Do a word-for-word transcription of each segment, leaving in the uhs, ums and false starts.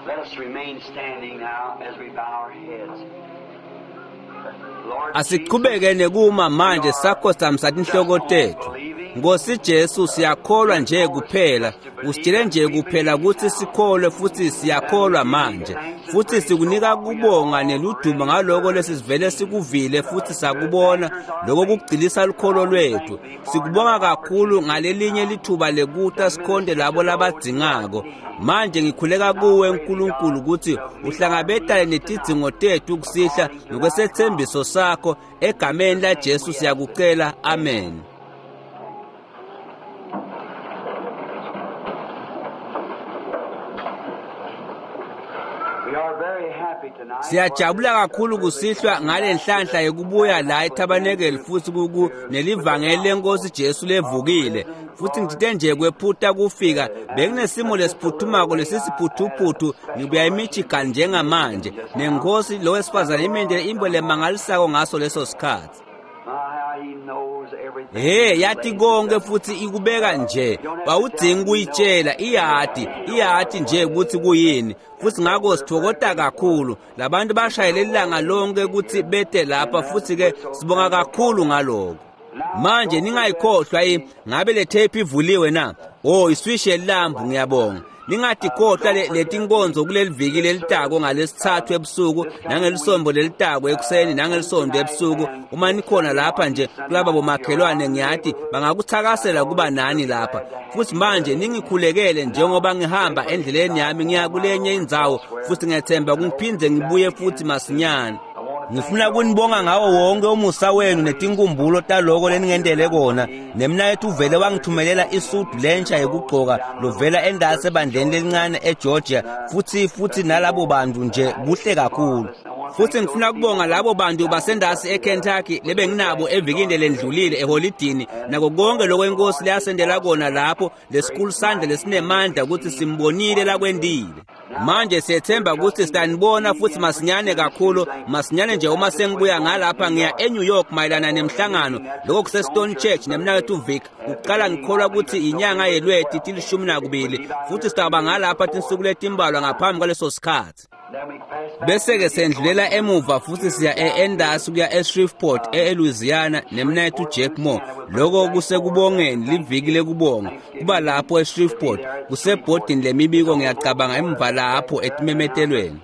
Let us remain standing now as we bow our heads. Lord Asiqhubeke nekuma manje sakhosamisa tinhloko tethu. Nkosi Jesu siyakholwa nje kuphela, usitshele nje kuphela kutsi sikholwe futsi siyakholwa manje. Futsi sikunika kubonga neludumo ngaloko lesivele sikuvile futsi sakubona, lokho kugcilisa lukholo lwethu. Sikubonga kakhulu ngalelinye lithuba lekuta sikhonde labo labadzingako. Manje ngikhuleka kuwe Nkulunkulu kutsi uhlangabetane netidzingo tethu kusihla ngokwesethembiso sakho, egameni la Jesu siyakucela, amen. We are very happy tonight. Siyajabula kakhulu kusihlwa ngale nhlanhla yokubuya la eTabernacle futhi kuku nelivangeli lenkosi Jesu levukile. Futhi ngithe nje kwephuta kufika bekunesimo lesiphuthumako lesisiphuthuphuthu, ngibuya eMichigan njengamanje nenkosi lo wesifazane imendele imbo lemangalisako ngaso leso sikhathi. Ah, how he knows everything. He yathi konke futhi ikubeka nje, awudzingi kuyitshela, iyati iyati nje ukuthi kuyini. Futhi ngakho sithokota kakhulu labantu bashayele ilanga lonke ukuthi bete lapha, futhi ke sibonga kakhulu ngaloko. Manje ningayikhohlwa i ngabe le tape ivuliwe na? Oh, iswishi yelambu, ngiyabonga. Ningatikhohlwa le letinkonzo kuleli viki lelitako ngalesithathu ebusuku nangelisonto lelitako ekuseni nangelisonto ebusuku. Uma nikhona lapha nje kulaba bomakhelwane, ngiyathi bangakuthakasela kuba nani lapha. Futhi manje ningikhulekele njengoba ngihamba endleleni yami ngiya kulenye indzawo, futhi ngiyethemba kungiphindze ngibuye futhi masinyane. Ngifuna kunibonga ngawo wonke umusa wenu netinkumbulo taloko leningendele kona. Nemnaketfu uvele wangithumelela isudu lentsha yekugcoka lovela endasi ebandleni lelincane eGeorgia, futhi futhi nalabo bantu nje kuhle kakhulu. Futhi ngifuna kubonga labo bantu basendasi eKentucky lebenginabo evikini lendlulile eholidini, nako konke lokho inkosi leyasendela kona lapho, lesikhulu sandla lesinemandla ukuthi simbonile lakwendile. Manje siyethemba ukuthi sitanibona futhi masinyane kakhulu, masinyane nje uma sengibuya ngalapha ngiya eNew York mayelana nemhlangano, lokho kuse-Stone Church nemnaketfu Vic. Ukuqala ngikholwa ukuthi inyanga yelweti tilishumi nakubili, futhi sitawuba ngalapha tinsuku letimbalwa ngaphambi kwaleso sikhathi. Then we pass back Bese ke sendlulela emuva futhi siya e-Endasi kuya eShreveport eLouisiana nemnaketfu Jack Moore. Lokho kusekubongeni, liviki lekubonga. Kuba lapho eShreveport kusebhodini lemibiko ngiyacabanga emva lapho etimemetelweni.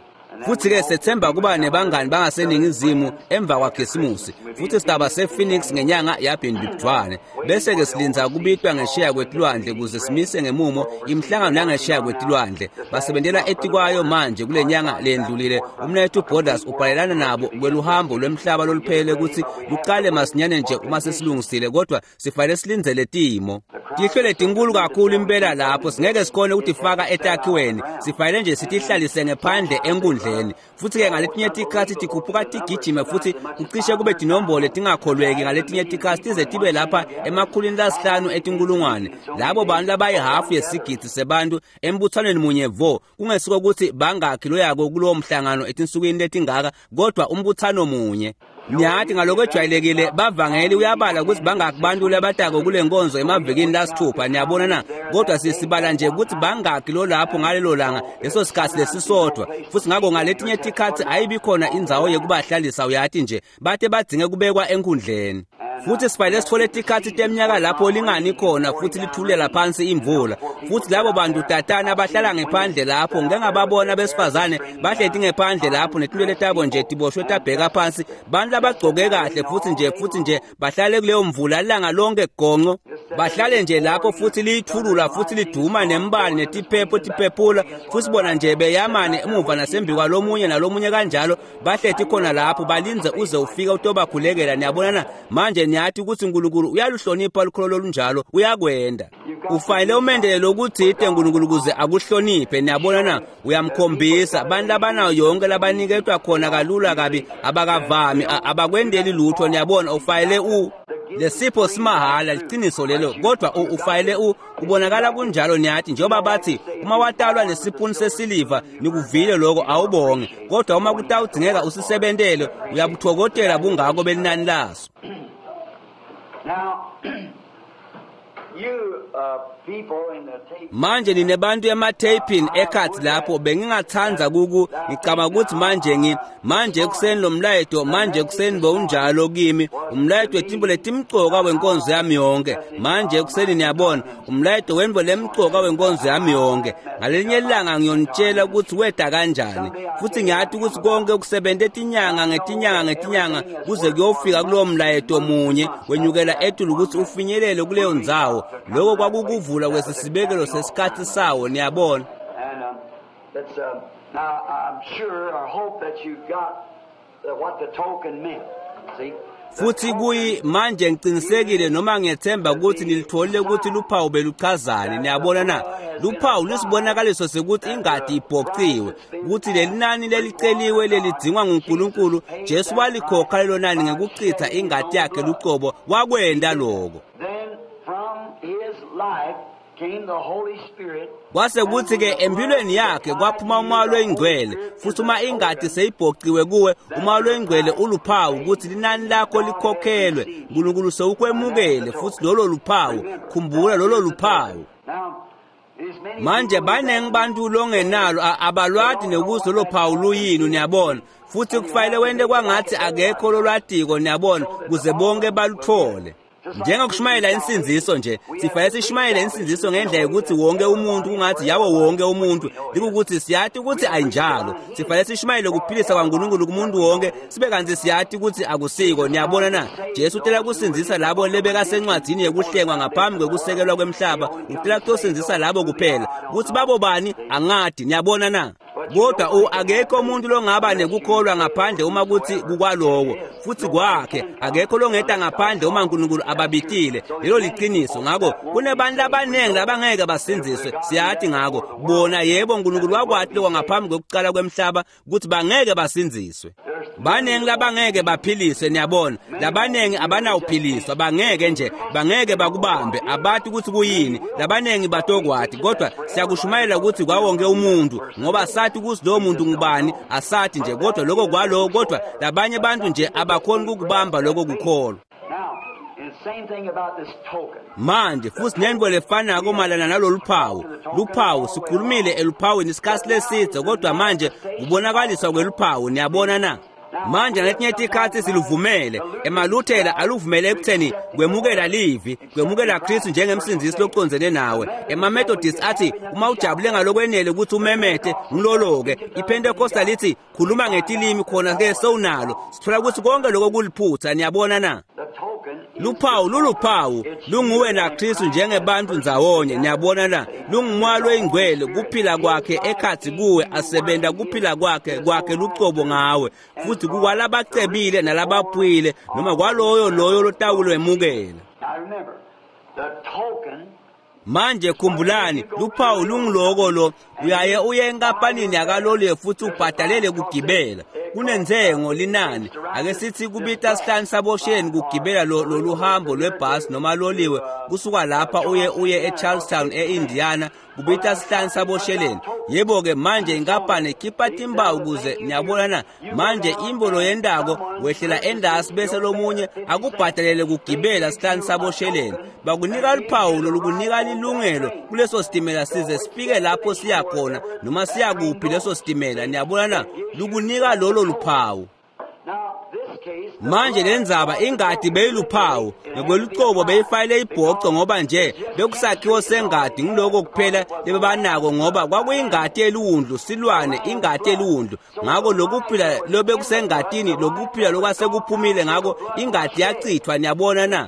Futhi ke sethemba kuba nebangani bangaseningizimu emva kwaKhisimusi. Futhi sitaba sePhoenix ngenyanga yaBhimbidvwane. Bese ke silinza kubitwa ngesheya kwetilwandle kuze simise ngemumo imihlangano yangesheya kwetilwandle. Basebentela etikwayo manje kule nyanga lendlulile. Umnaketfu Borders ubhalelana nabo kweluhambo lwemhlaba loluphele ukuthi luqale masinyane nje uma sesilungisile, kodwa sifanele silindzele timo. Tihlwele tinkulu kakhulu impela lapho singeke sikhone ukutifaka etakhiweni, sifanele nje sitihlalise ngephandle enkundleni. Futhi ke ngaletinye tikhatsi tikhuphuka tigijime futhi kucishe kube tinombolo tingakholweki ngaletinye tikhatsi tize tibe lapha emakhulwini lasihlanu etinkulungwane. Labo bantu labayihafu yesigidi sebantu embuthanweni munye vo, kungesiko ukuthi bangakhi loyako kulowo mhlangano etinsukwini letingaka, kodwa umbuthano munye. Niyathi ngaloko ejwayelekile bavangeli uyabala ukuthi bangaki bantu labatako kule nkonzo emavikini lasithupha, niyabona na? Kodwa sisibala nje ukuthi bangaki lo lapho ngalelo langa leso sikhathi lesisodwa. Futhi ngakho ngaletinye tikhatsi ayibi khona indzawo yekubahlalisa, uyathi nje bate badzinge kubekwa enkundleni. Futhi sifanele sithole tikhatsi teminyaka lapho lingani khona futhi lithulela phansi imvula. Futhi labo bantu tatana bahlala ngephandle lapho, ngike ngababona besifazane bahleti ngephandle lapho netinwele tabo nje tiboshwe tabheka phansi, bantu labagcoke kahle futhi nje futhi nje bahlale kuleyo mvula ilanga lonke gonco, bahlale nje lapho futhi liyithulula futhi liduma nembali netiphepho tiphephula, futhi bona nje beyamane emuva nasembi kwalomunye nalomunye kanjalo, bahleti khona lapho balinze uze ufike utobakhulekela. Niyabona na? Manje niyathi ukuthi uNkulunkulu uyaluhlonipha lukholo lolunjalo, uyakwenda. Ufanele umendele lokuthite uNkulunkulu ukuze akuhloniphe. Niyabona na? Uyamkhombisa abantu labanayo yonke labaniketwa khona kalula kabi, abakavami, abakwendeli lutho. Niyabona, ufanele u lesipho simahhala, liqiniso lelo, kodwa ufanele u kubonakala kunjalo. Niyathi njengoba bathi uma watalwa nesipuni sesiliva, nikuvile lokho, awubonge, kodwa uma kutawudzingeka usisebentele, uyabuthokotela bungako belinani laso. Now, Manje ninebantu ematheyphini ekhathi lapho bengingathanda kuku ngicabanga ukuthi manje ngi manje ekuseni lo mlayeto manje ekuseni bowunjalo kimi umlayeto wetimbo letimcoka wenkonzo yami yonke manje ekuseni niyabona umlayeto wembo lemcoka wenkonzo yami yonke ngalelinye ilanga ngiyonitshela ukuthi weda kanjani futhi ngiyathi ukuthi konke kusebente tinyanga ngetinyanga ngetinyanga kuze kuyofika kulowo mlayeto munye wenyukela etulu ukuthi ufinyelele kuleyo ndzawo. Lokho kwakukuvula kwesisibekelo sesikhathi sawo niyabona. And um, that's, uh, now I'm sure or hope that you got uh, what the token meant. See? Futhi kuyi manje ngiqinisekile noma ngiyethemba ukuthi nilitholile ukuthi luphawu beluchazani niyabona na. Luphawu lusibonakaliso sekuthi ingadi ibhociwe ukuthi leli nani leliceliwe lelidingwa nguNkulunkulu Jesu walikhokha lelo nani ngekuchitha ingadi yakhe lucobo wakwenda lokho. Then from his life came the Holy Spirit. Kwase kuthi ke empilweni yakhe kwaphuma umoya loyingcwele futhi uma ingadi seyibhociwe kuwe umoya loyingcwele uluphawu ukuthi linani lakho likhokhelwe uNkulunkulu sewukwemukele futhi lolo luphawu khumbula lolo luphawu. Now, there's many Manje baningi bantu longenalo abalwadi nekuthi lolo phawu luyini niyabona futhi kufanele wente kwangathi akekho lolwadiko niyabona kuze bonke baluthole. Njengokushumayela insindziso nje sifanele sishumayele insindziso ngendlela yokuthi wonke umuntu kungathi yawo wonke umuntu likukuthi siyathi ukuthi ayinjalo sifanele sishumayele ukuphilisa kwaNkulunkulu kumuntu wonke sibe kanti siyathi ukuthi akusiko niyabona na. Jesu utela kusindzisa labo lebekasencwadzini yekuhlengwa ngaphambi kwekusekelwa kwemhlaba utela kutosindzisa labo kuphela ukuthi babo bani angadi niyabona na. Kodwa akekho umuntu longaba nekukholwa ngaphandle uma kuthi kukwalowo futhi kwakhe akekho longeta ngaphandle uma uNkulunkulu ababitile lelo liqiniso. Ngakho kunebantu abaningi labangeke basindziswe siyathi ngakho bona yebo uNkulunkulu wakwati lokho ngaphambi kokuqala kwemhlaba ukuthi bangeke basindziswe. Baningi labangeke baphiliswe niyabona labaningi abanawuphiliswa bangeke nje bangeke bakubambe abathi ukuthi kuyini labaningi batokwati kodwa siyakushumayela ukuthi kwawonke umuntu ngoba sathi ukuthi lowo muntu ngubani asathi nje kodwa lokho kwalowo kodwa labanye abantu nje abakhoni ukubamba lokho kukholwa. Now, and same thing about this token. Manje futhi nento lefanako malana nalolu phawu luphawu sikhulumile eluphawini isikhathi lesidze kodwa manje kubonakaliswa kweluphawu niyabona na. Manje ngaletinye tikhatsi siluvumele emaluthela aluvumele ekutheni kwemukela livi kwemukela Kristu njengemsindzisi locondzene nawe. EmaMethodist athi uma ujabule ngalokwenele ukuthi umemete ngilolo-ke. IPentecostal lithi khuluma ngetilimi khona ke sewunalo. Sithola ukuthi konke lokho kuliphutha niyabona na. The token is Luphawu luluphawu lunguwe naKristu njengebantu ndzawonye niyabona na. Lungumoya loyingcwele kuphila kwakhe ekhathi kuwe asebenta kuphila kwakhe kwakhe lucobo ngawe futhi kukwalabacebile nalabaphuyile noma kwaloyo loyo lotawulwemukela. Now remember, the token Manje khumbulani luphawu lungiloko lo uyaye uye enkampanini yakaloliwe futhi ubhadalele kugibela kunenzengo linani ake sithi kubita sihlanu sabosheni kugibela lolu hambo lwebhasi noma loliwe kusuka lapha uye uye eCharlestown eIndiana kubita sihlanu sabosheleni. Yebo ke manje inkampani ikhipha timbawu kuze niyabona na. Manje imbolo yendako wehlela endasi bese lomunye akubhadalele kugibela sihlanu sabosheleni bakunika luphawu lolukunika lilungelo kuleso sitimela size sifike lapho siya khona noma siya kuphi leso sitimela niyabona na lukunika lolo luphawu. Now, this case, the Manje lenzaba ingadi beyiluphawu ngokwelucobo beyifayile ibhoco ngoba nje bekusakhiwo sengadi ngiloko kuphela lebebanako ngoba kwakuyingadi eliwundlu silwane ingadi eliwundlu ngakho lokuphila lobekusengadini lokuphila lokwasekuphumile ngakho ingadi yachithwa niyabona na.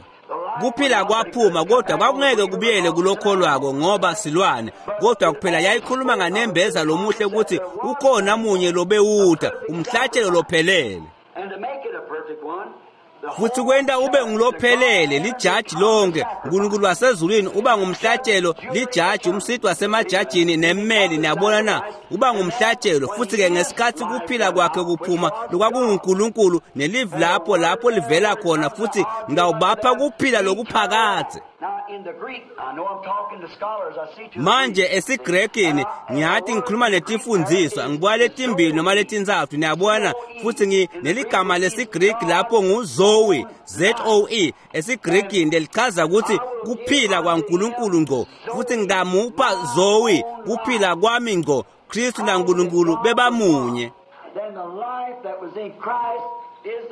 Kuphila kwaphuma kodwa kwakungeke kubuyele kulokholwako ngoba silwane kodwa kuphela yayikhuluma nganembeza lomuhle ukuthi ukhona munye lobewuda umhlatshelo lophelele and to make it a perfect one, the futhi kwenta ube ngulophelele lijaji lonke uNkulunkulu wasezulwini uba ngumhlatshelo lijaji umsiti wasemajajini nemmeli niyabona na uba ngumhlatshelo futhi ke ngesikhathi kuphila kwakhe kuphuma lokwakunguNkulunkulu nelivi lapho lapho livela khona futhi ngawubapha kuphila lokuphakadze. Manje esiGrekini ngiyathi ngikhuluma netifundiswa ngibuka letimbili noma letintsatfu niyabona futhi ngi neligama lesiGreki lapho nguZoe Z O E esiGrekini lelichaza ukuthi kuphila kwaNkulunkulu ngqo futhi ngingamupha Zoe kuphila kwami ngqo Kristu naNkulunkulu bebamunye.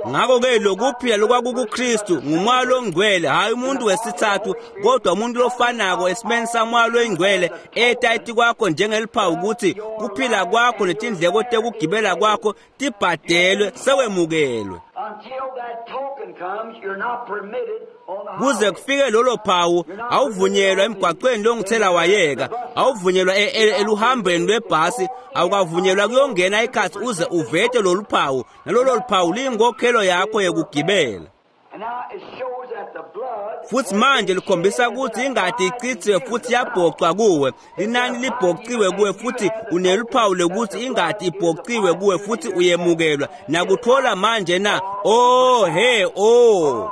Ngakho-ke lokuphila lokwakukuKristu ngumoya longcwele hhayi umuntu wesithathu kodwa umuntu lofanako esimeni samoya loyingcwele eta etikwakho njengeliphawu ukuthi kuphila kwakho netindleko tekugibela kwakho tibhadelwe sewemukelwe. Kuze kufike lolo phawu awuvunyelwa emgwaqweni longithela wayeka awuvunyelwa eluhambeni lwebhasi awukavunyelwa kuyongena ikhathi uze uvete lolu phawu nalolo luphawu liyinkokhelo yakho yekugibela. Futhi manje likhombisa ukuthi ingadi ichithiwe futhi yabhocwa kuwe linani libhociwe kuwe futhi uneluphawu lokuthi ingadi ibhociwe kuwe futhi uyemukelwa nakuthola manje na oh he oh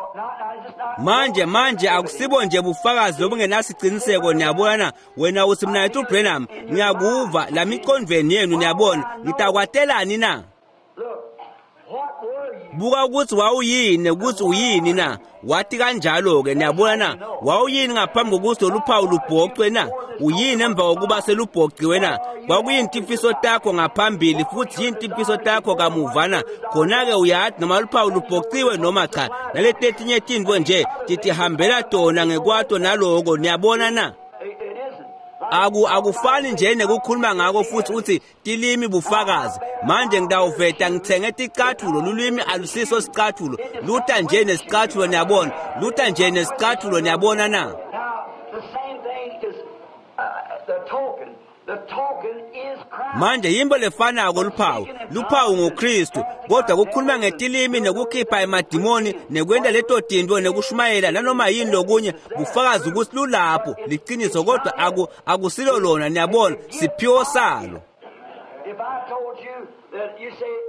manje manje akusibo nje bufakazi lobungenasiciniseko niyabona wena uthi mina yethu Branham ngiyakuva lamiqondweni yenu niyabona ngitakwatelani na buka ukuthi wawuyini ukuthi uyini na wathi kanjalo-ke niyabona na wawuyini ngaphambi kokuthi lolu phawu lubhocwe na uyini emva kokuba selubhociwe na kwakuyini timfiso takho ngaphambili futhi yini timfiso takho kamuva na khona-ke uyathi noma luphawu lubhociwe noma cha naleti letinye tintfo nje titihambela tona ngekwato naloko niyabona na Aku akufani nje nekukhuluma ngako futhi uthi tilimi bufakazi manje ngitawuveta ngithenge ticathulo lulwimi alusiso sicathulo luta nje nesicathulo niyabona luta nje nesicathulo niyabona na manje yimbo lefanako luphawu luphawu nguKristu kodwa kukhuluma ngetilimi nekukhipha emadimoni nekwenta leto tintfo nekushumayela nanoma yini lokunye bufakazi ukuthi lulapho liqiniso kodwa aku akusilo lona niyabona siphiwo salo.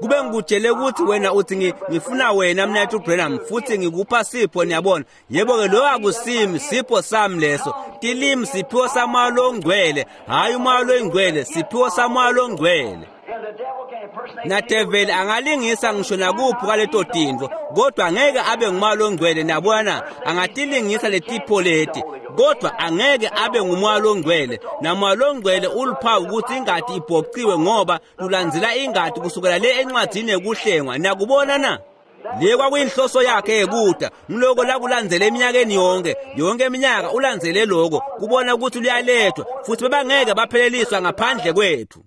Kube ngikutshele ukuthi wena uthi ngifuna wena mnethu Branham futhi ngikupha sipho niyabona yebo-ke loyo akusimi sipho sami leso tilimi siphiwo samoya longcwele hhayi umoya loyingcwele siphiwo samoya longcwele nadeveli angalingisa ngisho nakuphi kwaleto tintfo kodwa angeke abe ngumoya longcwele niyabona angatilingisa letipho leti kodwa angeke abe ngumoya longcwele namoya longcwele uluphawu ukuthi ingadi ibhociwe ngoba lulandzela ingadi kusukela le encwadzini yekuhlengwa niyakubona na le kwakuyinhloso yakhe yekuda ngiloko lakulandzele eminyakeni yonke yonke iminyaka ulandzele loko kubona ukuthi luyalethwa futhi bebangeke bapheleliswa ngaphandle kwethu.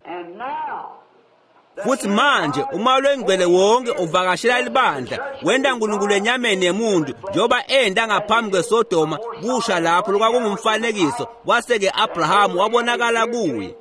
Futhi manje umoya longcwele wonke uvakashela libandla wenda uNkulunkulu enyameni yemuntu njengoba enda ngaphambi kweSodoma kusha lapho lokwakungumfanekiso wase-ke Abrahamu wabonakala kuye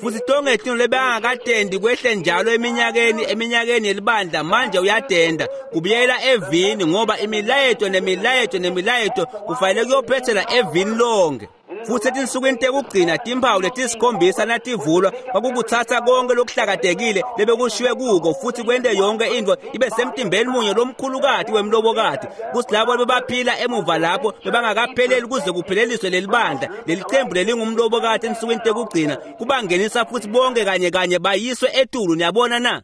futhi tonke tintfo lebangakatendi kwehle njalo eminyakeni eminyakeni yelibandla manje uyatenda kubuyela evini ngoba imilayeto nemilayeto nemilayeto kufanele kuyophethela evini lonke. Futhi etinsukwini tekugcina timphawu letisikhombisa nativulwa kwakukuthatha konke lokuhlakatekile lebekushiwe kuko futhi kwente yonke intfo ibe semtimbeni munye lomkhulukati wemlobokati kutsi labo bebaphila emuva lapho bebangakapheleli kuze kupheleliswe leli bandla leli qembu lelingumlobokati ensukwini tekugcina kubangenisa futhi bonke kanye kanye bayiswe etulu niyabona na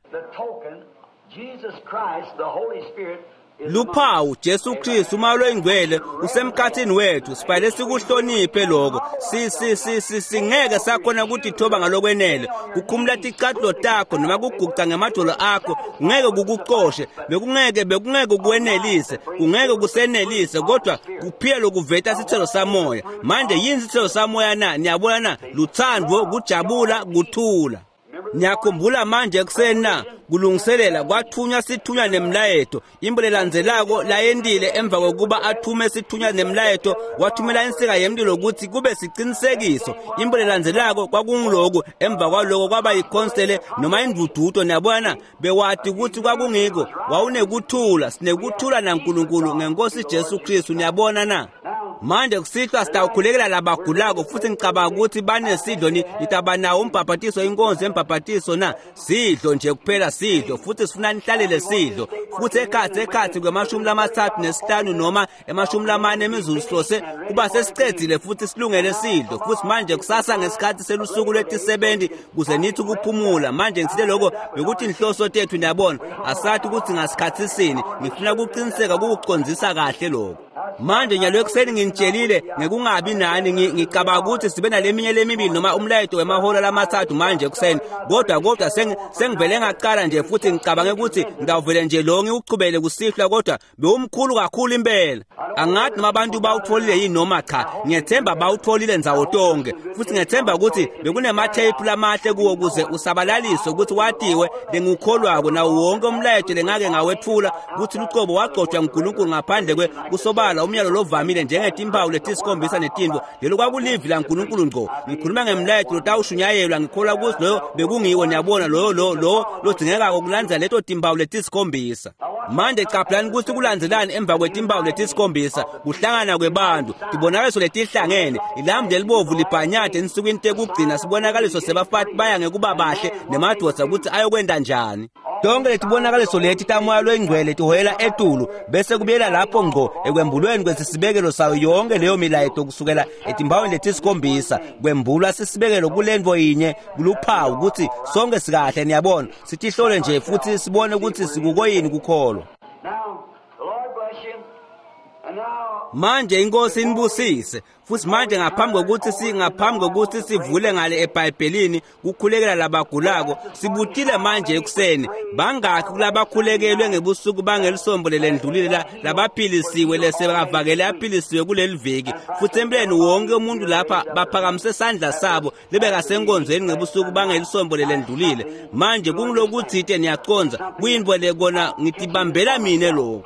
luphawu Jesu Kristu umoya loyingcwele usemkhathini wethu sifanele sikuhloniphe lokho si si si si singeke sakhona ukutithoba ngalokwenele kukhumula ticathulo takho noma kuguca ngemadolo akho kungeke kukucoshe bekungeke bekungeke kwenelise kungeke kusenelise kodwa kuphila lokuveta sithelo samoya manje yini sithelo samoya na niyabona na luthando kujabula kuthula. Niyakhumbula manje ekuseni na kulungiselela kwathunywa sithunywa nemlayeto imbo lelandzelako layendile emva kokuba athume sithunywa nemlayeto wathumela insika yemlilo ukuthi kube sicinisekiso imbo lelandzelako kwakunguloku emva kwaloko kwaba yikhonsele noma indududo niyabona bewati ukuthi kwakungiko wawunekuthula sinekuthula naNkulunkulu ngenkosi Jesu Kristu niyabona na Manje kusihlwa sitawukhulekela labagulako futhi ngicabanga ukuthi banesidlo nitaba nawo umbhabhatiso, inkonzo yembhabhatiso na sidlo nje kuphela sidlo, futhi sifuna nihlalele sidlo. Futhi ekhatsi ekhatsi kwemashumi lamathathu nesihlanu noma emashumi lamane emizuzu sihlose kuba sesicedzile futhi silungele sidlo. Futhi manje kusasa ngesikhathi selusuku lwetisebenzi kuze nithi ukuphumula. Manje ngithile lokho bekuthi inhloso tethu, niyabona, asathi ukuthi ngasikhathi sini. Ngifuna ukuqiniseka ukukucondzisa kahle lokho. Manje nyalo ekuseni nginitshelile ngekungabi nani, ngicabanga ukuthi sibe naleminye lemibili noma umlayeto wemahora lamathathu manje ekuseni, kodwa kodwa sengivele ngaqala nje futhi ngicabange ukuthi ngidawuvele nje lo ngiwuchubele kusihlwa, kodwa bewumkhulu kakhulu impela. Angathi noma abantu bawutholile yini noma cha, ngiyethemba bawutholile ndzawo tonke, futhi ngiyethemba ukuthi bekunematheyiphu lamahle kuwo ukuze usabalaliswe ukuthi watiwe lengikukholwako nawo wonke umlayeto lengake ngawethula ukuthi lucobo wagcotshwa nguNkulunkulu ngaphandle kwe kusobala umyalo lovamile njengetimpawu letisikhombisa netintfo. Lelo kwakulivi laNkulunkulu ngqo. Ngikhuluma ngemlayeto lotawushunyayelwa, ngikholwa ukuthi loyo bekungiwo, niyabona, loyo lo lo lodzingekako kulandzela leto timpawu letisikhombisa. Manje caphelani ukuthi kulandzelani emva kwetimpawu letisikhombisa, kuhlangana kwebantu, tibonakaliso letihlangene, ilambu lelibovu libhanyade ensukwini tekugcina, sibonakaliso sebafati baya ngekuba bahle nemadvodza ukuthi ayokwenta njani. Tonke letibonakaliso leti tamoya lwengcwele tihoyela etulu bese kubuyela lapho ngqo ekwembulweni kwesisibekelo sayo yonke leyo milayeto kusukela etimpawini letisikhombisa. Kwembulwa sisibekelo kulentfo yinye kuluphawu ukuthi sonke sikahle, niyabona. Sitihlole nje futhi sibone ukuthi sikukoyini kukholwa. Manje inkosi inibusise. Futhi manje ngaphambi kokuthi singaphambi kokuthi sivule ngale eBhayibhelini kukhulekela labagulako, sibutile manje ekuseni bangakhi kulabakhulekelwe ngebusuku bangelisombo lelendlulile labaphilisiwe lesebavakele aphilisiwe kuleli viki. Futhi empeleni wonke umuntu lapha baphakamise isandla sabo lebekasenkonzweni ngebusuku bangelisombo lelendlulile. Manje kungilokuthite niyaconza kuyintfo le kona ngitibambela mine lokho.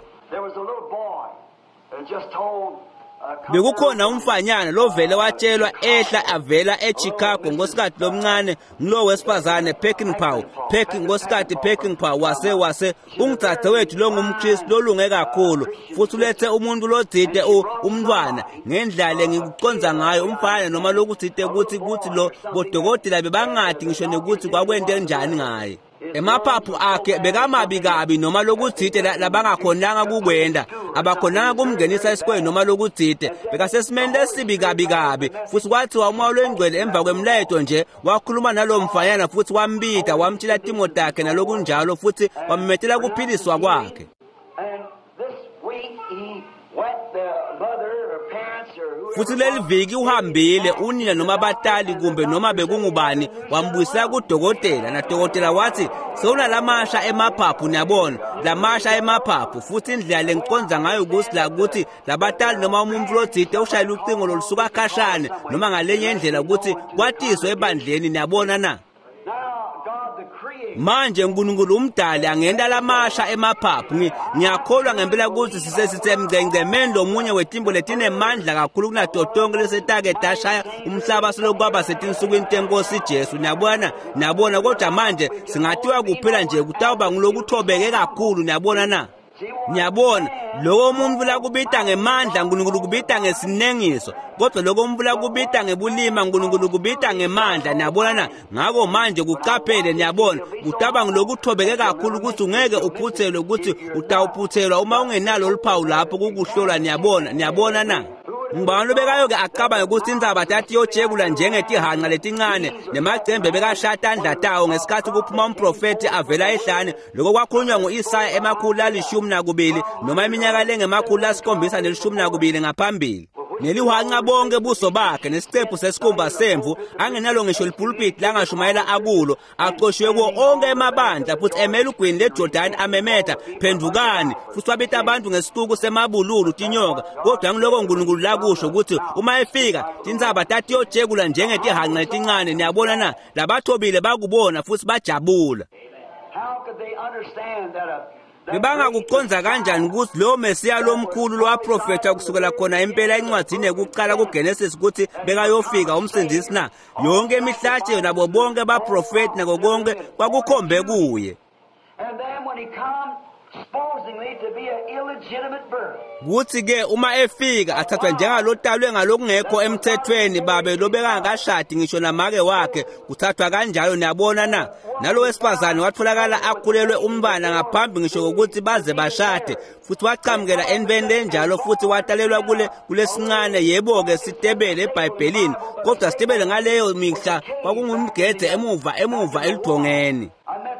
Bekukhona umfanyana lovele watshelwa ehla avela eChicago ngosikhathi lomncane ngilo wesifazane Peckinpah Peck ngosikhathi Peckinpah wase wase ungdzadzewethu longumKristu lolunge kakhulu futhi ulethe umuntu lotsite umntwana ngendlela ngikuconza ngayo umfana noma lokutsite ukuthi ukuthi lo bodokotela bebangadi ngisho nekuthi kwakwente njani ngaye. Emaphaphu akhe bekamabi kabi noma lokutsite labangakhonanga kukwenda, abakhonanga kumngenisa esikoleni noma lokutsite, bekasesimeni lesibi kabi kabi. Futhi kwathiwa umoya lwengcwele emva kwemlayeto nje wakhuluma nalo mfanyana futhi wambita wamtshela timo takhe nalokunjalo futhi wammetela kuphiliswa kwakhe. Futhi leli viki uhambile unina noma abatali kumbe noma bekungubani wambuyisela kudokotela, nadokotela wathi sewunalamasha emaphaphu, niyabona, lamasha emaphaphu. Futhi indlela lengiconza ngayo ukuthi la ukuthi labatali noma umuntu lotsite ushayela ucingo lolusuka khashane noma ngalenye indlela ukuthi kwatiswe ebandleni, niyabona na. Manje uNkulunkulu umdali angenta lamasha emaphaphu. Ngiyakholwa ngempela ukuthi sisesisemgcengcemeni lomunye wetimbo letinemandla kakhulu kunato tonke lesetake tashaya umhlaba selokwaba setinsukwini tenkosi Jesu, niyabona, niyabona. Kodwa manje singatiwa kuphela nje kutawuba ngulokuthobeke kakhulu, niyabona na. Niyabona, lokho umuntu lakubita ngemandla uNkulunkulu kubita ngesinengiso, kodwa lokho umuntu lakubita ngebulima uNkulunkulu kubita ngemandla, niyabona na. Ngakho manje kuqaphele, niyabona, kutaba ngilokuthobeke kakhulu ukuthi ungeke uphuthelwe ukuthi utawuphuthelwa uma ungenalo oluphawu lapho kukuhlolwa, niyabona, niyabona na. Ngibani lobekayo-ke acabange ukuthi indzaba tatiyojekula njengetihanqa letincane nemacembe bekashaya tandla tawo ngesikhathi kuphuma umprofethi avela ehlane. Lokho kwakhulunywa ngu-Isaya emakhulu alishumi nakubili noma iminyaka lengemakhulu lasikhombisa nelishumi nakubili ngaphambili. Nelihanqa bonke buso bakhe nesicephu sesikhumba semvu angenalo ngisho lipulpiti langashumayela akulo, axoshiwe kuwo onke emabandla futhi emele ugwini leJordani amemeta phendukani, futhi wabita abantu ngesixuku semabululu tinyoka. Kodwa ngiloko uNkulunkulu lakusho ukuthi uma efika tintsaba tatiyojekula njengetihanqa letincane, niyabona na. Labathobile bakubona futhi bajabula. Bebangakuconza kanjani ukuthi lo Mesiya lomkhulu lowaprofetha kusukela khona impela encwadzini yekuqala kuGenesis ukuthi bekayofika umsindisi na? Yonke imihlatshelo nabo bonke baprofethi nako konke kwakukhombe kuye. supposedly to be an illegitimate birth. Kuthi-ke uma efika athathwa njengalotalwe ngalokungekho emthethweni babe lobekangakashadi ngisho namake wakhe kuthathwa kanjalo niyabona na nalo wesifazane watholakala akhulelwe umntwana ngaphambi ngisho kokuthi baze bashade futhi wachamukela entweni lenjalo futhi watalelwa kule kulesincane yebo-ke sitebele ebhayibhelini kodwa sitebele ngaleyo mihla kwakungumgede emuva emuva eludongeni.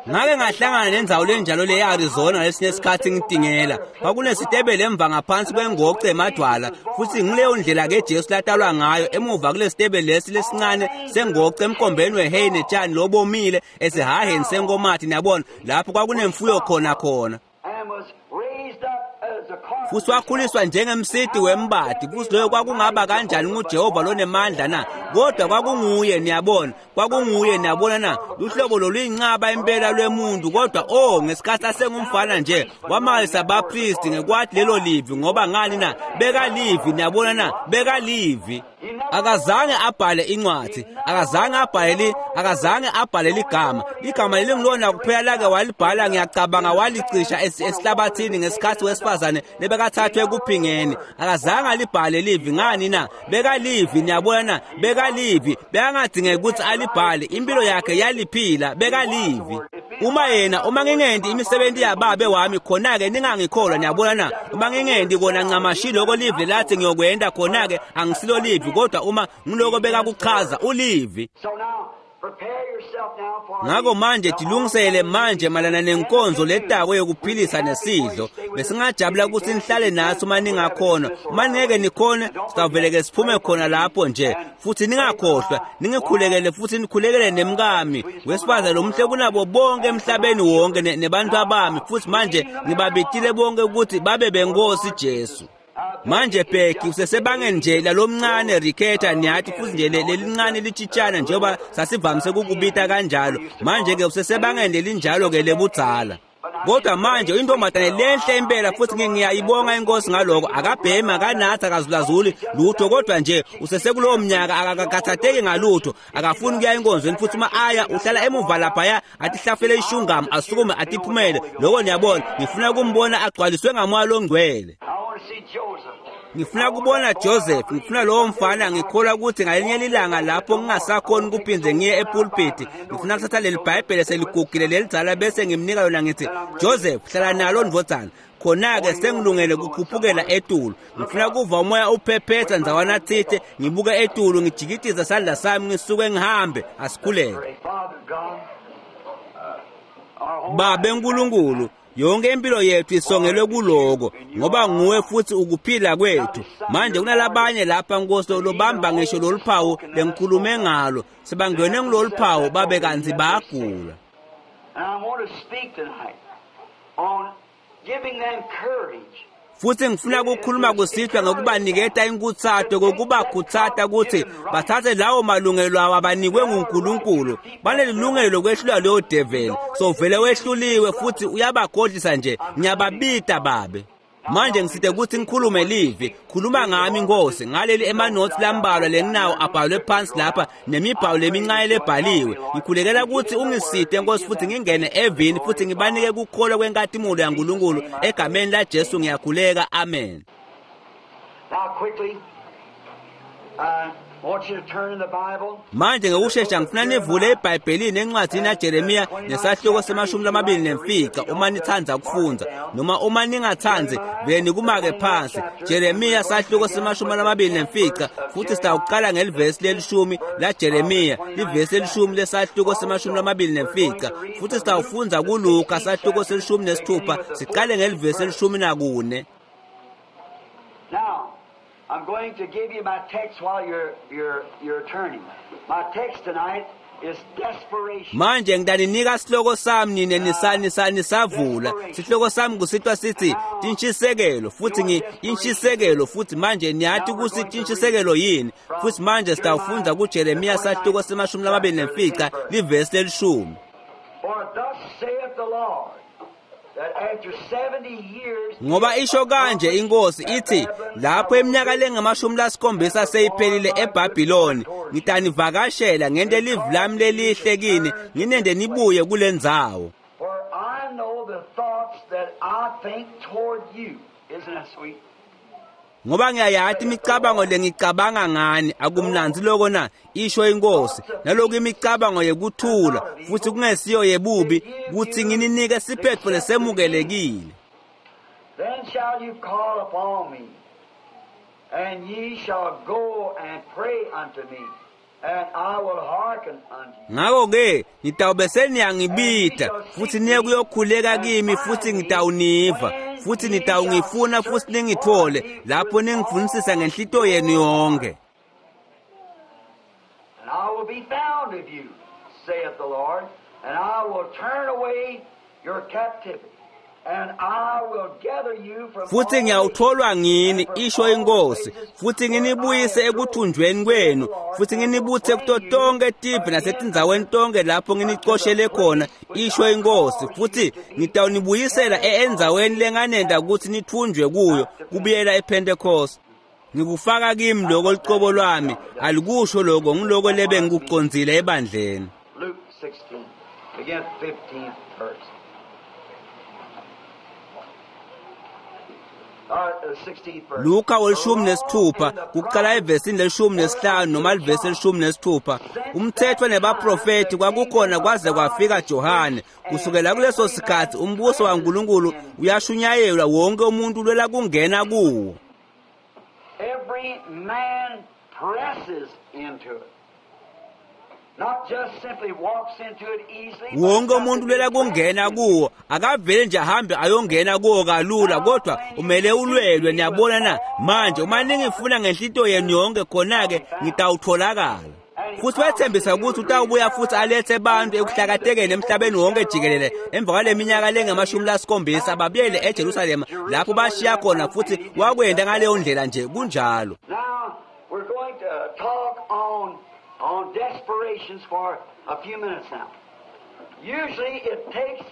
Ngake ngahlangana nendzawo lenjalo le e-Arizona lesinye isikhathi ngitingela kwakunesitebele emva ngaphansi kwengoce emadwala futhi ngileyo ndlela-ke Jesu latalwa ngayo emuva kule sitebele lesi lesincane sengoce emkhombeni weheyi netshani lobomile esihaheni senkomathi niyabona lapho kwakunemfuyo khona khona And was raised up as a carpenter. Futhi wakhuliswa njengemsiti wembadi futhi loyo kwakungaba kanjani nguJehova lonemandla na kodwa kwakunguye niyabona kwakunguye niyabona na luhlobo loluyincaba impela lwemuntu kodwa oh ngesikhathi asengumfana nje wamangalisa abapristi ngekwathi lelo livi ngoba ngani na bekalivi niyabona na bekalivi akazange abhale incwadi akazange abhale akazange abhale ligama igama lelingilona kuphela lake walibhala ngiyacabanga walicisha esihlabathini ngesikhathi wesifazane lebekathathwe ekuphingeni akazange alibhale livi ngani na bekalivi niyabona na bekalivi bekangadingeki ukuthi alibhale impilo yakhe yaliphila bekalivi uma yena uma ngingendi imisebenzi yababe wami khona-ke ningangikholwa niyabona na uma ngingendi kona ncamashi loko livi lathi ngiyokwenda khona-ke angisilo livi kodwa uma ngiloko bekakuchaza ulivi. So now, prepare yourself now for Ngakho manje tilungisele manje malana nenkonzo letako yokuphilisa nesidlo besingajabula ukuthi nihlale nathi uma ningakhona uma ningeke nikhone sitawuvele-ke siphume khona lapho nje futhi ningakhohlwa ningikhulekele futhi nikhulekele nemkami wesifazane lomuhle kunabo bonke emhlabeni wonke nebantu abami futhi manje ngibabitile bonke ukuthi babe benkosi Jesu. Manje Bheki usesebangeni nje lalomncane Riketa niyathi futhi nje lelincane litshitshana njengoba sasivamise ukukubita kanjalo manje ke usesebangeni lelinjalo ke lebudzala kodwa manje intombazane lenhle impela futhi ngiyayibonga inkosi ngaloko akabhemi akanathi akazulazuli lutho kodwa nje usesekulowo mnyaka akakathatheki ngalutho akafuni ukuya enkonzweni futhi uma aya uhlala emuva laphaya atihlafele ishungamu asukume atiphumele loko niyabona ngifuna ukumbona agcwaliswe ngamoya longcwele. I want to see Joseph. Ngifuna kubona Joseph ngifuna lowo mfana ngikholwa ukuthi ngalinye lilanga lapho ngingasakhoni ukuphinde ngiye epulpit ngifuna kuthatha leli Bhayibheli seligugile lelidzala bese ngimnika yona ngithi Joseph hlala nalo ndvodzana khona-ke sengilungele kukhuphukela etulu ngifuna kuva umoya uphephetha ndzawana thithe ngibuke etulu ngijikitiza sandla sami ngisuke ngihambe asikhuleke. Father God, our whole Babe nkulunkulu yonke impilo yethu isongelwe kuloko ngoba nguwe futhi ukuphila kwethu manje kunalabanye lapha nkosi lobamba ngisho lolu phawu lengikhulume ngalo sebangene ngilolu phawu babe kanti bayagula. And I want to speak tonight on giving them courage. Futhi ngifuna ukukhuluma kusihlwa ngokubaniketa inkuthato kokubakhuthata ukuthi bathathe lawo malungelo awo abanikwe nguNkulunkulu banelilungelo lokwehlula leyo develi so vele wehluliwe futhi uyabakhohlisa nje ngiyababita babe manje ngiside ukuthi ngikhulume livi khuluma ngami Nkosi ngaleli emanothi lambalwa lenginawo abhalwe phansi lapha nemibhalo lemincane lebhaliwe ngikhulekela ukuthi ungiside Nkosi futhi ngingene evini futhi ngibanike kukholwa kwenkatimulo yaNkulunkulu egameni la Jesu ngiyakhuleka amen. Now quickly, I want you to turn in the Bible. Manje ngokushesha ngifuna nivule eBhayibhelini encwadini yaJeremiya nesahluko semashumi lamabili nemfica uma nithanda ukufunda noma uma ningathandi vele nikumake phansi Jeremiya sahluko semashumi lamabili nemfica futhi sitawuqala ngelivesi lelishumi la Jeremiya livesi lelishumi lesahluko semashumi lamabili nemfica futhi sitawufundza kuLuka sahluko selishumi nesithupha siqale ngelivesi elishumi nakune. Now, I'm going to give you my text while you're, you're, you're turning. My text tonight is desperation. Manje ngidaninika sihloko sami nine nisani sani savula sihloko sami kusitwa sithi tinshisekelo futhi ngi inshisekelo futhi manje niyathi ukuthi tinshisekelo yini futhi manje sitawufunda kuJeremiya sahluko semashumi lamabili nemfica livesi lelishumi. For thus saith the Lord, that after seventy years Ngoba isho kanje inkosi ithi lapho eminyaka lengamashumi lasikhombisa seyiphelile eBhabhiloni ngitanivakashela ngente livi lami lelihle kini nginende nibuye kule ndzawo. For I know the thoughts that I think toward you. Isn't that sweet? Ngoba ngiyayati imicabango lengicabanga ngani, akumnandzi loko na, isho inkosi, naloku imicabango yekuthula futhi kungesiyo yebubi, kutsi ngininike siphetfo lesemukelekile. Then shall you call upon me, and ye shall go and pray unto me, and I will hearken unto you. Ngako-ke nitawube seniyangibita futhi niye kuyokhuleka kimi, futhi ngitawuniva, futhi nitawungifuna futhi ningithole lapho ningifunisisa ngenhlito yenu yonke. And I will be found of you, saith the Lord, and I will turn away your captivity, and I will gather you from Futhi all ngiyawutholwa ngini, isho inkosi, futhi nginibuyise ekuthunjweni kwenu, futhi nginibuthe kuto tonke tive nasetindzaweni tonke lapho nginicoshele khona, isho inkosi, futhi ngitawunibuyisela endzaweni lenganenda kutsi nithunjwe kuyo, kubuyela ePentecost. Ngikufaka kimi lokho lucobo lwami, alikusho lokho, ngiloko lebe ngikucondzile ebandleni. Luke sixteen, begin fifteenth verse. Luka welishumi nesithupha kuqala evesini leshumi nesihlanu noma livesi elishumi nesithupha. Umthetho nebaprofeti kwakukhona kwaze kwafika Johane. Kusukela kuleso sikhathi umbuso waNkulunkulu uyashunyayelwa, wonke umuntu ulwela kungena kuwo. Every man presses into it. Not just simply walks into it easily. Wonke umuntu ulwela kungena kuwo, akavele nje ahambe ayongena kuwo kalula, kodwa umele ulwelwe. Niyabona na? Manje uma ningifuna ngenhlito yenu yonke, khona-ke ngitawutholakala. Futhi wethembisa ukuthi utawubuya futhi alethe abantu ekuhlakatekeni emhlabeni wonke jikelele emva kwale minyaka lengamashumi lasikhombisa, babuyele eJerusalema lapho bashiya khona, futhi wakwenda ngaleyo ndlela nje. Kunjalo. Now we're going to talk on on desperations for a few minutes now. Usually it takes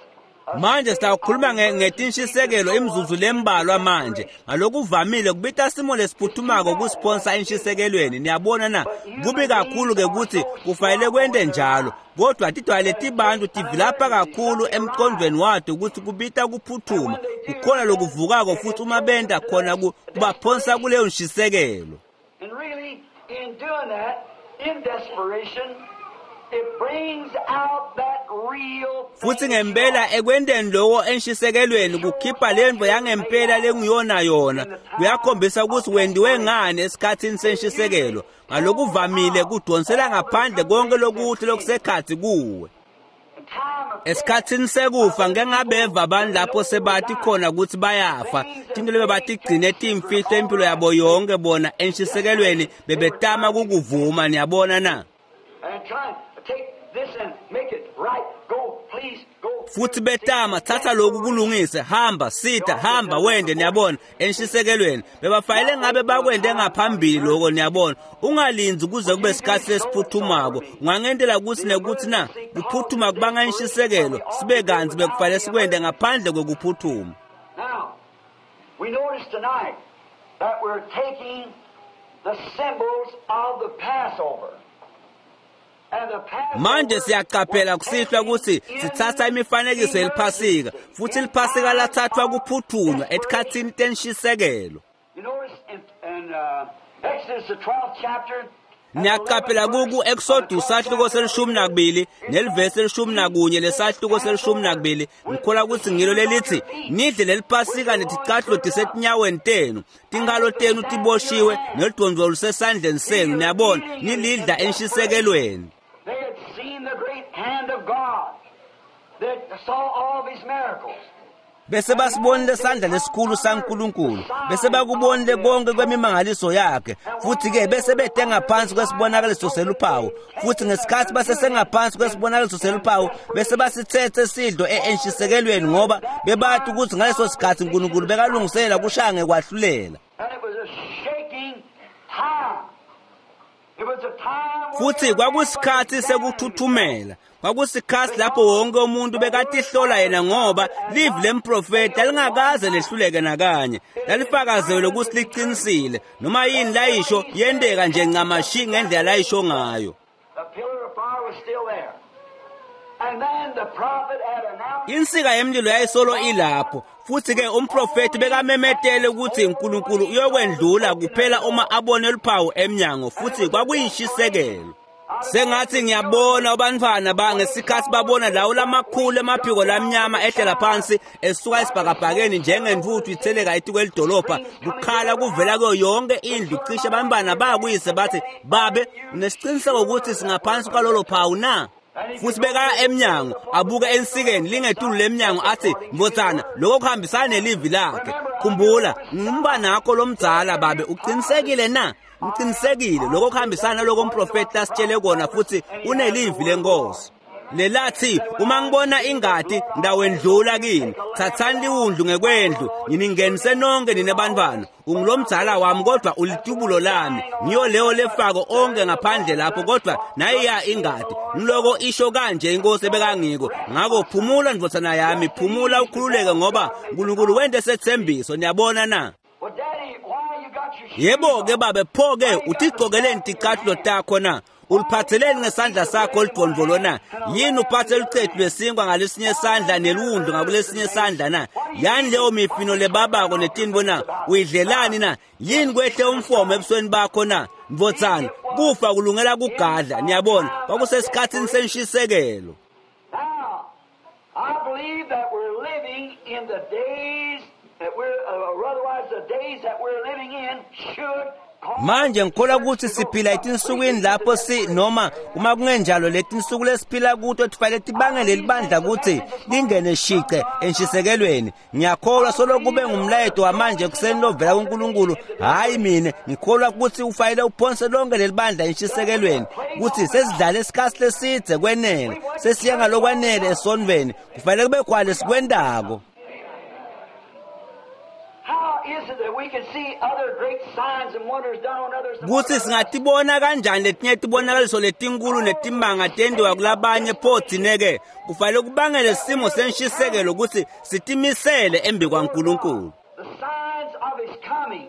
a Manje sitawukhuluma ngetintshisekelo imizuzu lembalwa manje. Ngalokuvamile kubita simo lesiphuthumako kusiphonsa entshisekelweni. Niyabona na? Kubi kakhulu ke ukuthi kufanele kwente njalo, kodwa tidwale tibantu tivilapha kakhulu emqondweni wato ukuthi kubita kuphuthuma. Kukhona lokuvukako futhi uma benta khona kubaphonsa kuleyo ntshisekelo. And really in doing that, in desperation, it brings out that real Futhi ngempela ekwenteni lokho enshisekelweni kukhipha lento yangempela lengiyona yona. Kuyakhombisa ukuthi wendiwe ngani esikhathini senshisekelo. Ngalokuvamile kudonsela ngaphandle konke lokuhle lokusekhathi kuwe. Esikhathini sekufa ngeke ngabeva abantu lapho sebathi khona ukuthi bayafa, tinto lebe batigcine timfihlo impilo yabo yonke bona enshisekelweni bebetama kukuvuma. Niyabona na? Futhi betama thatha lokhu kulungise, hamba sitha, hamba wende. Niyabona, enshisekelweni bebafanele ngabe bakwende ngaphambili lokho. Niyabona, ungalinzi kuze kube isikhathi lesiphuthumako. Ungangentela ukuthi nekuthi na kuphuthuma kubanga inshisekelo, sibe kanzi bekufanele sikwende ngaphandle kwekuphuthuma. Now we notice tonight that we're taking the symbols of the Passover. Manje siyaqaphela kusihlwa ukuthi sithatha imifanekiso yeliphasika, futhi iliphasika lathathwa kuphuthunywa etikhathini tenshisekelo. Niyaqaphela kuku Exodus sahluko selishumi nakubili nelivesi elishumi nakunye lesahluko selishumi nakubili. Ngikholwa ukuthi ngilo lelithi nidle leliphasika neticathulo tisetinyaweni tenu, tingalo tenu tiboshiwe nelidvondvo lusesandleni senu. Niyabona, nilidla enshisekelweni. They had seen the great hand of God. They saw all of his miracles. Bese basibonile sandla lesikhulu saNkulunkulu, bese bakubonile konke kwemimangaliso yakhe, futhi ke bese bede ngaphansi kwesibonakaliso seluphawu. Futhi ngesikhathi basesengaphansi kwesibonakaliso seluphawu, bese basithethe sidlo enshisekelweni, ngoba bebathi ukuthi ngaleso sikhathi uNkulunkulu bekalungisela kushaya ngekwahlulela. And it was a shaking time. It was a time where Futhi kwakusikhathi sekuthuthumela, kwakusikhathi lapho wonke umuntu bekatihlola yena, ngoba livi lemprofeti lalingakaze lehluleke nakanye, lalifakazelwe ukuthi liqinisile. Noma yini layisho yenteka nje ncamashi ngendlela layisho ngayo. The pillar of fire was still there. And then the prophet had announced Insika yemlilo yayisolo ilapho futhi ke umprofeti bekamemetele ukuthi uNkulunkulu uyokwendlula kuphela uma abone luphawu emnyango futhi kwakuyishisekelo. Sengathi ngiyabona abantwana ba ngesikhathi babona lawo lamakhulu emaphiko lamnyama ehlela phansi esuka esibhakabhakeni njengentuthu itheleka etikwelidolobha kukhala kuvela kuyo yonke indlu cishe abantwana bayakuyise bathi babe unesiqiniseko ukuthi singaphansi kwalolo phawu na? Futhi bekaya emnyango abuke ensikeni lingetulu lemnyango athi mvotsana lokho kuhambisana nelivi lakhe. Khumbula ngumbanakho lomdzala babe uqinisekile na? Ngiqinisekile lokho kuhambisana naloko umprofeti asitshele kona futhi unelivi lenkosi. Lelathi uma ngibona ingati ndawendlula kini thathani liwundlu ngekwendlu nginingenise nonke nine bantwana ungilomdzala wami kodwa ulitubulo lami ngiyo leyo lefako onke ngaphandle lapho kodwa nayiya ingati ngiloko isho kanje inkosi ebekangiko. Ngakho phumula ndvodzana yami phumula ukhululeke ngoba uNkulunkulu wente sethembiso. Niyabona na? Well, Daddy, why you got your shoes Yebo ke on? babe pho ke utigcokeleni ticathulo takho na? Uliphatheleni ngesandla sakho oludvondvolo na? Yini uphathe lucetu lwesinkwa ngalesinye isandla neliwundlu ngakulesinye isandla na? Yani leyo mifino lebabako netintfo na? Uyidlelani na? Yini kwehle umfomo ebusweni bakho na? Mvotsana, kufa kulungela kugadla. Niyabona, kwakusesikhatsini senshisekelo. Now, I believe that we're living in the days that we're, uh, or otherwise the days that we're living in should cause Manje ngikholwa ukuthi siphila etinsukwini lapho si noma uma kungenjalo letinsuku lesiphila kuto tifanele tibangele libandla ukuthi lingene shice enshisekelweni. Ngiyakholwa solo kube ngumlayeto wamanje kuseni lovela kuNkulunkulu. Hayi mina ngikholwa ukuthi ufanele uphonse lonke lelibandla enshisekelweni ukuthi sesidlale isikhathi lesidze kwenele sesiya ngalokwanele esonveni kufanele kube khona lesikwentako. How is it that we can see other great signs and wonders done on others? Kutsi singatibona kanjani letinye tibonakaliso letinkulu netimanga tentiwa kulabanye pho thine-ke kufanele kubangele simo senshisekelo ukuthi sitimisele embi kwaNkulunkulu. The signs of His coming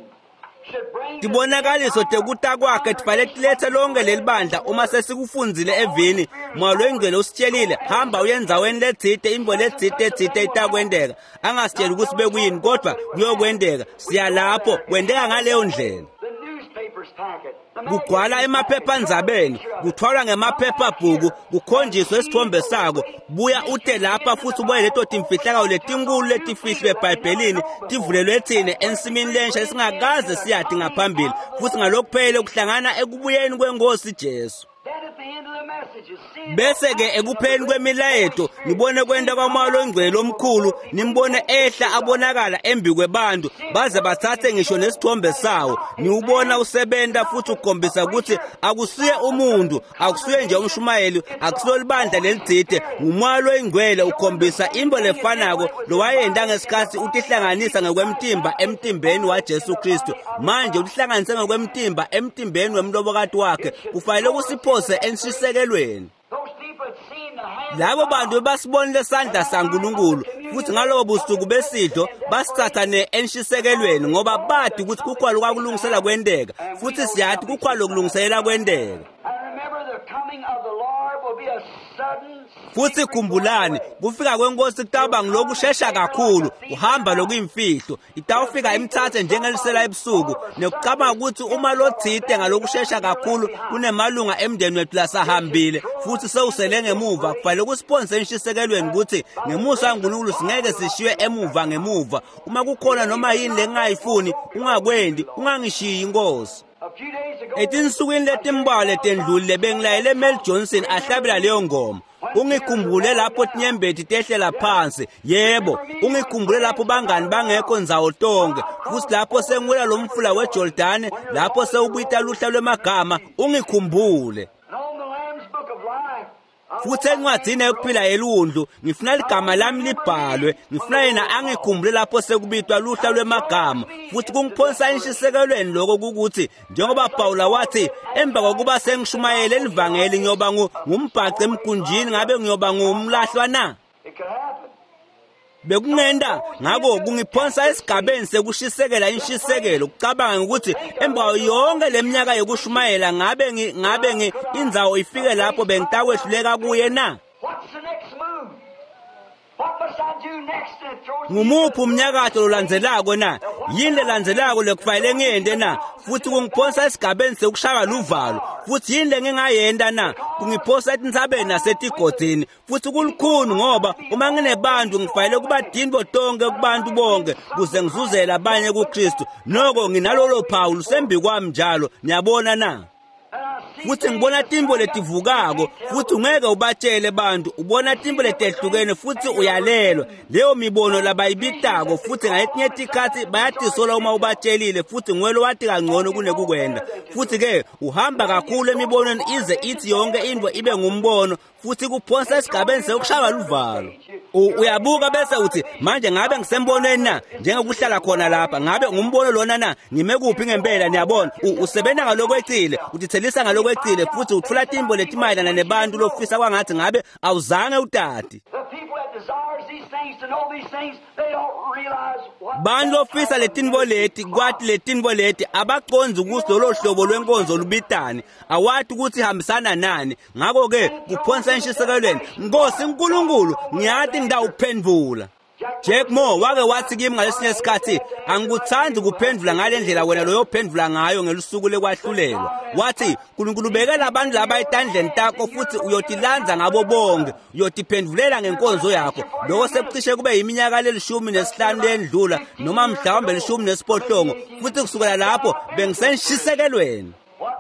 should bring the Tibonakaliso tekuta kwakhe tifanele tilethe lonke leli bandla uma sesikufundzile evini Moya loyingcwele usitshelile hamba uye endzaweni letsite intfo letsite etsite itakwenteka angasitsheli ukuthi bekuyini kodwa kuyokwenteka siya lapho kwenteka ngaleyo ndlela. the newspapers pack it. The Kugcwala magazines pack it. emaphephandzabeni kuthwalwa ngemaphephabhuku kukhonjiswe isithombe sako buya ute lapha futhi ubuye leto timfihlakalo letinkulu letifihlwe ebhayibhelini tivulelwe thine ensimini lensha esingakaze siyati ngaphambili futhi ngalokuphelele kuhlangana ekubuyeni kwenkosi Jesu. Then at the end of the messages, see Bese ke ekupheleni kwemilayeto nibone kwenta kwaMoya loNgcwele omkhulu nimbone ehla abonakala embi kwebantu baze bathathe ngisho nesithombe sawo niwubona usebenta futhi ukhombisa ukuthi akusiye umuntu akusiye nje umshumayeli akusilo libandla lelitsite nguMoya loyingcwele ukhombisa intfo lefanako lowayenta ngesikhathi utihlanganisa ngekwemtimba emtimbeni waJesu Kristu. Manje utihlanganise ngekwemtimba emtimbeni wemlobokati wakhe kufanele kusiphose enshisekelweni. those people had seen the hand Labo bantu basibonile sandla saNkulunkulu futhi ngalobo busuku besidlo basithatha ne enshisekelweni ngoba bati ukuthi kukhona kwakulungisela kwenteka futhi siyathi kukhona lokulungiselela kwenteka. And remember, the coming of the Lord will be a sudden Futhi khumbulani kufika kwenkosi kutawuba ngilokushesha kakhulu uhamba lokuyimfihlo itawufika imthathe njengelisela ebusuku nekucabanga ukuthi uma lotsite ngalokushesha kakhulu kunemalunga emndeni wethu lasahambile futhi sewusele ngemuva kufanele kusiphonse enshisekelweni ukuthi ngemusa kaNkulunkulu singeke sishiywe emuva ngemuva uma kukhona noma yini lengingayifuni ungakwendi ungangishiyi inkosi. A few days ago, Etinsukwini letimbalwa letendlulile bengilayele Mel Johnson ahlabela leyo ngoma. Ungikhumbule lapho tinyembeti tehlela phansi. Yebo, ungikhumbule lapho bangani bangekho ndzawo tonke. Futhi lapho sengiwela lo mfula weJordani, lapho sewubita luhla lwemagama, ungikhumbule. and on the Lamb's Book of Life, I Futhi encwadini yokuphila yelundlu ngifuna ligama lami libhalwe ngifuna yena angikhumbule lapho sekubitwa luhla lwemagama futhi kungiphonsa enshisekelweni lokho kukuthi njengoba Pawula wathi emva kokuba sengishumayele elivangeli ngiyoba ngu- ngumbhaco emgunjini ngabe ngiyoba ngumlahlwa na? It could happen. Bekungenta ngako kungiphonsa esigabeni sekushisekela inshisekelo kucabanga ukuthi emva yonke leminyaka yokushumayela ngabe ngi ngabe ngi indzawo ifike lapho bengitawehlulela kuye na? What's the next Ngumuphi umnyakato lolandzelako na? Yini lelandzelako lekufanele ngiyente na? Futhi kungiphonsa esigabeni sekushaywa luvalo. Futhi yini lengingayenta na? Kungiphosa etintsabeni nasetigodini. Futhi kulukhuni ngoba uma nginebantu ngifanele kuba tintfo tonkhe kubantu bonke kuze ngizuzele abanye kuKristu. Noko nginalolo phawu lusembi kwami njalo. Niyabona na? Futhi ngibona tintfo letivukako, futhi ungeke ubatshele bantu. Ubona tintfo letehlukene futhi uyalelwa leyo mibono labayibitako, futhi ngaletinye tikhatsi bayatisola uma ubatshelile, futhi nguwe lowati kangcono kunekukwenda. Futhi-ke uhamba kakhulu emibonweni ize ithi yonke intfo ibe ngumbono, futhi kuphonsa esigabeni sekushaywa luvalo. Uyabuka bese uthi, manje ngabe ngisembonweni na? Njengokuhlala khona lapha, ngabe ngumbono lona na? Ngime kuphi ngempela? Niyabona, usebenza ngalokwecile, utithelisa ngalokwecile, futhi utfula tintfo letimayelana nebantu lofisa kwangathi ngabe awuzange utati. Bantu lofisa letintfo leti, kwati letintfo leti, abacondzi ukuthi lolo hlobo lwenkonzo lubitani, awati ukuthi ihambisana nani. Ngakho-ke kuphonsa enshisekelweni, Nkosi Nkulunkulu, ngiyati ngitawuphendvula. Jack Moore wake wathi kimi ngalesinye isikhathi, angikuthandi kuphendvula ngale ndlela wena loyophendvula ngayo ngelusuku lekwahlulelwa. Wathi, Nkulunkulu ubekela abantu laba etandleni takho futhi uyotilandza ngabo bonke, uyotiphendvulela ngenkonzo yakho. Lokho sekucishe kube yiminyaka lelishumi nesihlanu lendlula, noma mhlawumbe lishumi nesiphohlongo, futhi kusukela lapho bengisenshisekelweni.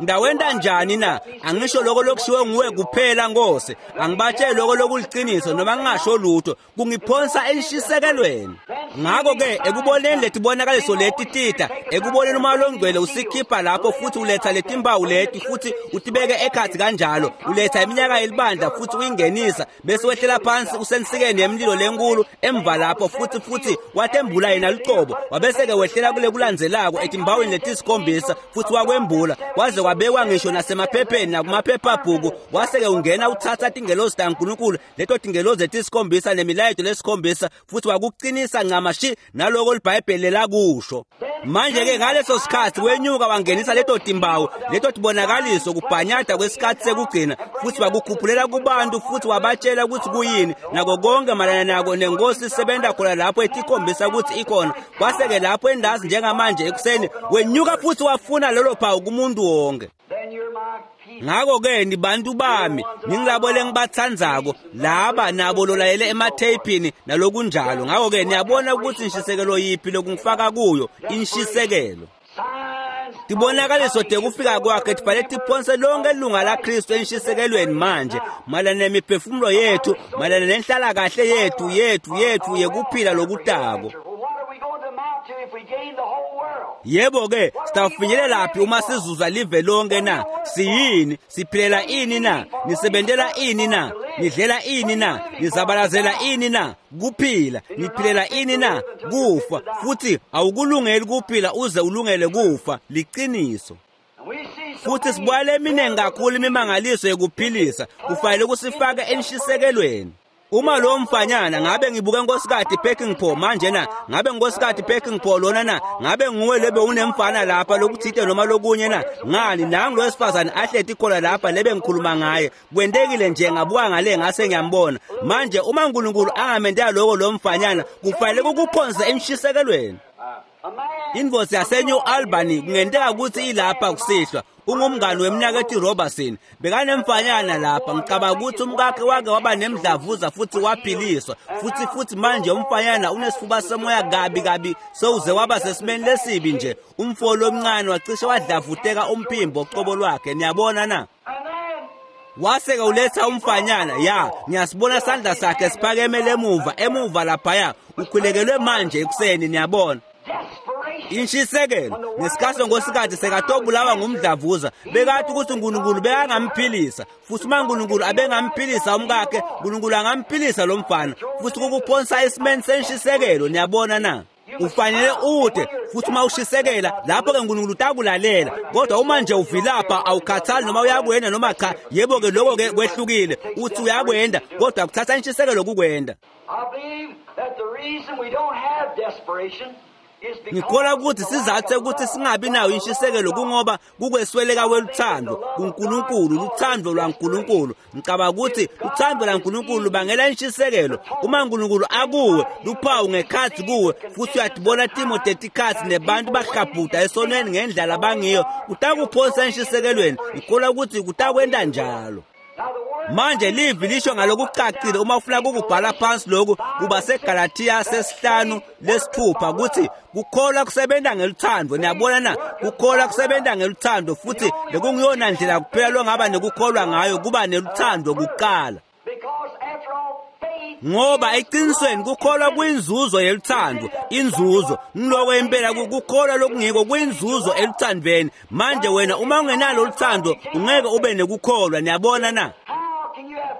Ngawenta njani na? Angisho lokho lokushiwe nguwe kuphela Nkosi. Angibatsheli lokho lokuliciniso noma ngingasho lutho, kungiphonsa enshisekelweni. Ngakho-ke ekuboneni letibonakaliso leti tita, ekuboneni uMoya loNgcwele usikhipha lapho futhi uletha letimpawu leti futhi utibeke ekhatsi kanjalo, uletha iminyaka yelibandla futhi uyingenisa, bese wehlela phansi usensikeni yemlilo lenkulu emva lapho futhi futhi watembula yena lucobo, wabese-ke wehlela kule kulandzelako etimbawini letisikhombisa futhi wakwembula, waze kwabekwa ngisho nasemaphepheni nakumaphephabhuku. Wase-ke ungena uthatha tingelozi taNkulunkulu, leto tingelozi letisikhombisa nemilayeto lesikhombisa, futhi wakuqinisa ncamashi naloko liBhayibheli lakusho. Manje-ke ngaleso sikhathi wenyuka wangenisa leto timbawu, leto tibonakaliso, kubhanyada kwesikhathi sekugcina, futhi wakukhuphulela kubantu futhi wabatshela ukuthi kuyini nako konke mayelana nako, nenkosi isebenza khona lapho etikhombisa ukuthi ikhona. Kwase-ke lapho endazi njengamanje ekuseni wenyuka futhi wafuna lolo phawu kumuntu wonke. Ngakho-ke nibantu bami, ningilabo lengibatsandzako, laba nabo lolayele ematheyphini nalokunjalo. Ngakho-ke niyabona ukuthi inshisekelo yiphi lokungifaka kuyo, inshisekelo. Tibonakaliso tekufika kwakhe tifale tiphonse lonke ilunga laKristu enshisekelweni manje, mayelana nemiphefumulo yethu, mayelana nenhlalakahle yethu yethu yethu yekuphila lokutako. Yebo-ke, sitawufinyelela phi uma sizuza live lonke na? Siyini? Siphilela ini na? Nisebentela ini na? Nidlela ini na? Nizabalazela ini na? Kuphila. Niphilela ini na? Kufa. Futhi awukulungeli kuphila uze ulungele kufa. Liciniso. Futhi sibuyele eminingi kakhulu imimangaliso yekuphilisa, kufanele kusifake enshisekelweni. Uma lo mfanyana ngabe ngibuke Nkosikazi Peckinpah manje na, ngabe Nkosikazi Peckinpah lona na, ngabe nguwe lebe unemfana lapha lokuthite noma lokunye na? Ngani nangu lo wesifazane ahleti khona lapha lebe ngikhuluma ngaye. Kwentekile nje ngabuka ngale ngase ngiyambona. Manje uma uNkulunkulu angamendela lokho lo mfanyana, kufanele kukuphonse enshisekelweni. Invosi yaseNew Albany kungenteka ukuthi ilapha kusihlwa. Ungumngani wemnakethu Robertson. Bekanemfanyana lapha, ngicabanga ukuthi umkakhe wake waba nemdlavuza futhi waphiliswa. Futhi futhi manje umfanyana unesifuba semoya kabi kabi, sewuze waba sesimeni lesibi nje. Umfo lomncane wacishe wadlavuteka umphimbo qobo lwakhe. Niyabona na? Wase-ke uletha umfanyana, ya, ngiyasibona sandla sakhe siphakemele emuva, emuva laphaya. Ukhulekelwe manje ekuseni, niyabona. Inshisekelo ngesikhathi Nkosikazi sekatobulawa ngumdlavuza, bekathi ukuthi uNkulunkulu bekangamphilisa, futhi uma uNkulunkulu abengamphilisa umkakhe, uNkulunkulu angamphilisa lo mfana, futhi kukuphonsa esimeni senshisekelo. Niyabona na? Ufanele ude, futhi uma ushisekela lapho-ke uNkulunkulu utakulalela. Kodwa uma nje uvilapha, awukhathali noma uyakwenda noma cha, yebo-ke lokho-ke kwehlukile. Uthi uyakwenda, kodwa kuthatha inshisekelo kukwenda. I believe that the reason we don't have desperation Ngikholwa ukuthi sizathe ukuthi singabi nayo inshisekelo kungoba kukwesweleka kweluthando kuNkulunkulu, luthando lwaNkulunkulu. Ngicabanga ukuthi uthando lwaNkulunkulu lubangela inshisekelo. Uma uNkulunkulu akuwe, luphawu ngekhathi kuwe, futhi uyatibona timo tetikhathi nebantu bahlabhuda esonweni ngendlela abangiyo, kutakuphonsa enshisekelweni. Ngikholwa ukuthi kutakwenta njalo. Manje livi lisho ngalokucacile uma ufuna ukubhala phansi lokhu kuba seGalathiya sesihlanu lesithupha ukuthi kukholwa kusebenza ngeluthando. Niyabona na? Kukholwa kusebenza ngeluthando, futhi lekungiyona ndlela kuphela longaba nekukholwa ngayo kuba neluthando kuqala. Ngoba eqinisweni kukholwa kuyinzuzo yeluthando, inzuzo ngiloko impela kukholwa lokungiko kuyinzuzo eluthandweni. Manje wena uma ungenalo uluthando ungeke ube nekukholwa. Niyabona na?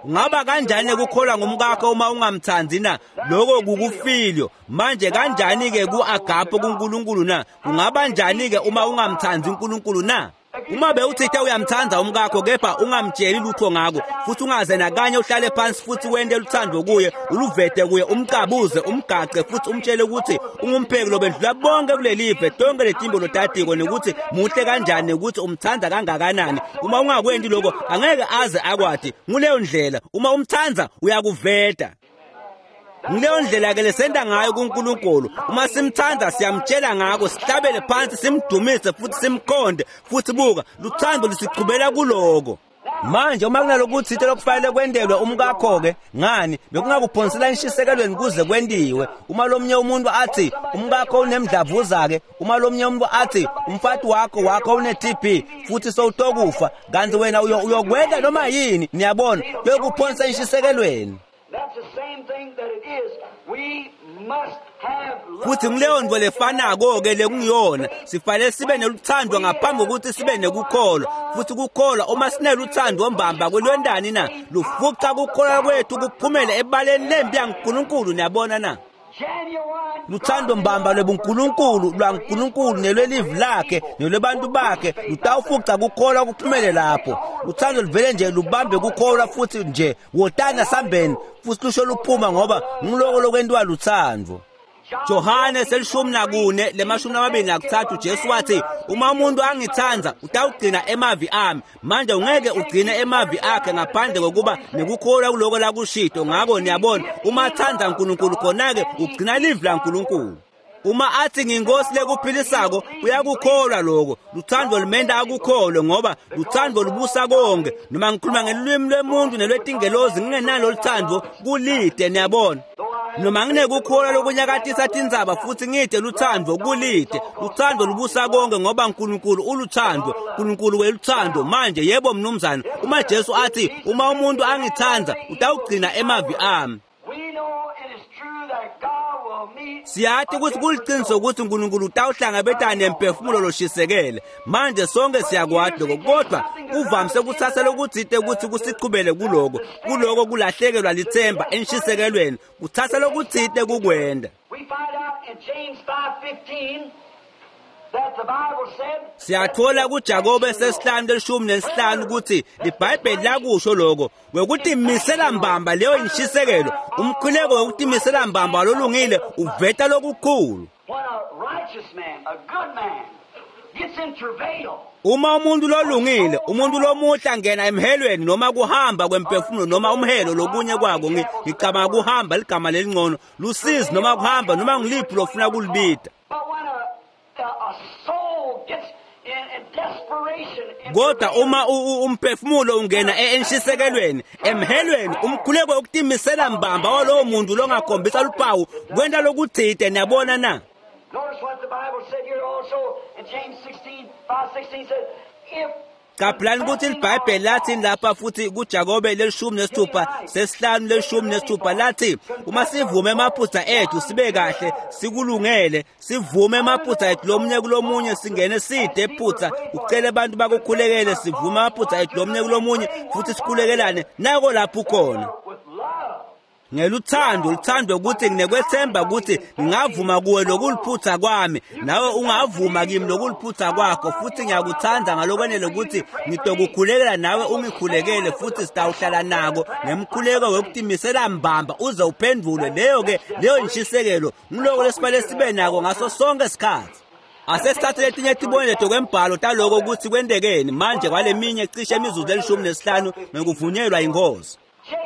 Ungaba kanjani ukukholwa ngumkakho uma ungamthandi na? Lokho kukufilio. Manje kanjani ke ku-agape kuNkulunkulu na? Kungaba njani ke uma ungamthandi uNkulunkulu na? Uma bewuthitha uyamthanda umkakho kepha ungamtsheli lutho ngako, futhi ungaze nakanye uhlale phansi futhi wente luthando kuye, uluvete kuye, umcabuze, umgace, futhi umtshele ukuthi ungumpheki lobendlula bonke kulelive, tonke letimbo lotatiko, nekuthi muhle kanjani, nekuthi umthanda kangakanani. Uma ungakwenti lokho angeke aze akwati. Nguleyo ndlela uma umthanda uyakuveta. Ngileyo ndlela ke lesenta ngayo kuNkulunkulu. Uma simthanda siyamtshela ngako, sihlabele phansi, simdumise futhi simkhonde, futhi buka luthando lisichubela kuloko. Manje uma kunalokuthile lokufanele kwentelwe umkakho ke, ngani bekungakuphonsela inshisekelweni kuze kwentiwe. Uma lomnye umuntu athi umkakho unemdlavuza ke, uma lomnye umuntu athi umfati wakho wakho une T B futhi sowutokufa, kanti wena uyokwenta noma yini. Niyabona, kuyokuphonsa inshisekelweni. Futhi ngileyo nto lefanako ke lekungiyona, sifanele sibe neluthando ngaphambi kokuthi sibe nekukholwa. Futhi kukholwa uma sineluthando mbamba kulwendani na, lufuqa kukholwa kwethu kuphumele ebaleni lempi yaNkulunkulu. Niyabona na? Luthando mbamba lwebuNkulunkulu lwaNkulunkulu nelwelivi lakhe nelwebantu bakhe lutawufuqa kukholwa kuphumele lapho. Luthando luvele nje lubambe kukholwa futhi nje wotana sambeni futhi lusho luphuma, ngoba ngiloko lokwentiwa luthando. Johane selishumi nakune lemashumi amabili nakuthathu, Jesu wathi uma umuntu angithanda utawugcina emavi ami. Manje ungeke ugcine emavi akhe ngaphandle kokuba nekukholwa kuloko lakushito. Ngakho niyabona, uma athanda uNkulunkulu khona-ke ugcina livi laNkulunkulu. Uma athi nginkosi lekuphilisako uyakukholwa lokho. Luthando lumenda akukholwe, ngoba luthando lubusa konke. Noma ngikhuluma ngelulwimi lwemuntu nelwetingelozi ngingenalo luthando kulide. Niyabona, noma nginekukholwa lokunyakatisa tindzaba futhi ngide luthando kulide. Luthando lubusa konke, ngoba uNkulunkulu uluthando, uNkulunkulu weluthando. Manje yebo mnumzane, uma Jesu athi uma umuntu angithanda utawugcina emavi ami, siyathi ukuthi kuliqiniso ukuthi uNkulunkulu utawuhlangabetana nemphefumulo loshisekele. Manje sonke siyakwati lokho, kodwa kuvamise ukuthatha lokuthile ukuthi kusichubele kuloko, kuloko kulahlekelwa lithemba enshisekelweni, kuthatha lokuthile kukwenda. Siyathola kuJakobe sesihlanu leshumi nesihlanu ukuthi iBhayibheli lakusho lokho wekutimisela mbamba leyo inshisekelo. Umkhuleko wekutimisela mbamba lolungile uveta lokukhulu. Uma umuntu lolungile, umuntu lomuhle angena emhelweni noma kuhamba kwemphefumulo noma umhelo lokunye kwako, ngicabanga kuhamba ligama lelingcono, lusizi noma kuhamba noma ngiliphi lofuna kulibita. Kodwa uma umphefumulo ungena enshisekelweni, emhelweni, umkhuleko wokutimisela mbamba walowo muntu longakhombisa luphawu kwenta lokuthite. Niyabona na? Caphelani ukuthi iBhayibheli lathi lapha futhi kuJakobe lelishumi nesithupha sesihlanu lelishumi nesithupha lathi uma sivume emaphutha ethu sibe kahle sikulungele, sivume emaphutha ethu lomunye kulomunye, singene side ephutha, ucele abantu bakukhulekele, sivume amaphutha ethu lomunye kulomunye futhi sikhulekelane. Nako lapho ukhona. Ngeluthando luthando ukuthi nginekwethemba ukuthi ngingavuma kuwe lokuliphutha kwami nawe ungavuma kimi lokuliphutha kwakho, futhi ngiyakuthanda ngalokwenele ukuthi ngitokukhulekela nawe ungikhulekele, futhi sitawuhlala nako ngemkhuleko wokutimisela mbamba uze uphendvule. Leyo ke leyo inshisekelo ngiloko lesibale sibe nako ngaso sonke isikhathi. Asesithathe letinye tibonelo kwembhalo taloko ukuthi kwentekeni manje kwaleminye cishe imizuzu elishumi nesihlanu ngekuvunyelwa inkosi.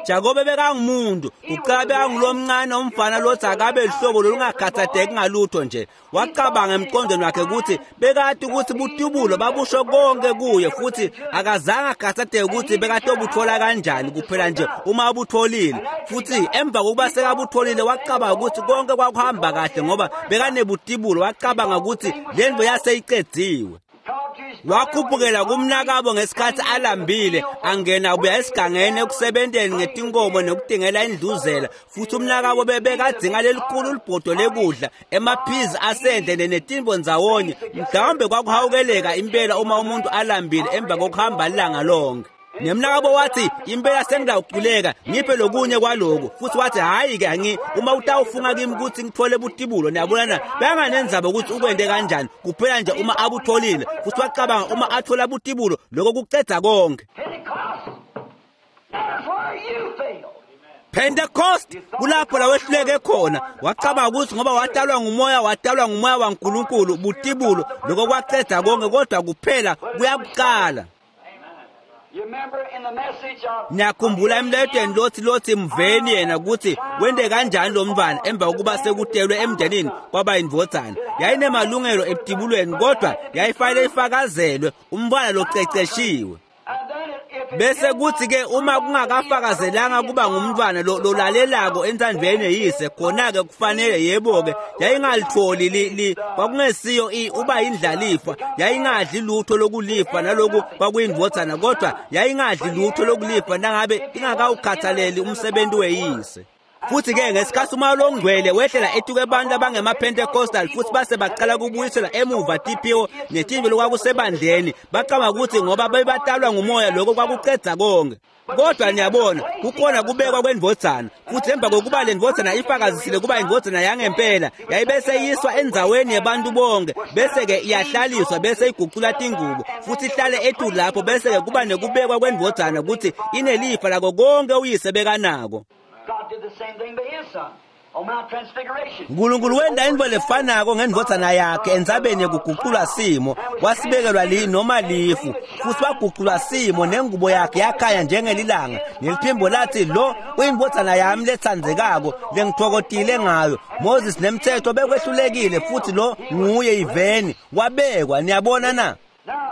Jakobe bekangumuntu kuqala bekangulomncane umfana lothi akabe lihlobo lolungakhathatheki ngalutho nje. Wacabanga emqondweni wakhe ukuthi bekade ukuthi butubulo babusho konke kuye, futhi akazange akhathatheke ukuthi bekatobuthola kanjani kuphela nje uma abutholile. Futhi emva kokuba sekabutholile wacabanga ukuthi konke kwakuhamba kahle ngoba bekanebutibulo. Wacabanga ukuthi lento yaseyicedziwe. Wakhuphukela kumnakabo ngesikhathi alambile, angena ubuya esigangeni ekusebenteni ngetinkomo nokudingela indluzela, futhi umnakabo bebekadzinga lelikhulu libhodo lekudla emaphizi asendle netimbo ndzawonye. Mhlawumbe kwakuhawukeleka impela uma umuntu alambile emva kokuhamba ilanga lonke. Nemnakabo wathi impela sengidawuculeka ngiphe lokunye kwaloku, futhi wathi hayi ke angi uma utawufunga kimi ukuthi ngithole butibulo. Niyabona benganenzaba ukuthi ukwende kanjani kuphela nje uma abutholile. Futhi wacabanga uma athola butibulo lokho kucedza konke. Pentecost kulapho la wehluleke khona. Wacabanga ukuthi ngoba watalwa ngumoya watalwa ngumoya waNkulunkulu butibulo lokho kwacedza konke, kodwa kuphela kuyakuqala. Niyakhumbula emletweni lothi lothi mveni yena ukuthi wende kanjani lo mntwana emva kokuba sekutelwe emndenini kwaba indvodzana. Yayinemalungelo ebutibulweni kodwa yayifanele ifakazelwe umntwana loceceshiwe. Bese kuthi ke uma kungakafakazelanga kuba ngumntwana lolalelako entsandvweni yeyise, khona ke kufanele yebo ke yayingalitholi li kwakungesiyo uba indlalifa, yayingadli lutho lokulifa naloku kwakuyindvodzana, kodwa yayingadli lutho lokulifa nangabe ingakawukhathaleli umsebenzi weyise. Futhi ke ngesikhathi umoya longcwele wehlela etuke abantu abangema-Pentecostal futhi base baqala kubuyisela emuva tiphiwo netimbi lokwakusebandleni, bacabanga ukuthi ngoba bebatalwa ngumoya lokho kwakucedza konke. Kodwa niyabona kukhona kubekwa kwendvodzana, futhi emva kokuba le ndvodzana ifakazisile kuba indvodzana yangempela yayibese iyiswa endzaweni yebantu bonke, bese-ke iyahlaliswa bese igucula tingubo futhi ihlale etulu lapho, bese-ke kuba nekubekwa kwendvodzana ukuthi inelifa lako konke uyise bekanako. Nkulunkulu wenda intfo lefanako ngendvodzana yakhe entsabeni yekuguculwa simo, wasibekelwa li noma lifu, futhi waguculwa simo nengubo yakhe yakhanya njengelilanga, neliphimbo lathi lo uyindvodzana yami letsandzekako lengitfokotile ngayo. Moses nemthetho bekwehlulekile, futhi lo nguye iveni wabekwa. Niyabona na?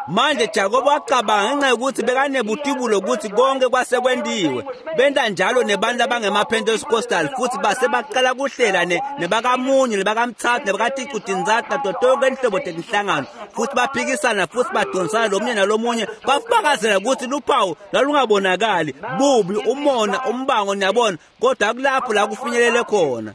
Manje Jakobe wacabanga ngenxa yokuthi bekanebutibulo ukuthi konke kwasekwentiwe. Benta njalo nebantu abangema-Pentecostal futhi base baqala kuhlela nebakamunye nebakamthathu nebakaticutinzathu nato tonke inhlobo tetinhlangano, futhi baphikisana futhi badonsana lomunye nalomunye. Kwafakazela ukuthi luphawu lalungabonakali bubi, umona, umbango, niyabona, kodwa kulapho la kufinyelele khona.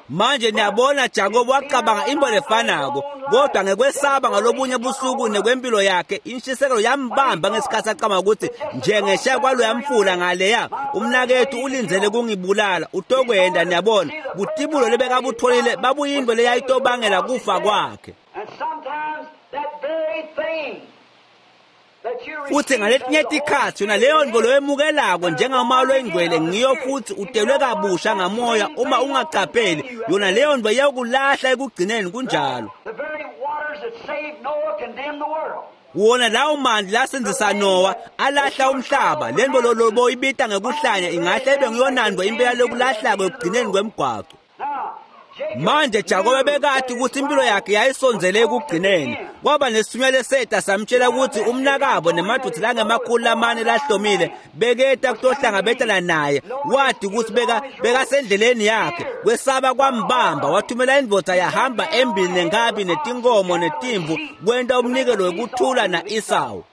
Manje niyabona Jakobe wacabanga into lefanako, kodwa ngekwesaba ngalobunye busuku nekwempilo yakhe inshisekelo yambamba ngesikhathi acabanga ukuthi njengesha kwalo yamfula ngaleya umnakethu ulindzele kungibulala utokwenda. Niyabona butibulo lebekabutholile babuyinto leyayitobangela kufa kwakhe. Futhi ngaletinye tikhatsi yona leyo nto loyemukelako njengomoya loyingcwele ngiyo futhi utelwe kabusha ngamoya uma ungaqapheli, yona leyo nto iyakulahla ekugcineni. Kunjalo. Wona lawo mandla lasenzisa Noah alahla umhlaba. Le nto loboyibita ngekuhlanya ingahle ibe ngiyona nto impela lokulahlako ekugcineni kwemgwaqo. Manje Jakobe bekade ukuthi impilo yakhe yayisondzele ekugcineni. Kwaba nesithunywa leseta samtshela ukuthi umnakabo nemadvodza langemakhulu lamane lahlomile beketa kutohlangabetana naye. Wadi ukuthi beka bekasendleleni yakhe. Kwesaba kwambamba, wathumela indvodza yahamba embili nenkabi netinkomo netimvu kwenta umnikelo wekuthula na-Esawu.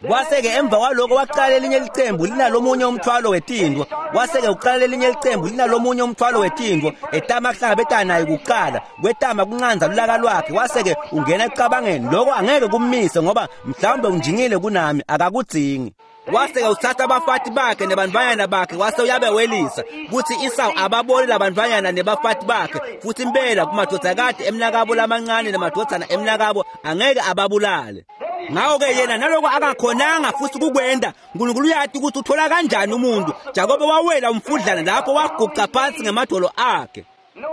Kwase-ke emva kwaloko waqala elinye licembu linalomunye umthwalo wetindvo. Kwase-ke uqala elinye licembu linalomunye umthwalo wetindvo etama kuhlangabetana naye kuqala, kwetama kuncanza lulaka lwakhe. Kwase-ke ungena ekucabangeni lokho angeke kummise ngoba mhlawumbe unjingile kunami, akakudzingi. Wase-ke utsatsa abafati bakhe nebantfwanyana bakhe wase uyabewelisa kutsi Esau ababone labantfwanyana nebafati bakhe futhi impela kumadvodzakati emnakabo lamancane nemadvodzana emnakabo angeke ababulale. Ngakho-ke yena naloko akakhonanga futhi kukwenda uNkulunkulu uyati ukuthi uthola kanjani umuntu. Jakobe wawela umfudlana lapho waguca phansi ngemadolo akhe.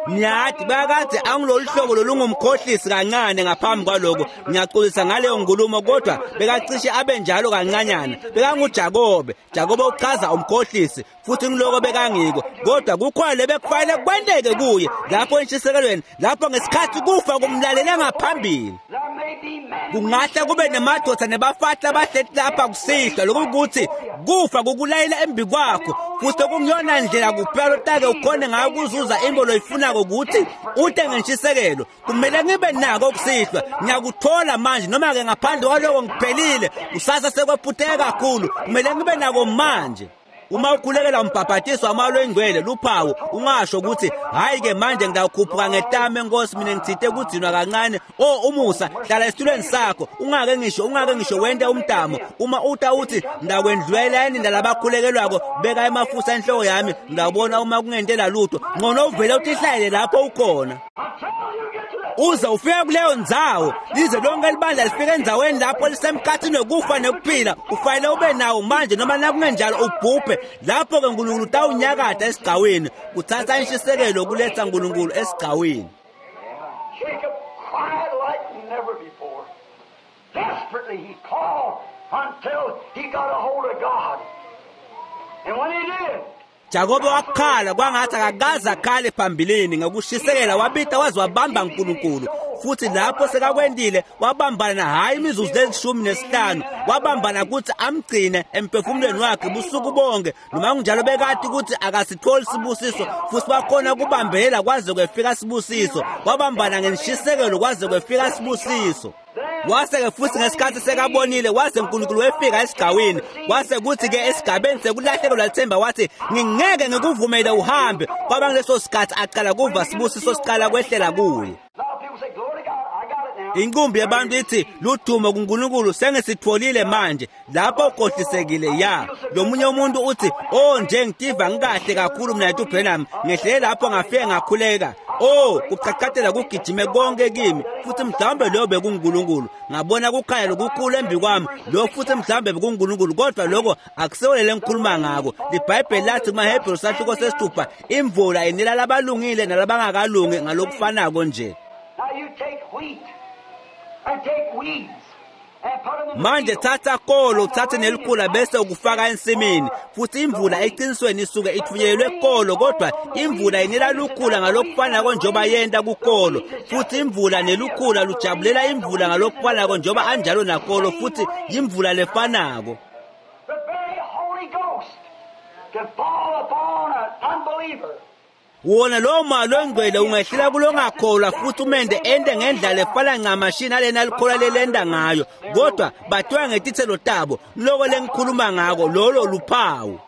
Niyati bakadze angilolu hlobo lolungumkhohlisi kancane ngaphambi kwaloko. Ngiyaxolisa ngaleyo nkulumo kodwa bekacishe abe njalo kancanyana. BekanguJakobe. Jakobe uchaza umkhohlisi futhi ngiloko bekangiko. Kodwa kukhona lebekufanele kwenteke kuye lapho entshisekelweni, lapho ngesikhathi kufa kumlalele ngaphambili. Kungahle kube nemadoda nebafati abahleti lapha kusihlwa lokukuthi kufa kukulayela embi kwakho futhi okungiyona ndlela kuphela lotake ukhone ngayo ukuzuza into loyifunako ukuthi ute ngentshisekelo. Kumele ngibe nako kusihlwa, ngiyakuthola manje noma-ke ngaphandle kwaloko ngiphelile, kusasa sekwephutheke kakhulu. Kumele ngibe nako manje. Uma ukhulekela umbhabhatiso wamalo engcwele luphawu ungasho ukuthi hayi-ke manje ngidawukhuphuka ngetame enkosi mina ngithinte kudzinwa kancane. O umusa hlala esitulweni sakho ungake ngisho ungake ngisho wente umtamo. Uma uta uthi ndakwendlulela yini ndalabakhulekelwako beka emafutha enhloko yami ngidawubona uma kungentela lutho. Ngcono uvele utihlalele lapho ukhona uze ufike kuleyo ndzawo. Lize lonke libandla lifike endzaweni lapho lisemkhathini wekufa nekuphila. Ufanele ube nawo manje noma nakungenjalo ubhubhe. Lapho-ke uNkulunkulu utawunyakada esigcawini. Kuthatha inshisekelo kuletha uNkulunkulu esigcawini. Jacob cried like never before. Desperately he called until he got a hold of God. And when he did, Jakobe wakhala kwangathi akakaze akhale phambilini ngokushisekela wabita waze wabamba uNkulunkulu. Futhi lapho sekakwendile wabambana hhayi imizuzu lelishumi nesihlanu, wabambana ukuthi amgcine emphefumulweni wakhe busuku bonke. Noma kunjalo bekati ukuthi akasitholi sibusiso futhi wakhona kubambelela kwaze kwefika sibusiso. Wabambana ngenshisekelo kwaze kwefika sibusiso. Wase-ke futhi ngesikhathi sekabonile waze uNkulunkulu wefika esigcawini. Wase kuthi-ke esigabeni sekulahlekelwa lithemba wathi ngingeke ngikuvumele uhambe. Kwaba ngaleso sikhathi aqala kuva sibusiso siqala kwehlela kuye. Inqumbi yabantu ithi ludumo kuNkulunkulu sengisitholile manje. Lapho ukhohlisekile ya. Lo munye umuntu uthi oh nje ngitiva ngikahle kakhulu mina yethu Branham ngehlele lapho ngafike ngakhuleka. Oh kuqaqatela kugijime konke kimi futhi mhlawumbe loyo bekuNkulunkulu. Ngabona kukhanya lokukhulu embi kwami lo futhi mhlawumbe bekuNkulunkulu kodwa lokho akusiwelele ngikhuluma ngako. IBhayibheli lathi kumaHebheru sahluko sesithupha imvula inela labalungile nalabangakalungi ngalokufanako nje. Manje thatha kolo uthathe nelikhula bese ukufaka ensimini futhi imvula eqinisweni isuke ithunyelwe kolo kodwa imvula inela lukhula ngalokufanako njengoba yenta kukolo futhi imvula nelukhula lujabulela imvula ngalokufanako njengoba anjalo nakolo futhi imvula lefanako. The very Holy Ghost can fall upon an unbeliever. Wona lowo moya ongcwele ungehlela kulongakholwa futhi umende ende ngendlela efana ncamashi nalena likholwa lelenda ngayo kodwa bathiwa ngetithelo tabo. Loko lengikhuluma ngako lolo luphawu.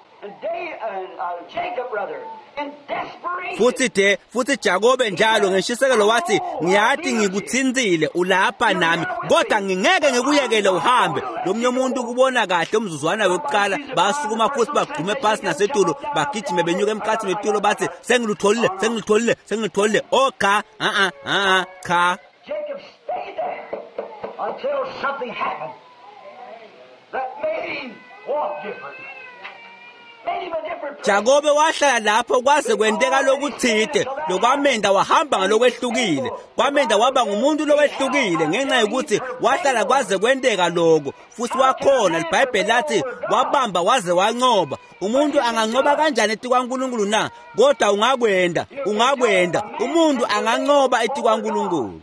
Futhi de futhi Jakobe njalo ngeshisekelo wathi ngiyati ngikuthintsile ulapha nami kodwa ngingeke ngikuyekele uhambe. Lomunye umuntu ukubona kahle umzuzwana wokuqala basukuma futhi bagqume phasi nasetulo bagijime benyuka emkhathini wetulo bathi sengilutholile sengilutholile sengilutholile. Oh cha a a a cha. Jacob stayed there until something happened that made him walk different. Jakobe wahlala lapho kwaze kwenteka lokuthide lokwamenda wahamba ngalokwehlukile. Kwamenda waba ngumuntu lowehlukile ngenxa yokuthi wahlala kwaze kwenteka lokho futhi wakhona. IBhayibheli lathi wabamba waze wanqoba. Umuntu anganqoba kanjani etikwaNkulunkulu na? Kodwa ungakwenda ungakwenda umuntu anganqoba etikwaNkulunkulu.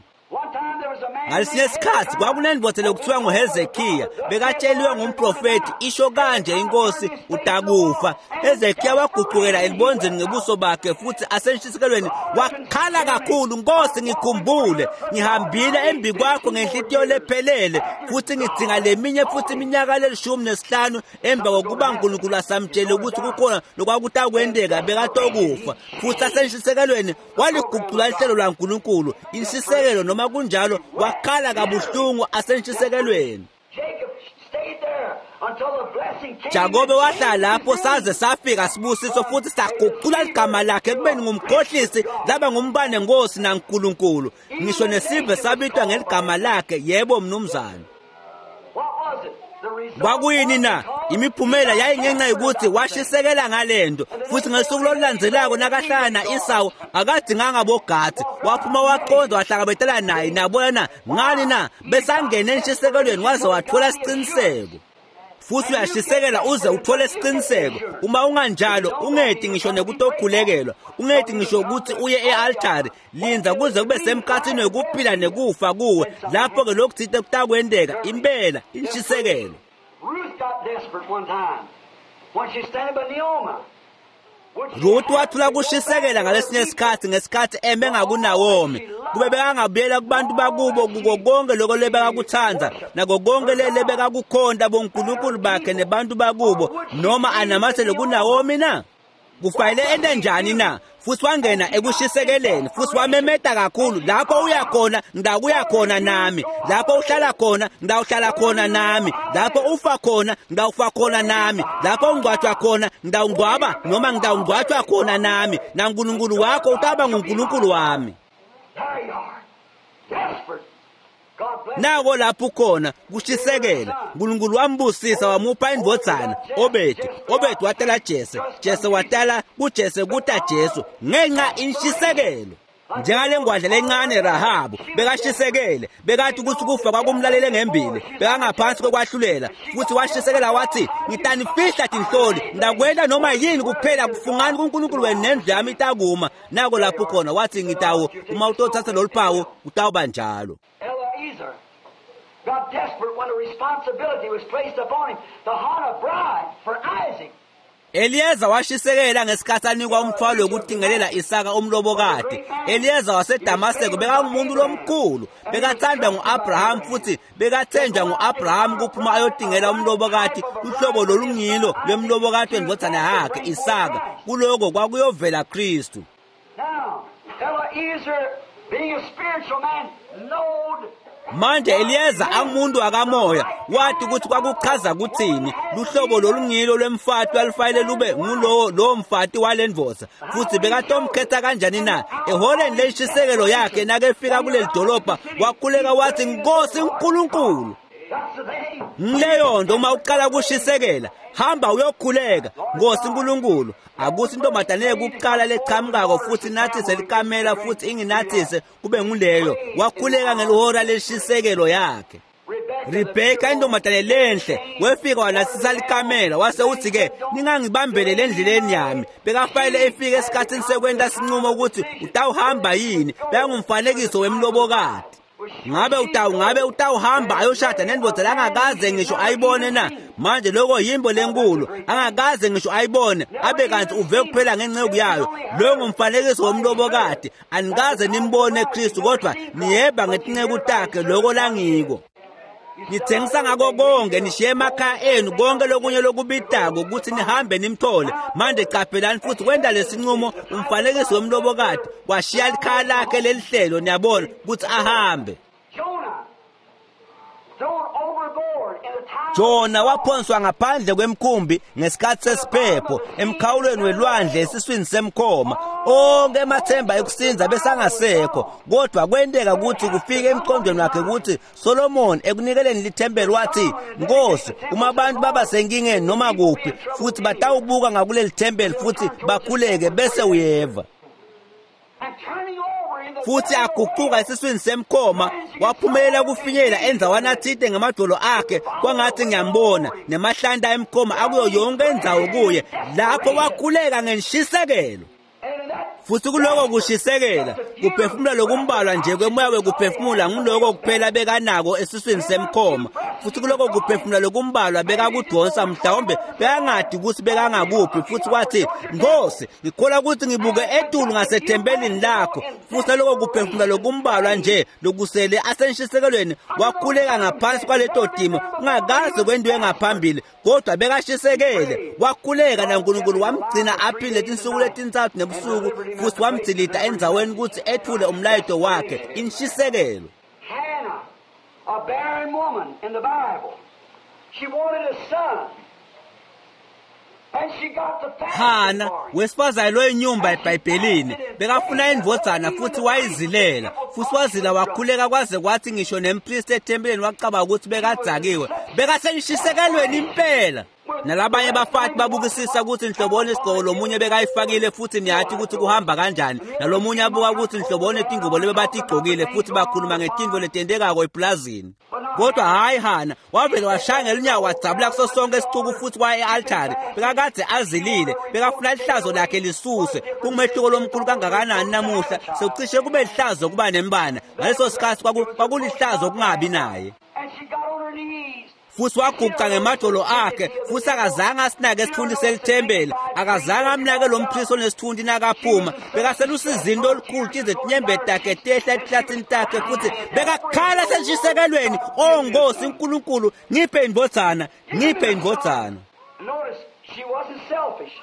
Ngalesinye isikhathi kwakunendvodza lokuthiwa nguHezekiya bekatsheliwe ngumprofethi isho kanje inkosi utakufa. Hezekiya waguqukela elibonzeni ngebuso bakhe futhi asenshisekelweni wakhala kakhulu, Nkosi ngikhumbule ngihambile embi kwakho ngenhlitiyo lephelele futhi ngidzinga leminye futhi iminyaka lelishumi nesihlanu emva kokuba uNkulunkulu asamtshele ukuthi kukhona lokwakutakwenteka bekatokufa. Futhi asenshisekelweni waliguqula ihlelo lwaNkulunkulu inshisekelo noma kunjalo wakhala kabuhlungu asenshisekelweni. Jacob stayed there Jakobe wahlala lapho saze safika sibusiso futhi saguqula ligama lakhe ekubeni ngumkhohlisi laba ngumbane nkosi naNkulunkulu. Ngisho nesive sabitwa ngeligama lakhe. Yebo mnumzane. Kwakuyini na? Imiphumela yayingenxa yokuthi washisekela ngalento, futhi ngesuku lolulandzelako nakahlala na-Esawu akadinganga bogathi, waphuma waqonda wahlangabetela naye. Nabona na ngani na besangena enshisekelweni waze wathola isiqiniseko. Futhi uyashisekela uze uthole isiqiniseko. Uma unganjalo ungedi ngisho nekutokhulekelwa, ungedi ngisho ukuthi uye e-altari. Linda kuze kube semkhathini wekuphila nekufa kuwe, lapho-ke lokuthite kutakwenteka impela inshisekelo. Ruth wathula kushisekela ngalesinye isikhathi ngesikhathi eme ngakuNawomi. Kube bekangabuyela kubantu bakubo kuko konke lokho lebekakuthanda nako konke lebekakukhonta bonkulunkulu bakhe nebantu bakubo, noma anamathele kuNawomi na? Kufanele ente njani na? Futhi wangena ekushisekeleni futhi wamemeta kakhulu, lapho uya khona ngitakuya khona nami, lapho uhlala khona ngitawuhlala khona nami, lapho ufa khona ngitawufa khona nami, lapho ungcwatshwa khona ngitawungcwaba noma ngitawungcwatshwa khona nami, naNkulunkulu wakho utaba nguNkulunkulu wami. Nako lapho khona kushisekela. uNkulunkulu wambusisa wamupha indvodzana Obedi. Obedi watala Jese, Jese watala kuJese kuta Jesu ngenxa inshisekelo. Njengale ngwadla lencane Rahabu bekashisekele, bekathi ukuthi kufa kwakumlalele ngembili, bekangaphansi kokwahlulela, futhi washisekela wathi, ngitanifihla tinhloli, ngidakwenta noma yini kuphela kufungani kuNkulunkulu wenu nendlu yami itakuma. Nako lapho khona wathi, ngitawu uma utothatha lolu phawu kutawuba njalo. Got desperate when a responsibility was placed upon him to hunt a bride for Isaac. Eliyeza washisekela ngesikhathi anikwa umthwalo wokutingelela Isaka umlobokati. Eliyeza waseDamaseko bekangumuntu lomkhulu, bekathandwa ngu-Abraham futhi bekathenjwa ngu-Abraham kuphuma ayotingela umlobokati, uhlobo lolungilo lwemlobokati wendvodzana yakhe Isaka. Kuloko kwakuyovela Kristu. Now, Eliezer, being a spiritual man, knowed. Manje Eliyeza angumuntu akamoya wathi ukuthi kwakuchaza kuthini luhlobo lolungilo lwemfati lwalufanele lube ngulowo lowo mfati walendvodza, futhi bekatomkhetha kanjani na? Eholeni lenshisekelo yakhe nakefika kuleli dolobha wakhuleka wathi, Nkosi uNkulunkulu. Ngileyo nto uma uqala kushisekela, hamba uyokhuleka, Nkosi uNkulunkulu, akuthi intombazane kuqala lechamukako futhi nathise likamela futhi inginathise kube nguleyo. Wakhuleka ngelihora leshisekelo yakhe. Rebheka intombazane lenhle wefika wanathisa likamela, wase uthi-ke, ningangibambeleli endleleni yami. Bekafanele efike esikhathini sekwenta sinqumo ukuthi utawuhamba yini. Bekangumfanekiso wemlobokati. Ngabe utawu ngabe utawuhamba ayoshada nendvodza langakaze ngisho ayibone na? Manje lokho yimbo lenkulu angakaze ngisho ayibone, abe kanti uve kuphela ngenceku yayo. Lo ngumfanekiso womlobokati. Anikaze nimbone Kristu, kodwa niyeba ngetinceku takhe lokho langiko. Nithengisa ngako konke, nishiye emakhaya enu konke lokunye lokubitako ukuthi nihambe nimthole. Manje qaphelani futhi kwenta lesinqumo umfanekiso womlobokati washiya likhaya lakhe lelihlelo, niyabona ukuthi ahambe. Jona waphonswa ngaphandle kwemkhumbi ngesikhathi sesiphepho emkhawulweni welwandle esiswini semkhoma. Onke emathemba ekusinza besangasekho, kodwa kwenteka ukuthi kufike emqondweni wakhe ukuthi Solomon ekunikeleni lithempeli wathi, Nkosi, uma abantu baba senkingeni noma kuphi futhi batawubuka ngakuleli thempeli futhi bakhuleke bese uyeva. Futhi aguquka esiswini semkhoma waphumelela kufinyela endzawana athite ngemadolo akhe, kwangathi ngiyambona nemahlanta emkhoma akuyo yonke indzawo kuye. Lapho wakhuleka ngenshisekelo. Futhi kuloko kushisekela kuphefumula lokumbalwa nje kwemoya wekuphefumula nguloko kuphela bekanako esiswini semkhoma. Futhi kuloko kuphefumula lokumbalwa bekakudonsa, mhlawumbe bekangadi ukuthi bekangakuphi. Futhi wathi, Nkosi, ngikholwa ukuthi ngibuke etulu ngasethempelini lakho. Futhi lokho kuphefumula lokumbalwa nje lokusele asenshisekelweni wakhuleka ngaphansi kwaleto dimo kungakaze kwentiwe ngaphambili, kodwa bekashisekele. Wakhuleka naNkulunkulu wamgcina aphile tinsuku letintsatfu nebusuku, futhi wamdzilita endzaweni ukuthi ethule umlayeto wakhe. Inshisekelo. Hannah, a barren woman in the Bible, She wanted a son. And she got the Hana wesifazane loyinyumba eBhayibhelini bekafuna indvodzana futhi wayizilela futhi wazila wakhuleka kwaze kwathi ngisho nempristi ethempelini wacabanga ukuthi bekadzakiwe bekasengishisekelweni impela nalabanye bafati babukisisa ukuthi nhloboni isigqoko lomunye bekayifakile futhi niyathi ukuthi kuhamba kanjani nalomunye abuka ukuthi nhloboni tingubo lebe batigqokile futhi bakhuluma ngetintfo letentekako eplazini kodwa hayi Hana wavele washaya ngelunyawo wadzabula kuso sonke isicuku futhi waya e-altari bekakade azilile bekafuna lihlazo lakhe lisuswe kungumehluko lomkhulu kangakanani namuhla sekucishe kube lihlazo kuba nembana ngaleso sikhathi kwakulihlazo kungabi naye And she got on her knees. futhi waguqa ngemadolo akhe futhi akazange asinake esithunti selithempeli akazange amnake lo mpristi onesithunti nakaphuma bekaselusizini lolukhulu tize tinyembeti takhe tehla etihlathini takhe futhi bekakhala senshisekelweni o nkosi nkulunkulu ngiphe indvodzana ngiphe indvodzana Notice, she wasn't selfish.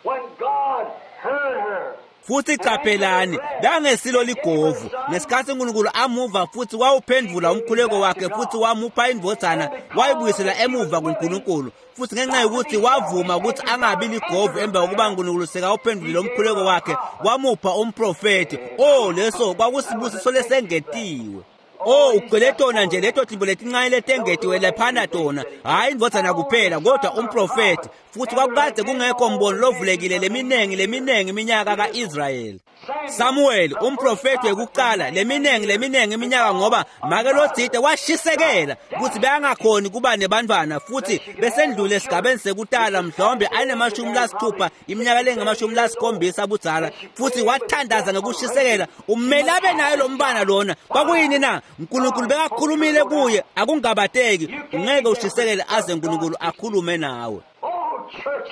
When God heard her, futhi qaphelani bekangesilo ligovu ngesikhathi uNkulunkulu amuva futhi wawuphendvula umkhuleko wakhe futhi wamupha indvodzana wayibuyisela emuva kuNkulunkulu futhi ngenxa yokuthi wavuma ukuthi angabi ligovu emva kokuba uNkulunkulu sekawuphendvulile umkhuleko wakhe wamupha umprofethi oh leso kwakusibusiso lesengetiwe Oh ugcwele tona nje leto timbo letincane letengetiwe laphana tona hhayi indvodzana kuphela kodwa umprofethi futhi kwakukade kungekho mbono lovulekile leminingi leminingi iminyaka ka-Israyeli Samuel umprofethi wekuqala leminingi leminingi iminyaka ngoba make lotsite washisekela ukuthi bekangakhoni kuba nebantwana futhi besendlule esigabeni sekutala mhlawumbe anemashumi lasithupha iminyaka lengamashumi lasikhombisa budzala futhi wathandaza ngokushisekela umele abe naye lo mbana lona kwakuyini na uNkulunkulu bekakhulumile kuye akungabateki ungeke ushisekele aze uNkulunkulu akhulume nawe oh, church,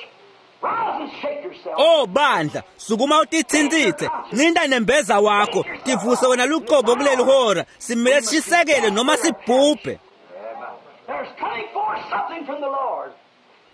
rise and shake yourself. Oh bandla sukuma utithintsitse ncinta nembeza wakho tivuse wena luqobo kuleli hora simele sishisekele noma sibhubhe There's coming forth something from the Lord.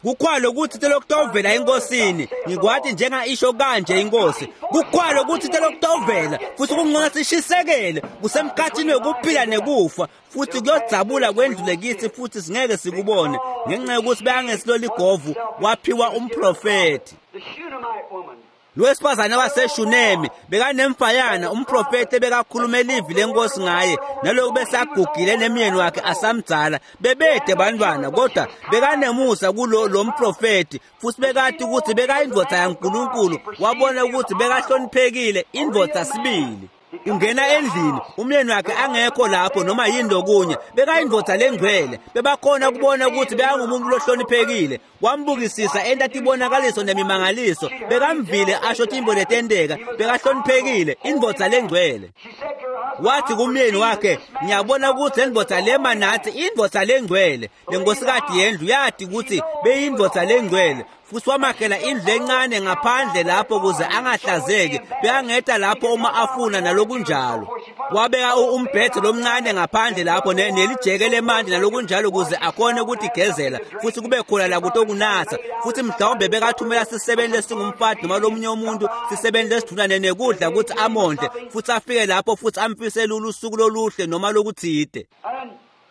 kukhwalo ukuthi telokutovela enkosini ngikwati njenga isho kanje inkosi kukhwalo ukuthi telokutovela futhi kungcono sishisekele kusemkhathini wekuphila nekufa futhi kuyodzabula kwendlule kithi futhi singeke sikubone ngenxa yokuthi bekangesilo ligovu waphiwa umprofethi The Shunammite woman. lowesifazane waseShunemi bekanemfayana umprofeti bekakhuluma elivi lenkosi ngaye naloku besagugile nemyeni wakhe asamdzala bebede bantwana kodwa bekanemusa kulo lo mprofeti futhi bekati ukuthi bekayindvodza yaNkulunkulu wabona ukuthi bekahloniphekile indvodza sibili ungena endlini umyeni wakhe angekho lapho noma yini lokunye bekayindvodza lengcwele bebakhona kubona ukuthi bekangumuntu lohloniphekile wambukisisa enta tibonakaliso nemimangaliso bekamvile asho timbo letenteka bekahloniphekile indvodza lengcwele She said to her husband, wathi kumyeni wakhe ngiyabona ukuthi le ndvodza lema nathi indvodza lengcwele le nkosikadi yendlu yati ukuthi beyindvodza lengcwele futhi wamakhela indlu encane ngaphandle lapho ukuze angahlazeki bekangeta lapho uma afuna nalokunjalo wabeka u- umbhede lomncane ngaphandle lapho ne- nelijeke lemanti nalokunjalo ukuze akhone ukutigezela futhi kube khona la kutokunatha futhi mhlawumbe bekathumela sisebenzi esingumfati noma lomunye umuntu sisebenzi lesithunane nekudla ukuthi amondle futhi afike lapho futhi amfisele usuku loluhle noma lokuthide And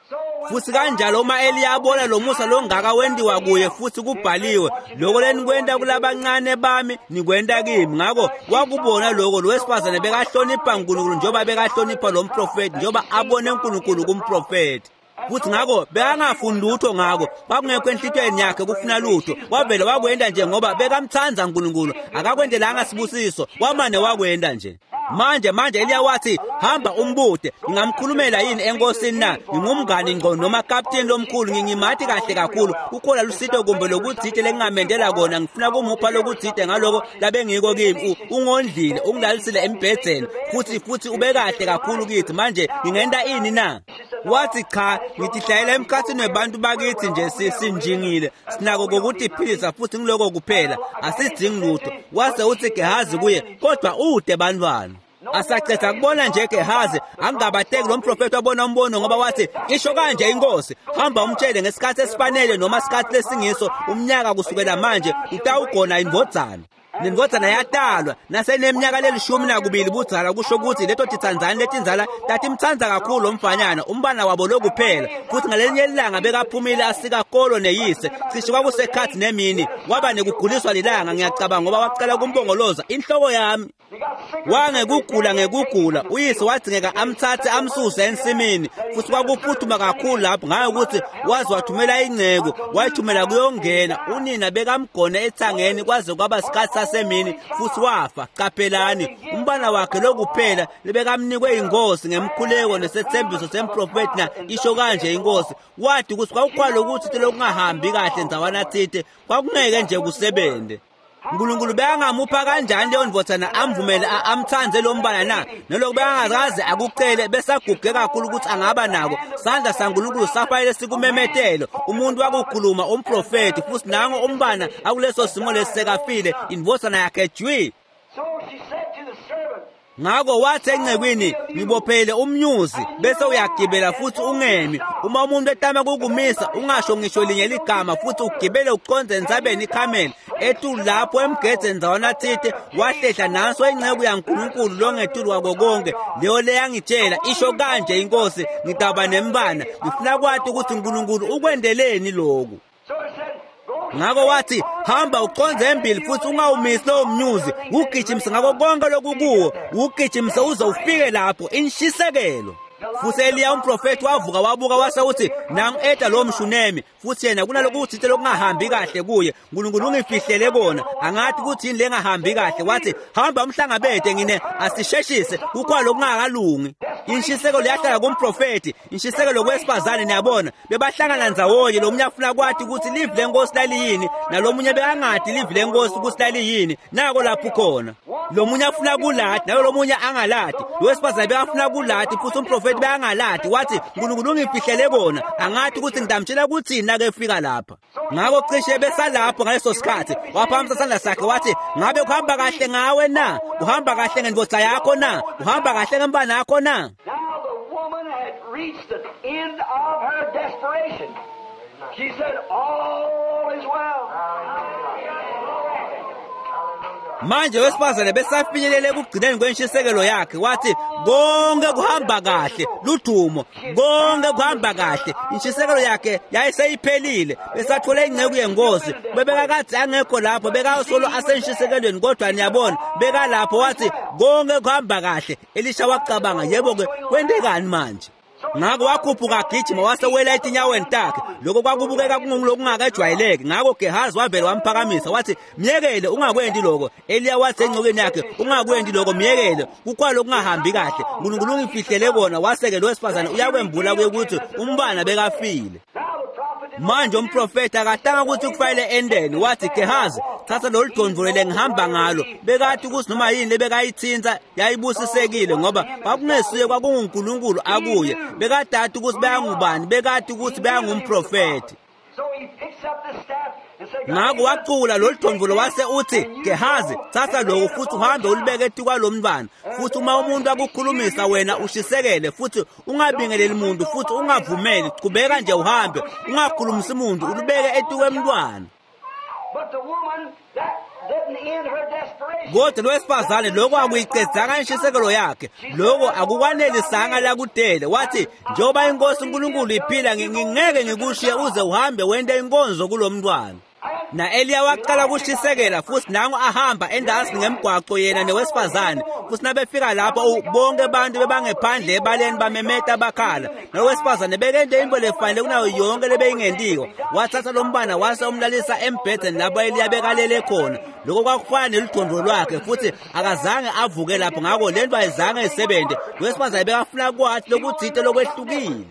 so when futhi kanjalo uma Eliya abona lo musa longaka wendiwa kuye futhi kubhaliwe lokho lenikwenta kulabancane bami nikwenta kimi ngakho wakubona lokho lo wesifazane bekahlonipha uNkulunkulu njengoba bekahlonipha lo mprofeti njengoba abone uNkulunkulu kumprofeti futhi ngakho bekangafuni lutho ngakho kwakungekho enhlitweni yakhe kufuna lutho wavele wakwenta nje ngoba bekamthanda uNkulunkulu akakwentelanga sibusiso wamane wakwenta nje manje manje Eliya wathi hamba umbude ngingamkhulumela yini enkosini na ngingumngani ngqo noma kapteni lomkhulu ngingimati kahle kakhulu kukhona lusito kumbe lokuthide lengingamendela kona ngifuna kumupha lokuthide ngaloko labengiko kimi U- ungondlile ungilalisile embhedzeni futhi futhi ube kahle kakhulu kithi manje ngingenta ini na wathi cha ngitihlayela emkhathini webantu bakithi nje si- sinjingile sinako kokutiphilisa futhi ngiloko kuphela asidingi lutho wase uthi Gehazi kuye kodwa ude bantwana asaceda kubona nje Gehazi angabateki lo mprofeti wabona umbono ngoba wathi isho kanje inkosi hamba umtshele ngesikhathi esifanele noma isikhathi lesingiso umnyaka kusukela manje utawugona indvodzana Nendvodzana yatalwa naseneminyaka lelishumi nakubili budzala, kusho kutsi leto titsandzani letindzala tatimtsandza kakhulu lo mfanyana, umbana wabo lokuphela. Futhi ngalelinye ilanga bekaphumile asika kolo neyise, cishe kwakusekhathi nemini, waba nekuguliswa lilanga, ngiyacabanga ngoba wacala kumbongoloza inhloko yami. Wangekugula ngekugula, uyise wadzingeka amthathe amsuse ensimini, futhi kwakuphuthuma kakhulu lapho ngayo ukuthi waze wathumela inceku, wayithumela kuyongena. Unina bekamgone ethangeni kwaze kwaba sikhathi sasemini, futhi wafa. Qaphelani, umbana wakhe lokuphela lebekamnikwe inkosi ngemkhuleko nesethembiso semprofeti, na isho kanje inkosi, wathi ukuthi kwakukhwala ukuthi lokungahambi kahle ndzawana thite, kwakungeke nje kusebente. uNkulunkulu bekangamupha kanjani leyo ndvodzana amvumele amthandze lo mbana na? Noloku bekangakaze akucele, besaguge kakhulu ukuthi angaba nako. Sandla saNkulunkulu safanele sikumemetelo, umuntu wakukhuluma, umprofeti, futhi nango umbana akuleso simo lesisekafile, indvodzana yakhe jwi. Ngako wathi encekwini, ngibophele umnyuzi bese uyagibela futhi ungemi. Uma umuntu etama kukumisa, ungasho ngisho linye ligama, futhi ugibele uconze entsabeni iKhameli. Etulu lapho emgedeni ndzawana thite, wahlehla nanso inceku yaNkulunkulu longetulu kwako konke, leyo leyangitshela, isho kanje inkosi, ngitaba nembana. Ngifuna kwati ukuthi uNkulunkulu ukwendeleni lokhu. Ngako wathi, hamba uconze embili futhi ungawumisi lowo mnyuzi, ugijimise ngako konke lokukuwo, ugijimise uze ufike lapho. Inshisekelo. Futhi Eliya umprofeti wavuka wabuka wase uthi, nangu eta lo mshunemi, futhi yena kunalokuthite lokungahambi kahle kuye, uNkulunkulu ungifihlele kona, angathi kuthi yini lengahambi kahle. Wathi, hamba umhlangabete ngine, asisheshise, kukhona lokungakalungi. Inshisekelo yahlala kumprofeti, inshisekelo kwesifazane. Niyabona, bebahlangana ndzawonye, lo munye afuna kwathi ukuthi livi lenkosi laliyini, nalomunye bekangadi livi lenkosi ukuthi laliyini. Nako lapho khona lo munye afuna kulati, nalo lomunye angalati. Lo wesifazane bekafuna kulati, futhi umprofeti bekangalati. Wathi, uNkulunkulu ungifihlele kona, angathi ukuthi ngitamtshela kuthini nakefika lapha. Ngako cishe besalapho ngaleso sikhathi, waphakamisa isandla sakhe wathi, ngabe kuhamba kahle ngawe na? Kuhamba kahle ngendvodza yakho na? Kuhamba kahle ngembana yakho na? Now the woman had reached the end of her desperation. She said, all is well. Manje wesifazane besafinyelele ekugcineni kwenshisekelo yakhe, wathi konke kuhamba kahle, ludumo, konke kuhamba kahle. Inshisekelo yakhe yayiseyiphelile, besathole inceku yenkosi. Bebekakade angekho lapho, bekasolo asenshisekelweni, kodwa niyabona bekalapho. Wathi konke kuhamba kahle. Elisha wacabanga, yebo-ke kwentekani manje? Ngako wakhuphuka agijima wasewela etinyaweni takhe. Lokho kwakubukeka kungulokungakajwayeleki. Ngako Gehazi wavele wamphakamisa wathi, myekele, ungakwenti lokho. Eliya wathi encokweni yakhe, ungakwendi lokho, myekele, kukhona lokungahambi kahle, uNkulunkulu ungifihlele kona. Waseke lo wesifazane uyakwembula kuye ukuthi umbana bekafile. Manje umprofeti akatanga ukuthi kufanele endeni. Wathi, Gehazi, thatha lolu dondvolo lengihamba ngalo. Bekathi ukuthi noma yini lebekayithinta yayibusisekile, ngoba kwakungesiye, kwakunguNkulunkulu akuye. Bekadati ukuthi beyangubani, bekati ukuthi beyangumprofeti. Ngako wacula lolu dondvolo wase uthi, Gehazi, thatha lokhu futhi uhambe ulibeke etikwa mntwana. Futhi uma umuntu akukhulumisa wena ushisekele, futhi ungabingeleli muntu, futhi ungavumeli, qhubeka nje uhambe, ungakhulumisi muntu, ulibeke etikwemntwana. Kodwa lowesifazane lokho akuyicedzanga inshisekelo yakhe, lokho akukwanelisanga lakudele. Wathi, njengoba inkosi uNkulunkulu iphila, ngingeke ngikushiye uze uhambe wente inkonzo kulo mntwana. Na Eliya waqala ukushisekela, futhi nango ahamba endasi ngemgwaqo yena nowesifazane. Futhi nabefika lapho, bonke abantu bebangephandle ebaleni bamemeta bakhala. Nowesifazane bekente into lefanele kunayo yonke lebeyingentiwa. Wathatha lo mbana wase umlalisa embhedeni lapho Eliya bekalele khona. Lokho kwakufana neludondvo lwakhe, futhi akazange avuke lapho. Ngako le nto ayizange isebenze. Lowesifazane bekafuna kwathi lokuthite lokwehlukile.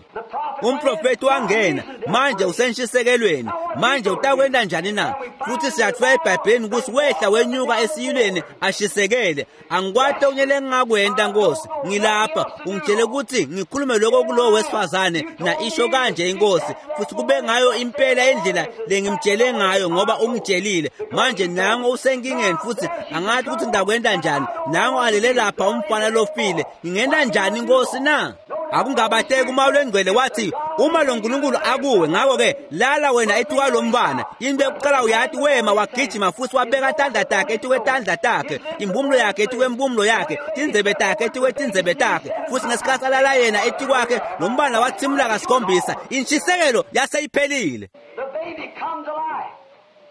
Umprofeti wangena, manje usenshisekelweni, manje utakwenta njani na? Futhi siyatfola eBhayibhelini ukuthi wehla wenyuka esiyilweni ashisekele. Angikwati okunye lengingakwenta Nkosi, ngilapha ungitshele ukuthi ngikhulume lokho kulowo wesifazane, na isho kanje inkosi, futhi kube ngayo impela indlela lengimtshele ngayo, ngoba ungitshelile. Manje nango usenkingeni, futhi angathi ukuthi ngidakwenta njani. Nango alele lapha umfana lofile, ngingenta njani Nkosi na? Akungabateki uma lwengcwele wathi uma lo Nkulunkulu akuwe, ngakho-ke lala wena etuka lomntwana. Into yokuqala uyathi wema wagijima futhi wabeka tandla takhe etukwetandla takhe, impumulo yakhe etukwempumulo yakhe, tindzebe takhe etukwetindzebe takhe. Futhi ngesikhathi alala yena etikwakhe, lo mntwana wathimula kasikhombisa. Intshisekelo yaseyiphelile.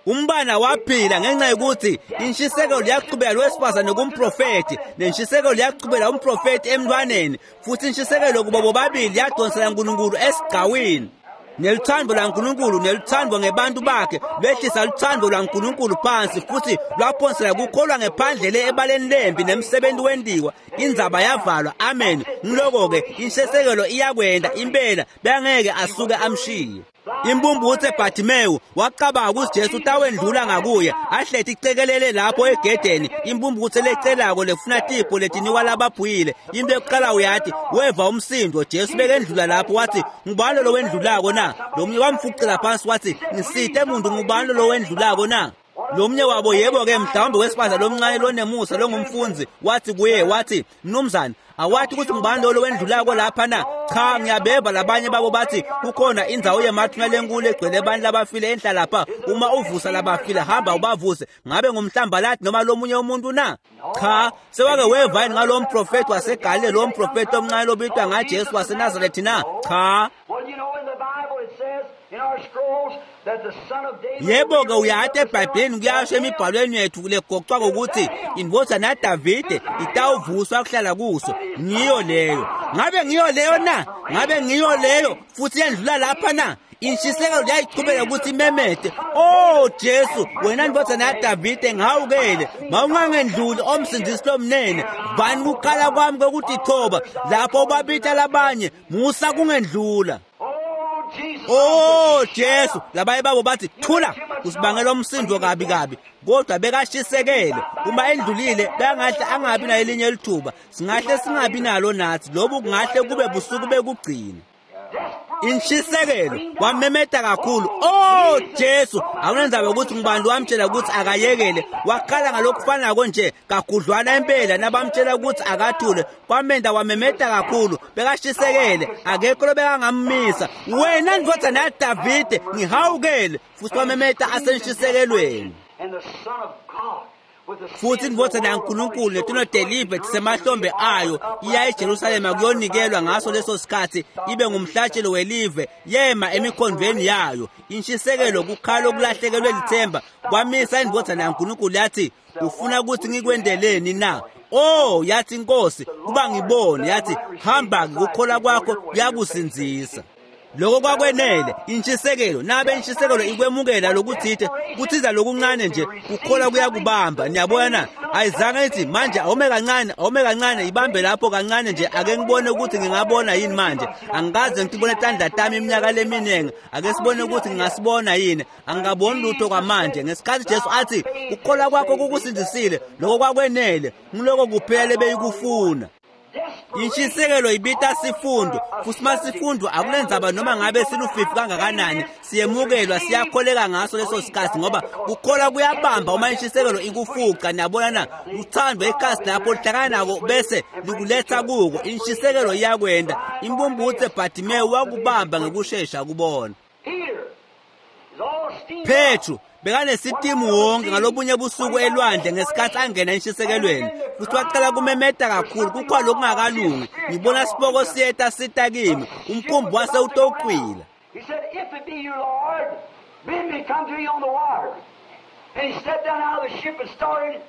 Umbana waphila ngenxa yokuthi intshisekelo yaqhubeka lowesifazane kumprofethi, nentshisekelo yaqhubeka umprofethi emntwaneni, futhi intshisekelo kubo bobabili yadonsela uNkulunkulu esigcawini. Neluthando lwaNkulunkulu neluthando ngebantu bakhe lwehlisa luthando lwaNkulunkulu phansi futhi lwaphonsela kukholwa ngephandle le ebaleni lempi nemsebenzi wendiwa. Indzaba yavalwa. Amen. Ngiloko-ke intshisekelo iyakwenda impela, bengeke asuke amshiye. Imbumbuthe Bartimewu wacabanga ukuthi Jesu utawendlula ngakuye, ahlethi icekelele lapho egedeni. Imbumbuthe lecelako lefuna tipho letinikwa labaphuyile. Into yokuqala uyathi weva umsindo, Jesu bekendlula lapho wathi ngubani lo wendlulako na? Lo mnye wamfucela phansi wathi ngisite muntu, ngubani lo wendlulako na? Lo mnye wabo, yebo-ke mhlawumbe wesifazane lomncane lonemusa longumfundzi, wathi kuye wathi mnumzane, awathi ukuthi ngubani lo wendlulako lapha na? Cha, ngiyabeva labanye babo bathi kukhona indzawo yemathuna lenkulu egcwele abantu labafile enhla lapha. Uma uvusa labafile hamba ubavuse, ngabe ngumhlambalathi noma lomunye umuntu na? Cha, sewake weva yini ngalo mprofethi waseGalile, lo mprofethi omncane lobitwa ngaJesu waseNazaretha na? Cha. Yebo-ke uyathi eBhayibhelini kuyasho emibhalweni yethu legoqwa kokuthi indvodzana yaDavide itawuvuswa kuhlala kuso. Ngiyo leyo. Ngabe ngiyo leyo na? Ngabe ngiyo leyo futhi yendlula lapha na? Intshisekelo yayichubeka ukuthi imemete, oh Jesu, wena ndvodzana yaDavide, ngihawukele, mawungangendluli omsindisi lomnene, vani kukhala kwami kwekutithoba lapho ubabita labanye, musa kungendlula. Oh Jesu, labanye babo bathi thula, usibangela umsindo kabi kabi, kodwa bekashisekele. Uma endlulile bengahle angabi nayelinye lithuba, singahle singabi nalo nathi, lobu kungahle kube busuku bekugcina. Intshisekelo wamemeta kakhulu, oh Jesu. Awunenzaba ukuthi ngubani wamtshela ukuthi akayekele, wakhala ngalokufanako nje kagudlwana impela nabamtshela ukuthi akathule, kwamenda wamemeta kakhulu, bekashisekele, akekho lobekangammisa. Wena ndvodzana yaDavide, ngihawukele. Futhi wamemeta asenshisekelweni. Futhi indvodzana yaNkulunkulu netinodelive tisemahlombe ayo iya eJerusalema kuyonikelwa ngaso leso sikhathi ibe ngumhlatshelo welive, yema emikhondvweni yayo. Intshisekelo, kukhala okulahlekelwe lithemba, kwamisa indvodzana yaNkulunkulu yathi ufuna ukuthi ngikwendeleni na? Oh, yathi inkosi, kuba ngibone. Yathi hamba, ukukholwa kwakho kuyakusindzisa. Lokho kwakwenele intshisekelo. Nabe intshisekelo ikwemukela lokuthite, kuthiza lokuncane nje, ukukholwa kuyakubamba. Niyabona na? Ayizange ithi manje awume kancane, awume kancane, ibambe lapho kancane nje, ake ngibone ukuthi ngingabona yini manje. Angikaze ngibone tandla tami iminyaka leminingi, ake sibone ukuthi ngingasibona yini. Angikaboni lutho kwamanje. Ngesikhathi Jesu athi ukukholwa kwakho kukusindisile, lokho kwakwenele, ngiloko kuphela beyikufuna. Intshisekelo ibita sifundo, futhi masifundo akulenzaba noma ngabe silufifi kangakanani, siyemukelwa, siyakholeka ngaso leso sikhathi, ngoba kukholwa kuyabamba uma intshisekelo ikufuqa. Niyabona na? Uthando ikhasi lapho lihlangana nako bese likuletha kuko. Intshisekelo iyakwenda. Imbumbuthe Bartimewu wakubamba ngekushesha kubona. Petru bekanesitimu wonke ngalobunye busuku elwandle ngesikhathi angena entshisekelweni, futhi waqala kumemeta kakhulu, kukhona lokungakalungi, ngibona siboko siyeta sita kimi, umkhumbi wase utoqwila. He said, if it be you, Lord, bid me come to you on the water. And he stepped down out of the ship and started.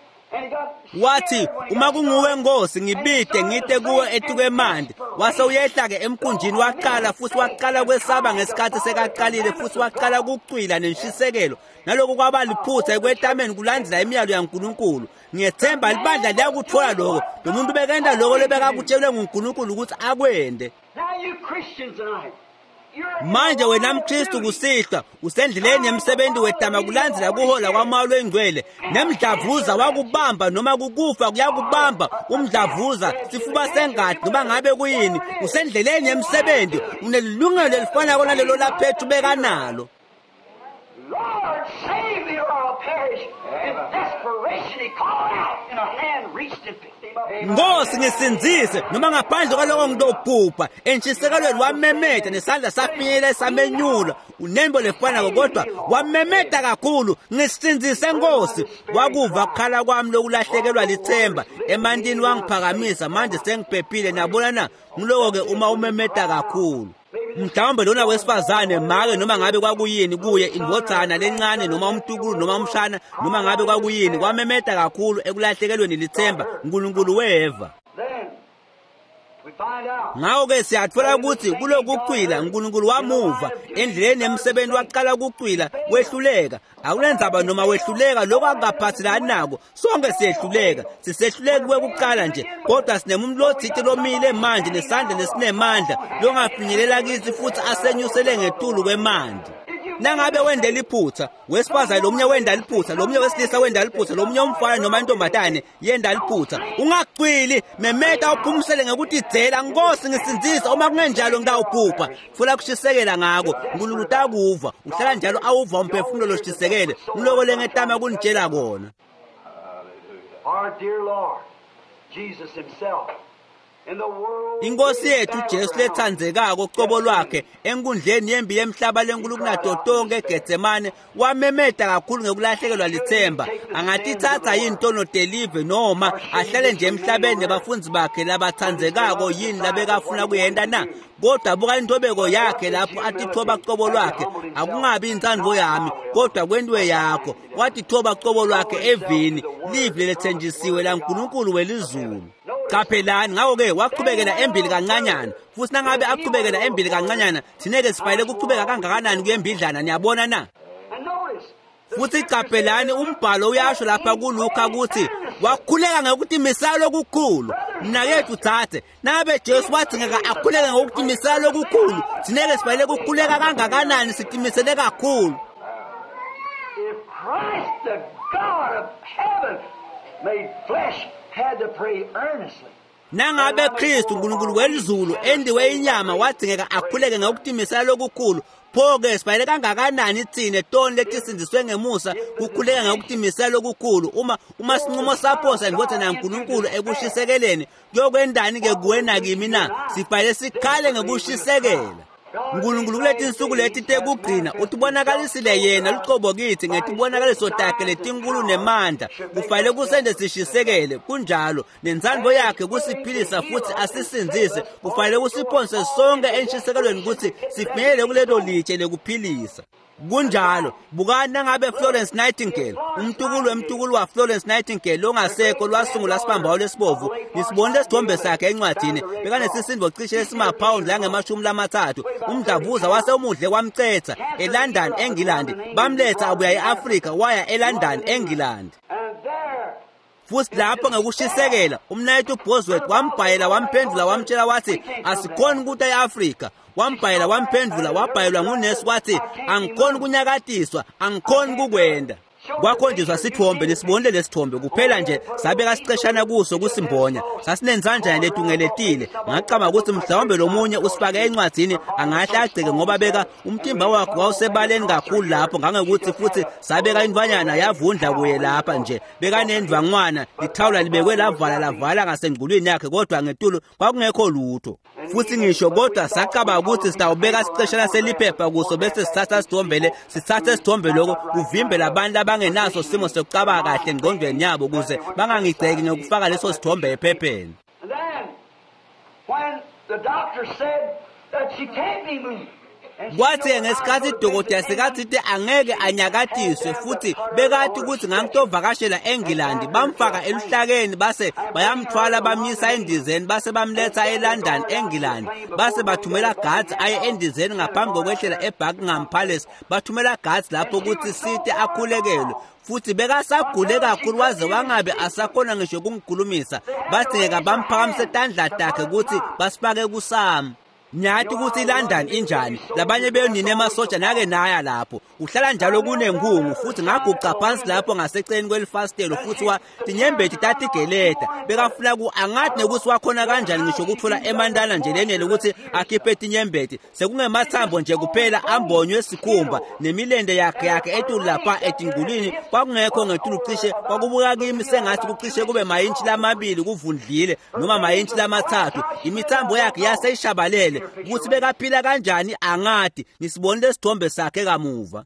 Wathi uma kunguwe Nkosi, ngibide ngite kuwe etukemandi. Wase uyehla ke emkhunjini waqala, futhi waqala kwesaba ngesikhathi sekaqalile, futhi waqala kucwila nenshisekelo. Naloko kwaba liphutha ekwetameni kulandela imiyalo yaNkulunkulu. Ngiyethemba libandla liyakuthola lokho. Lo muntu bekenda lokho lebekakutshelwe nguNkulunkulu ukuthi akwende. Now you Christians tonight, Manje wena mKristu kusihlwa usendleleni yemsebenzi wetama kulandzela kuhola kwaMoya Oyingcwele, nemdlavuza wakubamba noma kukufa kuyakubamba umdlavuza, sifuba sengadi noma ngabe kuyini, usendleleni yemsebenzi, unelungelo elifanako nalelo laPetru bekanalo. Lord, save me or I'll perish. In desperation he called out, and a hand reached and picked him up. Nkosi ngisindzise noma ngaphandle kwaloko ngitobhubha. Entshisekelweni wamemeta nesandla safinyela samenyula unembo lefanako, kodwa wamemeta kakhulu, ngisindzise Nkosi. Wakuva kukhala kwami lokulahlekelwa lithemba emantini, wangiphakamisa, manje sengiphephile. Nabona na? Ngiloko-ke uma umemeta kakhulu. Mhlawumbe lona wesifazane make noma ngabe kwakuyini kuye, indvodzana lencane noma umtukulu noma umshana noma ngabe kwakuyini, kwamemeta kakhulu ekulahlekelweni lithemba. Nkulunkulu weva. Ngakho-ke siyatfola ukuthi kulokucwila Nkulunkulu wamuva endleleni yemsebenzi, waqala ukucwila wehluleka. Akunendzaba noma wehluleka, lokho akukaphathelani nako. Sonke siyehluleka, sisehluleki kwekuqala nje, kodwa sinemuntu lotsite lomile manje nesandla lesinemandla longafinyelela kithi futhi asenyusele ngetulu kwemanti. Nangabe wende liphutha wesifazane, lomunye wenda liphutha, lomunye wesilisa wenda liphutha, lomunye umfana noma intombatane yenda liphutha, ungacwili, memeta uphumisele ngekutidzela, Nkosi ngisindzise, uma kungenjalo ngitawubhubha. Funa kushisekela ngako, Nkulunkulu utakuva, uhlala njalo awuva umphefumulo loshisekele. Ngiloko lengetama kunitshela kona. Our dear Lord Jesus himself Inkosi yethu Jesu lethandzekako cobo lwakhe enkundleni yembi yemhlaba lenkulu kunato tonke eGetsemane wamemeta kakhulu ngekulahlekelwa lithemba. Angatitsatsa yini tono telive noma ahlale nje emhlabeni nebafundzi bakhe labathandzekako yini labekafuna kuyenta na? Kodwa buka intobeko yakhe lapho atithoba cobo lwakhe, akungabi intsandvo yami kodwa kwentiwe yakho. Watithoba cobo lwakhe evini, livi lelethenjisiwe laNkulunkulu welizulu. Qaphelani, ngakho-ke waqhubekela embili kancanyana, futhi nangabe aqhubekela embili kancanyana, thina-ke sifanele kuqhubeka kangakanani kuyembidlana, niyabona na? Futhi qaphelani, umbhalo uyasho lapha kuLuka ukuthi wakhuleka ngokutimisela lokukhulu. Mnakethu thathe, nangabe Jesu wadzingeka akhuleke ngokutimisela lokukhulu, thina-ke sifanele kukhuleka kangakanani sitimisele kakhulu. If Christ, the God of heaven, made flesh, had to pray earnestly. Nangabe Kristu uNkulunkulu welizulu endiwe inyama wadzingeka akhuleke ngokutimisela lokukhulu, pho-ke sifanele kangakanani tsine toni letisindziswe ngemusa kukhuleka ngokutimisela lokukhulu? Uma uma sinqumo saphosa indvodzana yaNkulunkulu ekushisekeleni, kuyokwendani-ke kuwe nakimi na? Sifanele sikhale ngekushisekela. Nkulunkulu kuletinsuku leti tekugcina utibonakalisile yena lucobo kithi ngetibonakaliso takhe letinkulu nemandla. Kufanele kusente sishisekele, kunjalo nentsandvo yakhe kusiphilisa futhi asisindzise. Kufanele kusiphonse sonke enshisekelweni kutsi sifinyelele kulelo litshe lekuphilisa. Kunjalo, bukani nangabe Florence Nightingale, umtukulu wemtukulu wa Florence Nightingale longasekho lwasungula sibambawo lesibovu, nisibonile isithombe sakhe encwadini, bekanesisindo cishe esimaphawundi langemashumi lamathathu. Umdlavuza wase umudle kwamcetha eLondon, eNgilandi. Bamletha abuya e-Afrika waya eLondon, eNgilandi. Futhi lapho ngekushisekela umnayethu Bosworth wambhayela wamphendula wamtshela wathi asikhoni ukuta e-Afrika. Wambhayela wamphendula wabhayelwa ngunesi wathi angikhoni kunyakatiswa, angikhoni kukwenda. Kwakhonjiswa sithombe, nisibonile lesithombe kuphela nje sabeka siceshana kuso kusimbonya, sasinenzanjana letungeletile. Ngacabanga ukuthi mhlawumbe lomunye usifake encwadzini angahle agceke ngoba beka umtimba wakhe wawusebaleni kakhulu lapho, ngangokuthi futhi sabeka intwanyana yavundla kuye lapha nje, bekanendvangwana lithawula libekwe lavala lavala ngasengculwini yakhe, kodwa ngetulu kwakungekho lutho. Futhi ngisho kodwa sacabanga ukuthi sitawubeka siceshana seliphepha kuso bese sithatha sithombele sithathe sithombe lokho kuvimbela abantu abangenaso simo sokucabanga kahle engqondweni yabo ukuze bangangigceki ngokufaka leso sithombe ephepheni. And then, when the doctor said that she can't be moved, Kwathi ngesikhathi idokotela sekathite angeke anyakatiswe futhi bekathi ukuthi ngangitovakashela eNgilandi, bamfaka eluhlakeni base bayamthwala bamyisa endizeni base bamletha eLondon, eNgilandi, base bathumela guards aye endizeni ngaphambi kokwehlela eBuckingham Palace. Bathumela guards lapho ukuthi site akhulekelwe, futhi bekasagule kakhulu waze wangabe asakhona ngisho kungikhulumisa. Badingeka bamphakamise tandla takhe ukuthi basifake kusami. Nyathi ukuthi iLondon injani, labanye benu nemasoja nake naya lapho. Uhlala njalo kunenkungu futhi ngaguqa phansi lapho ngaseceleni kwelifasitelo futhi wa tinyembeti tatigeleta. Bekafuna ku angathi nekuthi wakhona kanjani ngisho ukuthola emandana nje lenele ukuthi akhiphe tinyembeti. Sekungemathambo nje kuphela ambonywe esikhumba nemilende yakhe yakhe etulu lapha etingulini kwakungekho ngetulu cishe kwakubuka kimi sengathi kucishe kube mayintshi lamabili kuvundlile noma mayintshi lamathathu. Imithambo yakhe yaseyishabalele. Ukuthi bekaphila kanjani angadi nisibonile isithombe sakhe kamuva.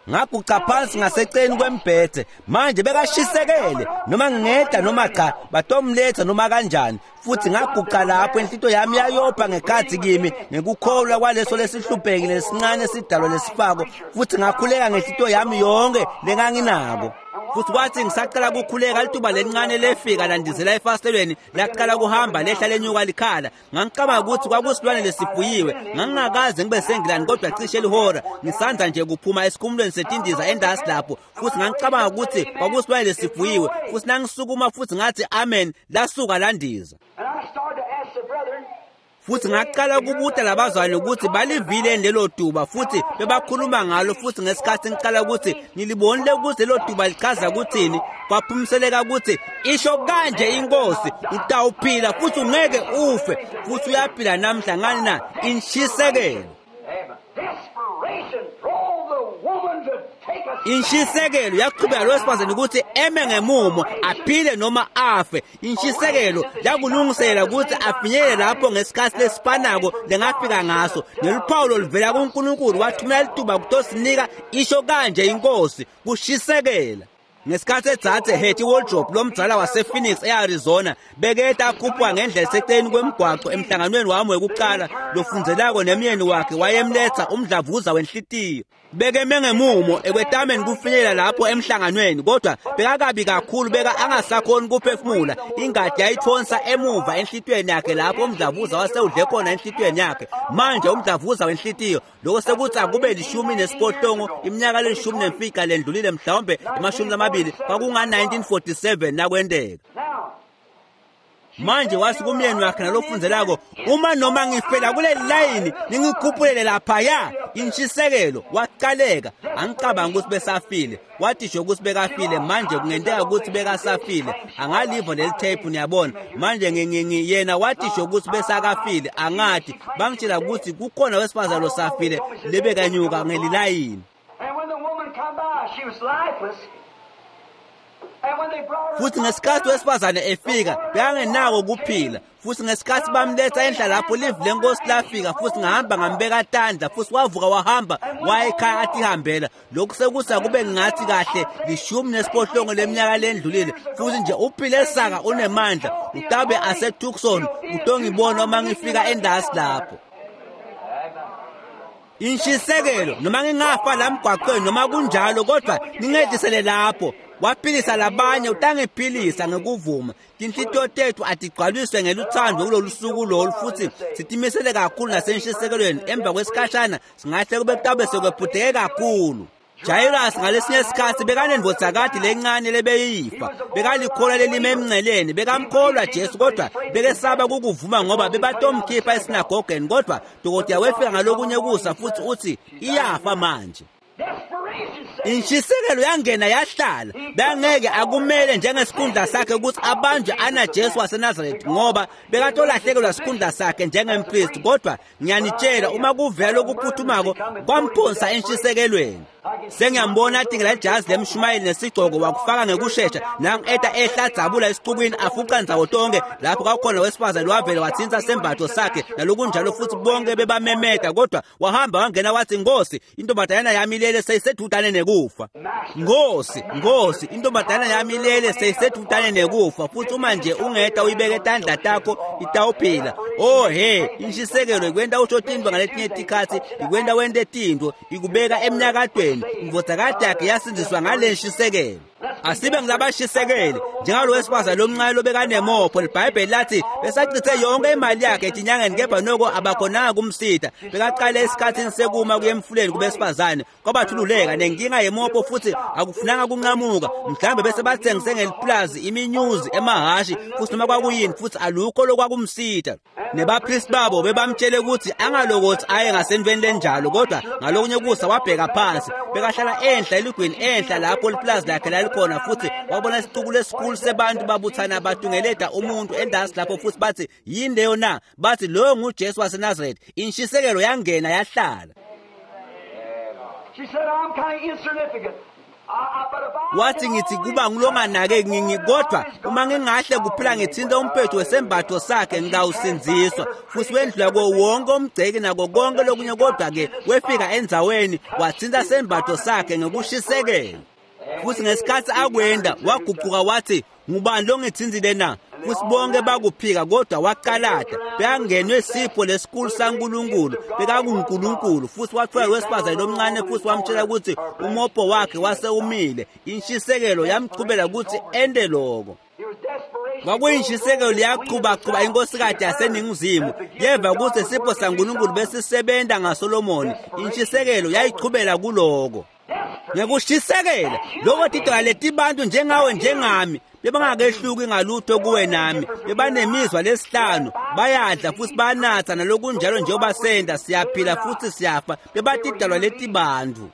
Ngaguqa phansi ngaseceleni kwembhede manje bekashisekele noma ngingeda noma cha batomletha noma kanjani futhi ngaguqa lapho inhlito yami yayopha ngekhathi kimi ngekukholwa kwaleso lesihluphekile lesincane sidalwa lesifako futhi ngakhuleka ngenhlito yami yonke lenganginako. Futhi kwathi ngisaqala ukukhuleka lituba lelincane lefika landizela efasitelweni laqala kuhamba lehla lenyuka likhala. Ngangicabanga ukuthi kwakusilwane lesifuyiwe, ngangingakaze ngibe sengilani kodwa cishe lihora ngisandla nje kuphuma esikhumulweni setindiza endasi lapho futhi ngangicabanga ukuthi kwakusilwane lesifuyiwe futhi nangisukuma futhi ngathi amen lasuka landiza. Futhi ngaqala ukubuta labazwane ukuthi balivile lelo tuba futhi bebakhuluma ngalo futhi ngesikhathi ngiqala ukuthi ngilibonile ukuthi lelo tuba lichaza ukuthini kwaphumseleka ukuthi isho kanje inkosi utawuphila futhi ungeke ufe futhi uyaphila namhla ngani na inshisekelo. Inshisekelo yaqhubeka lo wesifazane ukuthi eme ngemumo aphile noma afe. Inshisekelo yakulungisela ukuthi afinyelele lapho ngesikhathi lesifanako lengafika ngaso. Neluphawu loluvela kuNkulunkulu wathumela lituba kutosinika isho kanje inkosi kushisekela. Ngesikhathi edzadze Hetty Wardrop lomdzala wasePhoenix eArizona beketa akhuphwa ngendlela eseceleni kwemgwaqo emhlanganweni wami wekuqala lofundzelako nemyeni wakhe wayemletha umdlavuza wenhlitiyo. Bekeme ngemumo ekwetameni kufinyelela lapho emhlanganweni kodwa bekakabi kakhulu beka angasakhoni kuphefumula. Ingadi yayithonsa emuva enhlitiyweni yakhe lapho umdlavuza wasewudle khona enhlitiyweni yakhe. Manje umdlavuza wenhlitiyo lokho sekuthi akube lishumi nesiphohlongo iminyaka lelishumi nemfica lendlulile mhlawumbe emashumi lamabili kwakunga nineteen forty-seven nakwenteka. Manje wasi kumyeni wakhe nalofundzelako uma noma ngifela kule layini ningikhuphulele laphaya. Inshisekelo waqaleka. Angicabanga ukuthi besafile wathi nje ukuthi bekafile manje kungenteka ukuthi bekasafile angaliva leli tape niyabona manje ngingi yena wathi nje ukuthi besakafile angathi bangitshela ukuthi kukhona wesifazane losafile lebekanyuka ngelilayini. Futhi ngesikhathi wesifazane efika bekangenako kuphila futhi ngesikhathi bamletha enhla lapho live lenkosi lafika futhi ngahamba ngambeka tandla futhi wavuka wahamba waya ekhaya athi ihambela. Lokhu sekusa kube ngathi kahle lishumi nesiphohlongo leminyaka lendlulile futhi nje uphile saka unemandla utabe aseTucson utongibona uma ngifika endasi lapho. Inshisekelo noma ngingafa la mgwaqweni noma kunjalo kodwa ningedisele lapho. Waphilisa labanye utangiphilisa ngekuvuma. Tinhlitiyo tethu atigcwaliswe ngeluthando kulolu suku lolu futhi sitimisele kakhulu nasenshisekelweni. Emva kwesikhashana singahle kube kutabe sekwephuteke kakhulu. Jairus ngalesinye isikhathi bekanendvodzakati lencane lebeyifa bekalikholwa lelime emnceleni bekamkholwa Jesu kodwa bekesaba kukuvuma ngoba bebatomkhipha esinagogeni kodwa dokotela wefika ngalokunye kusa futhi uthi iyafa manje. Inshisekelo yangena yahlala bangeke akumele njengesikhundla sakhe ukuthi abanjwe ana Jesu waseNazaretha ngoba bekatolahlekelwa sikhundla sakhe njengempristi kodwa ngiyanitshela uma kuvela okuphuthumako kwamphonsa enshisekelweni. Sengiyambona atingela ijazi lemshumayeli nesigcoko wakufaka ngekushesha nangu eta ehla dzabula esixukwini afuqa ndzawo tonke lapho kwakhona wesifazane wavele wathinta sembatho sakhe nalokunjalo futhi bonke bebamemeta kodwa wahamba wangena wathi Nkosi intombazanyana yami ilele seyisedudane nekufa. Nkosi Nkosi intombazanyana yami ilele seyisedudane nekufa futhi uma nje ungeta uyibeke tandla takho itawuphila. Oh he inshisekelo ikwenta usho tintfo ngaletinye tikhatsi ikwenta wente tintfo ikubeka emnyakatweni. Indvodzakati yakhe yasindziswa ngale nshisekelo. Asibe ngilabashisekele njengalo wesifazane lomncane lobekanemopho. Libhayibheli lathi besachithe yonke imali yakhe etinyangeni, kepha noko abakhonanga kumsita. Bekaqale esikhathini sekuma kuye emfuleni kubesifazane, kwabathululeka nenkinga yemopho futhi akufunanga kunqamuka. Mhlawumbe bese bathengise ngeliplazi iminyuzi emahashi futhi noma kwakuyini, futhi alukho lokwakumsita. Nebapristi babo bebamtshele ukuthi angalokothi aye ngasenveni lenjalo, kodwa ngalokunye kusa wabheka phansi. Bekahlala enhla eligwini enhla lapho liplazi lakhe lalikhona, futhi wabona isixuku lesikhulu sebantu babuthana batungeleda umuntu endasi lapho, futhi bathi yini leyo na? Bathi loyo nguJesu waseNazaretha. Inshisekelo yangena yahlala. She said, I'm kind of insignificant. Wathi ngithi kuba ngilonganake ngingi, kodwa uma ngingahle kuphila ngithinta umphetho wesembatho sakhe ngitawusindziswa. Futhi wendlula kuwo wonke umgceki nako konke lokunye, kodwa-ke wefika endzaweni wathinta sembatho sakhe ngokushisekela. Futhi ngesikhathi akwenda waguquka wathi, ngubani longithinzile na? Futhi bonke bakuphika, kodwa waqalada. Bekangenwe sipho lesikhulu saNkulunkulu, bekakunguNkulunkulu. Futhi wathola wesifazane lomncane futhi wamtshela ukuthi umopho wakhe wase umile. Inshisekelo yamchubela ukuthi ende loko. Kwakuyintshisekelo liyaqhubaqhuba inkosikadi yaseNingizimu. Yeva ukuthi isipho saNkulunkulu besisebenta ngaSolomoni. Intshisekelo yayichubela kuloko. Ngekushisekela lokho tidala letibantu njengawe njengami bebangakehluki ngalutho kuwe nami, bebanemizwa lesihlanu, bayadla futhi banatha nalokunjalo njengoba senda, siyaphila futhi siyafa, bebatidalwa letibantu.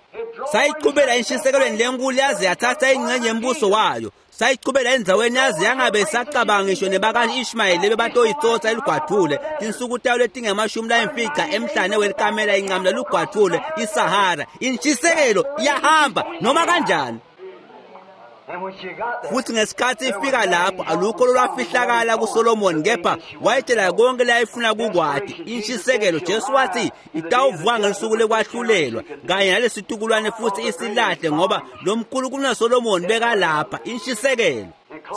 Sayichubela inshisekelweni lenkulu yaze yathatha ingxenye yembuso wayo. Sayichubela endzaweni yaze yangabe isacabanga ngisho nebaka-Ishmayeli bebatoyitsotsa elugwadvule. Tinsuku tayo letingemashumi layimfica emhlane welikamela inqamula lugwadvule iSahara. Inshisekelo iyahamba noma kanjani. Futhi ngesikhathi ifika lapho alukho lolwafihlakala kuSolomoni, kepha wayetshela konke layifuna kukwati. Inshisekelo, Jesu wathi itawuvuka ngesuku lekwahlulelwa kanye nalesitukulwane futhi isilahle, ngoba lo mkhulu kunaSolomoni bekalapha. Inshisekelo.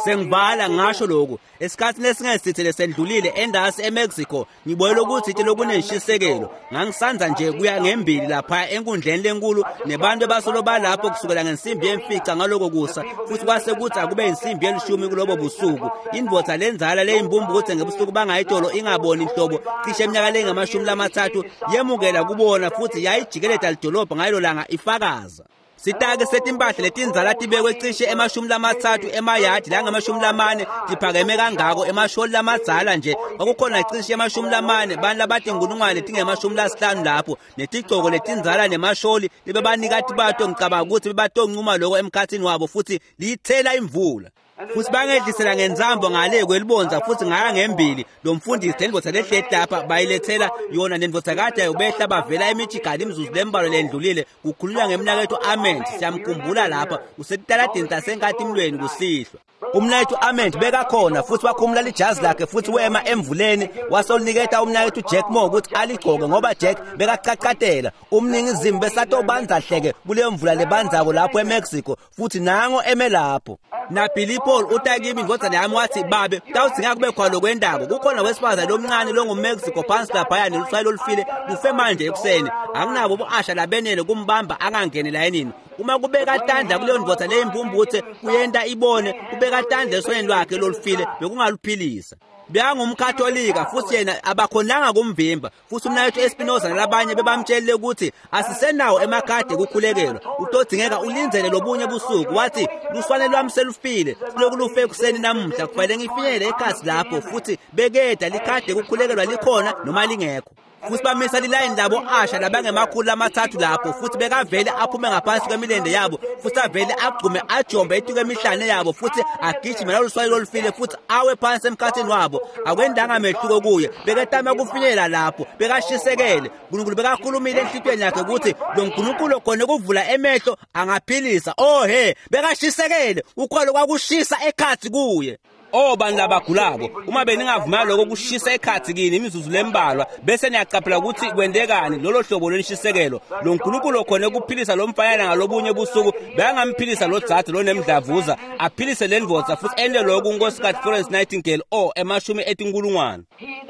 Sengivala ngasho lokhu, esikhathini esingesithe lesendlulile endasi eMexico ngibonile ukuthi lokunenshisekelo. Ngangisanza nje kuya ngembili lapha enkundleni lenkulu nebantu abasolo balapho kusukela ngensimbi yemfica ngaloko kusa, futhi kwase kuthi akube insimbi yelishumi kulobo busuku. Indvodza lenzala leyimbumbu ngebusuku bangayitolo ingaboni inhlobo cishe eminyaka lengamashumi lamathathu yemukela kubona, futhi yayijikeleda lidolobha ngalo langa ifakaza. Sitake setimpahla letindzala tibekwe cishe emashumi lamathathu emayadi langamashumi lamane tiphakeme kangako emasholi lamadzala nje. Kwakukhona cishe emashumi lamane bantu labatinkulungwane letingemashumi lasihlanu lapho netigcoko letindzala nemasholi lebebanikati bato. Ngicabanga ukuthi bebatoncuma loko emkhathini wabo, futhi liyithela imvula. Futhi bangedlisela ngenzambo ngale kwelibonza futhi ngaya ngembili. Lo mfundisi lendvodza lehleti lapha bayilethela yona nendvodzakade yayo behla bavela eMichigan imizuzu lembalwa lendlulile. Kukhulunywa ngemnaketfu Ament, siyamkhumbula lapha usetitaladini tasenkatimlweni kusihlwa. Umnaketfu Ament bekakhona futhi wakhumula lijazi lakhe futhi wema emvuleni wasoliniketa umnaketfu Jack Moore ukuthi aligcoke, ngoba Jack bekacacatela. Umningizimu besatobanza hleke kuleyo mvula lebanzako lapho eMexico, futhi nango eme lapho. Na Billy Paul utakimi indvodzana yami wathi, babe tawudzinga kube khona lokwendako. Kukhona wesifazane lomncane longuMexico phansi laphaya neluswayi lolufile lufe manje ekuseni. Anginabo bo-asha labenele kumbamba angangeni layinini. Uma kubeka tandla kuleyo ndvodza leyimbumbuthe kuyenta ibone, kubeka tandla esweni lwakhe lolufile bekungaluphilisa. Bekangumkatolika futhi yena abakhonanga kumvimba. Futhi umnaketfu Espinoza nalabanye bebamtshelile ukuthi asisenawo emakhadi ekukhulekelwa, utodzingeka ulindzele lobunye busuku. Wathi luswane lwami selufile, siloku lufe ekuseni namuhla, kufanele ngifinyelele ekhasi lapho. Futhi bekeda likhadi ekukhulekelwa likhona noma lingekho. Futhi bamisa lilayini labo asha labangemakhulu lamathathu lapho, futhi bekavele aphume ngaphansi kwemilende yabo, futhi avele agqume ajombe etuke emihlane yabo, futhi agijime naluswayi lolufile futhi awe phansi emkhathini wabo. Akwendanga mehluko kuye, beketama kufinyelela lapho, bekashisekele. Nkulunkulu bekakhulumile enhlitiyweni yakhe ukuthi lo Nkulunkulu khona ukuvula emehlo angaphilisa. Oh he, bekashisekele, ukholo kwakushisa ekhathi kuye. O bantu labagulako, uma beningavumela lokho kushisa ekhatsi kini imizuzu lembalwa, bese niyacaphela ukuthi kwentekani lolo hlobo lwenshisekelo. Lo Nkulunkulu khona ukuphilisa lo mfanyana ngalobunye busuku, bekangamphilisa lo dzadze lonemdlavuza, aphilise le ndvodza futhi ente lokhu uNkosikazi Florence Nightingale o emashumi etinkulungwane.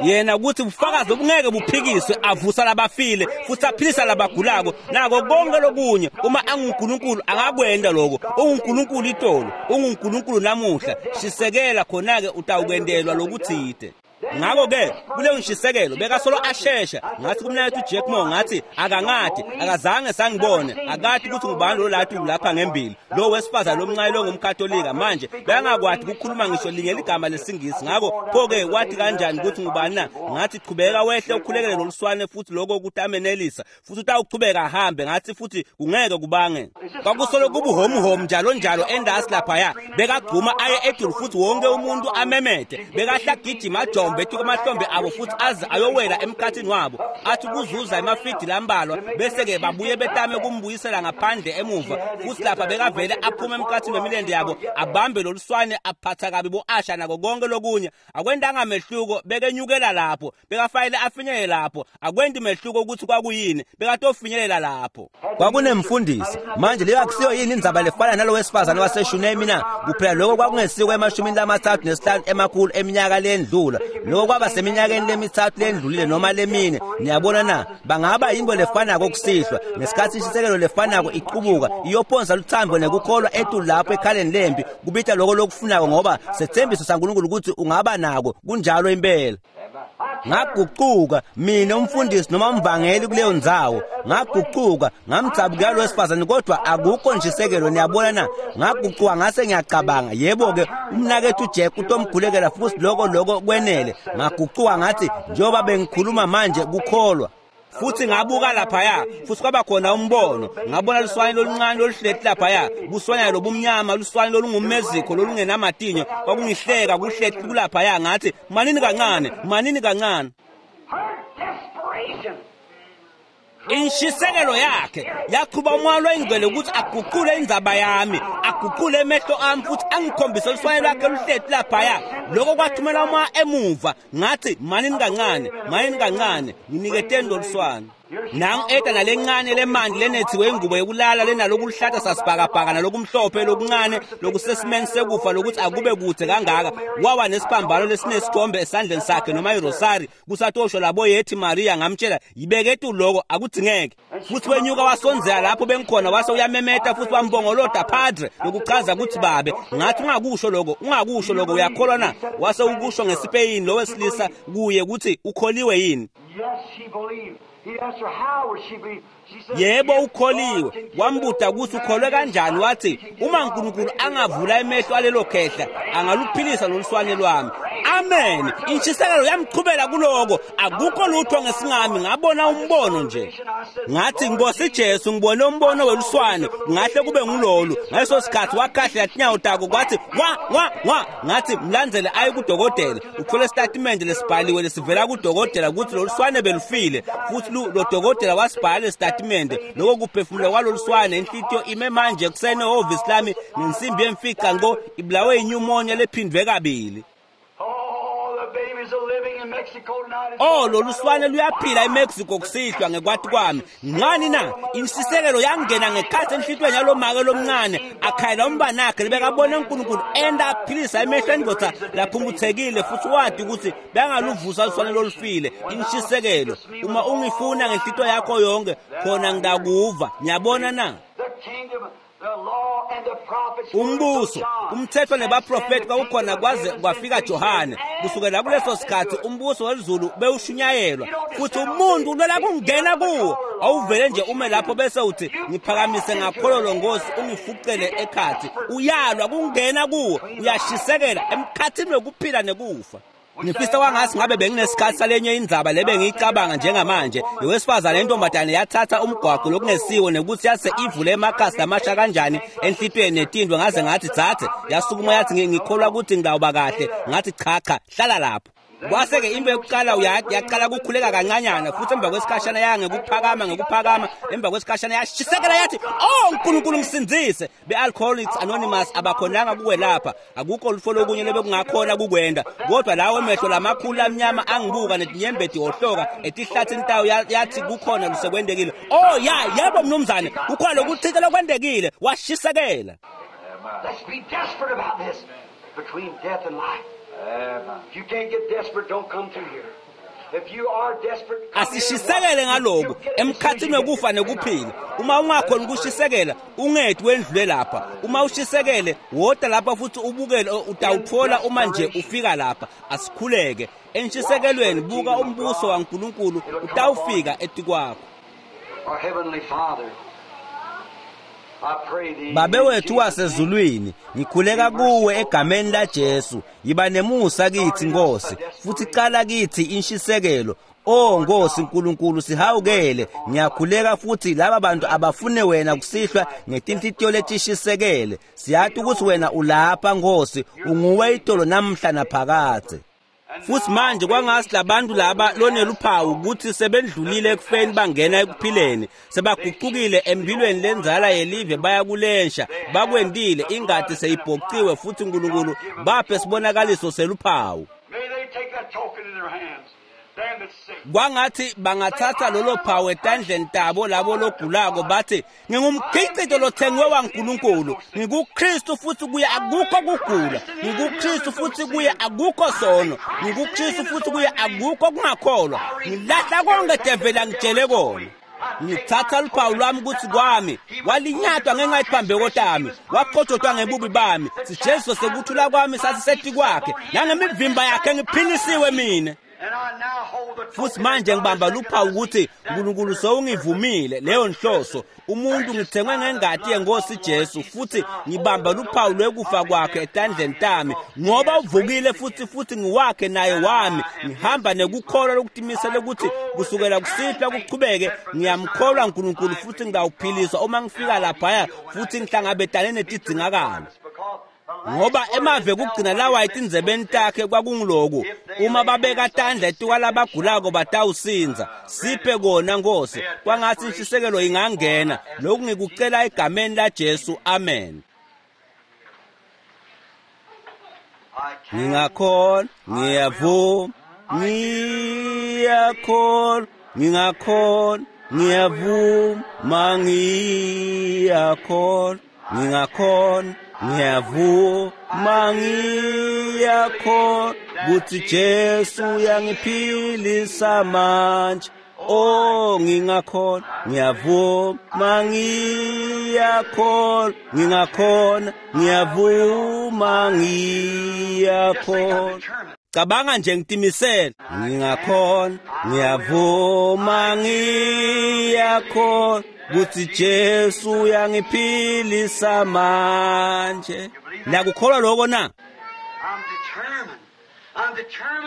Yena ukuthi ubufakazi obungeke buphikiswe, avusa labafile futhi aphilisa labagulako nako konke lokunye. Uma anguNkulunkulu angakwenda lokho. UnguNkulunkulu itolo, unguNkulunkulu namuhla. Shisekela khona-ke utawukwendelwa lokuthide. Ngakho-ke kuleyo nshisekelo bekasolo ashesha. Ngathi kumnakethu Jack Moore, ngathi akangadi, akazange sangibone, akati ukuthi ngubani lo lathi lapha ngembili, lo wesifazane lomncane lo ngumKatolika. Manje bekangakwati ukukhuluma ngisho linye ligama lesingisi. Ngakho pho-ke wathi kanjani ukuthi ngubani na? Ngathi chubeka wehle ukhulekele loluswane futhi lokho kutamenelisa futhi utawuchubeka ahambe. Ngathi futhi kungeke kubange. Kwakusolo kubuhomuhomu njalo njalo endasi laphaya. Bekagcuma aye edulu futhi wonke umuntu amemede. Bekahla gijima ajombe emahlombe abo futhi aze ayowela emkhathini wabo, athi kuzuza emafidi lambalwa, bese-ke babuye betame kumbuyisela ngaphandle emuva. Futhi lapha bekavele aphume emkhathini wemilende yabo, abambe loluswane, aphatha kabi bo-asha nako konke lokunye. Akwentanga mehluko, bekenyukela lapho, bekafanele afinyelele lapho. Akwenti mehluko ukuthi kwakuyini, bekatofinyelela lapho. Kwakunemfundisi. Manje leyo akusiyo yini indzaba lefana nalo wesifazane waseShunemi na? Kuphela lokho kwakungesiko emashumini lamathathu nesihlanu emakhulu eminyaka lendlula. Lokho kwaba seminyakeni lemithathu lendlulile noma lemine. Niyabona na? Bangaba yinto lefanako kusihlwa ngesikhathi inshisekelo lefanako iqubuka iyophonsa luthambo nekukholwa etulu lapho ekhaleni lempi, kubita lokho lokufunako, ngoba sethembiso saNkulunkulu ukuthi ungaba nako. Kunjalo impela. Ngaguquka mina umfundisi noma umvangeli kuleyo ndzawo, ngaguquka ngamdzabukela lo wesifazane, kodwa akukho ntshisekelo. Niyabona na? Ngaguquka ngase ngiyacabanga, yebo-ke umnakethu Jack utomkhulekela futhi lokho lokho kwenele. Ngaguquka ngathi njengoba bengikhuluma manje kukholwa. Futhi ngabuka laphaya futhi kwaba khona umbono. Ngabona luswane loluncane loluhleti laphaya, buswanyana lobumnyama, luswane lolungumezikho lolungenamatinyo. Kwakungihleka kuhleti kulaphaya. Ngathi manini kancane, manini kancane. Inshisekelo yakhe yachuba umoya loyingcwele ukuthi aguqule indzaba yami, aguqule emehlo ami futhi angikhombise luswane lwakhe luhleti laphaya. Lokho kwathumela umoya emuva. Ngathi manini kancane, manini kancane, nginiketeni loluswane. Nangu eta nalencane lemandi lenethiwe ingubo yokulala lenalokuhlata sasibhakabhaka nalokumhlophe lokuncane lokusesimeni sekufa lokuthi akube kude kangaka. Wawa nesiphambano lesinesithombe esandleni sakhe noma irosari kusatosho labo yethi Maria. Ngamtshela yibeke tu lokho akudzingeke. Futhi wenyuka wasondzela lapho bengikhona, wase uyamemeta futhi wambongoloda padre lokuchaza ukuthi babe. Ngathi ungakusho lokho, ungakusho lokho, uyakholwa na? Wase ukusho ngeSpeyini lo wesilisa kuye ukuthi ukholiwe yini. Yebo ukholiwe. Wambuda ukuthi ukholwe kanjani. Wathi uma uNkulunkulu angavula emehlo alelo khehla angaluphilisa loluswane lwami. Amen. Inshisekelo yamchubela kuloko. Akukho lutho ngesingami. Ngabona umbono nje. Ngathi Nkosi Jesu ngibone umbono weluswane, ngahle kube ngulolu. Ngaleso sikhathi wakhahlela tinyawo tako kwathi wa wa wa. Ngathi mlandzele aye kudokotela, uthole isitatimende lesibhaliwe lesivela kudokotela ukuthi loluswane belufile. Futhi lo dokotela wasibhala isitatimende lokho kuphefumula kwaloluswane. Inhlitiyo ime manje kusene ehhovisi lami ngensimbi yemfica ngo ibulawe inyumonia lephindwe kabili. Oh, loluswane luyaphila eMexico kusihlwa ngekwati kwami. Ngani na? Inshisekelo yangena ngekhathi enhlitiyweni yalomake lomncane akhayela umbanakhe lebekabona uNkulunkulu enda aphilisa emehlo endvodza laphumputhekile futhi wati ukuthi bengaluvusa luswane lolufile. Inshisekelo, uma ungifuna ngenhlitiyo yakho yonke khona ngitakuva. Niyabona na? Umbuso, umthetho nebaprofeti kwakukhona kwaze kwafika Johane. Kusukela kuleso sikhathi umbuso welizulu bewushunyayelwa futhi umuntu ulwela kungena kuwo. Awuvele nje ume lapho bese uthi ngiphakamise ngakhololo Nkosi ungifuqele ekhathi. Uyalwa kungena kuwo, uyashisekela emkhathini wekuphila nekufa. Ngifisa kwangathi ngabe benginesikhathi salenye indzaba lebe ngiyicabanga njengamanje. Yowesifazane intombazane yathatha umgwaqo lokungesiwo nekuthi yase ivule emakhasi lamasha kanjani enhlitiyweni netindwe. Ngaze ngathi dzadze, yasukuma yathi ngikholwa ukuthi ngidawuba kahle. Ngathi cha cha, hlala lapho. Kwase-ke into yokuqala yaqala ukukhuleka kancanyana, futhi emva kwesikhashana ya ngekuphakama ngekuphakama, emva kwesikhashana yashisekela yathi, "Oh Nkulunkulu ngisindzise." Be-Alcoholics Anonymous abakhonanga kukwelapha, akukho lutho lokunye lebekungakhona kukwenda, kodwa lawo emehlo lamakhulu amnyama angibuka netinyembeti hohloka etihlathini tawo yathi kukhona lusekwendekile. Oh ya, yebo mnumzane, kukhona lokuthile lokwendekile, washisekela. Let's be desperate about this between death and life. If you can't get desperate, don't come through here. If you are desperate, asishisekele ngaloko emkhathini wekufa nekuphila. Uma ungakhona ukushisekela, ungethi wendlule lapha. Uma ushisekele, woda lapha futhi ubukele, utawuthola uma nje ufika lapha. Asikhuleke enshisekelweni, buka umbuso waNkulunkulu utawufika etikwakho. Our Heavenly Father, Babe wethu wasezulwini, ngikhuleka kuwe egameni la Jesu. Yiba nemusa kithi Nkosi, futhi cala kithi inshisekelo. Oh Nkosi Nkulunkulu, sihawukele. Ngiyakhuleka futhi laba bantu abafune wena kusihlwa ngetinhlitiyo letishisekele. Siyathi ukuthi wena ulapha Nkosi, unguwe itolo namhla naphakadze. Futhi manje kwangasi labantu laba loneluphawu ukuthi sebendlulile ekufeni bangena ekuphileni, sebaguqukile empilweni lenzala yelive baya kulensha, bakwendile ingadi seyibhociwe, futhi Nkulunkulu baphe sibonakaliso seluphawu. Kwangathi bangathatha lolo phawu etandleni tabo labo logulako bathi, ngingumkhicito lothengiwe waNkulunkulu, ngikuKristu futhi kuye akukho kugula, ngikuKristu futhi kuye akukho sono, ngikuKristu futhi kuye akukho kungakholwa, ngilahla konke develi angitshele kona. Ngithatha luphawu lwami ukuthi kwami walinyatwa ngenxa yesiphambeko tami, waqotshotwa ngebubi bami, sijeziso sekuthula kwami sasiseti kwakhe, nangemivimba yakhe ngiphilisiwe mina. Futhi manje ngibamba luphawu ukuthi uNkulunkulu sewungivumile leyo nhloso. Umuntu ngithengwe ngengati yenkosi Jesu, futhi ngibamba luphawu lwekufa kwakhe etandleni tami, ngoba uvukile futhi futhi ngiwakhe naye wami. Ngihamba nekukholwa lokutimisela ukuthi kusukela kusihlwa kuchubeke ngiyamkholwa uNkulunkulu futhi ngiyawuphiliswa uma ngifika laphaya futhi ngihlangabetane netidzingakalo. Ngoba emave kugcina lawa etindzebeni takhe kwakunguloku, uma babeka tandla etikwalabagulako batawusinza. Siphe kona Nkosi, kwangathi inshisekelo ingangena. Lokhu ngikucela egameni la Jesu, amen. Ngingakhona, ngiyavuma, ngiyakhona, ngingakhona, ngiyavuma, ngiyakhona, ngingakhona, ngiyavuma, ngiyakhona ukuthi Jesu uyangiphilisa manje. Oh ngingakhona, ngiyavuma, ngiyakhona, ngingakhona, ngiyavuma, ngiyakhona. Cabanga nje ngitimisele, ngingakhona, ngiyavuma, ngiyakhona ukuthi Jesu uyangiphilisa manje. Nakukholwa lokho na?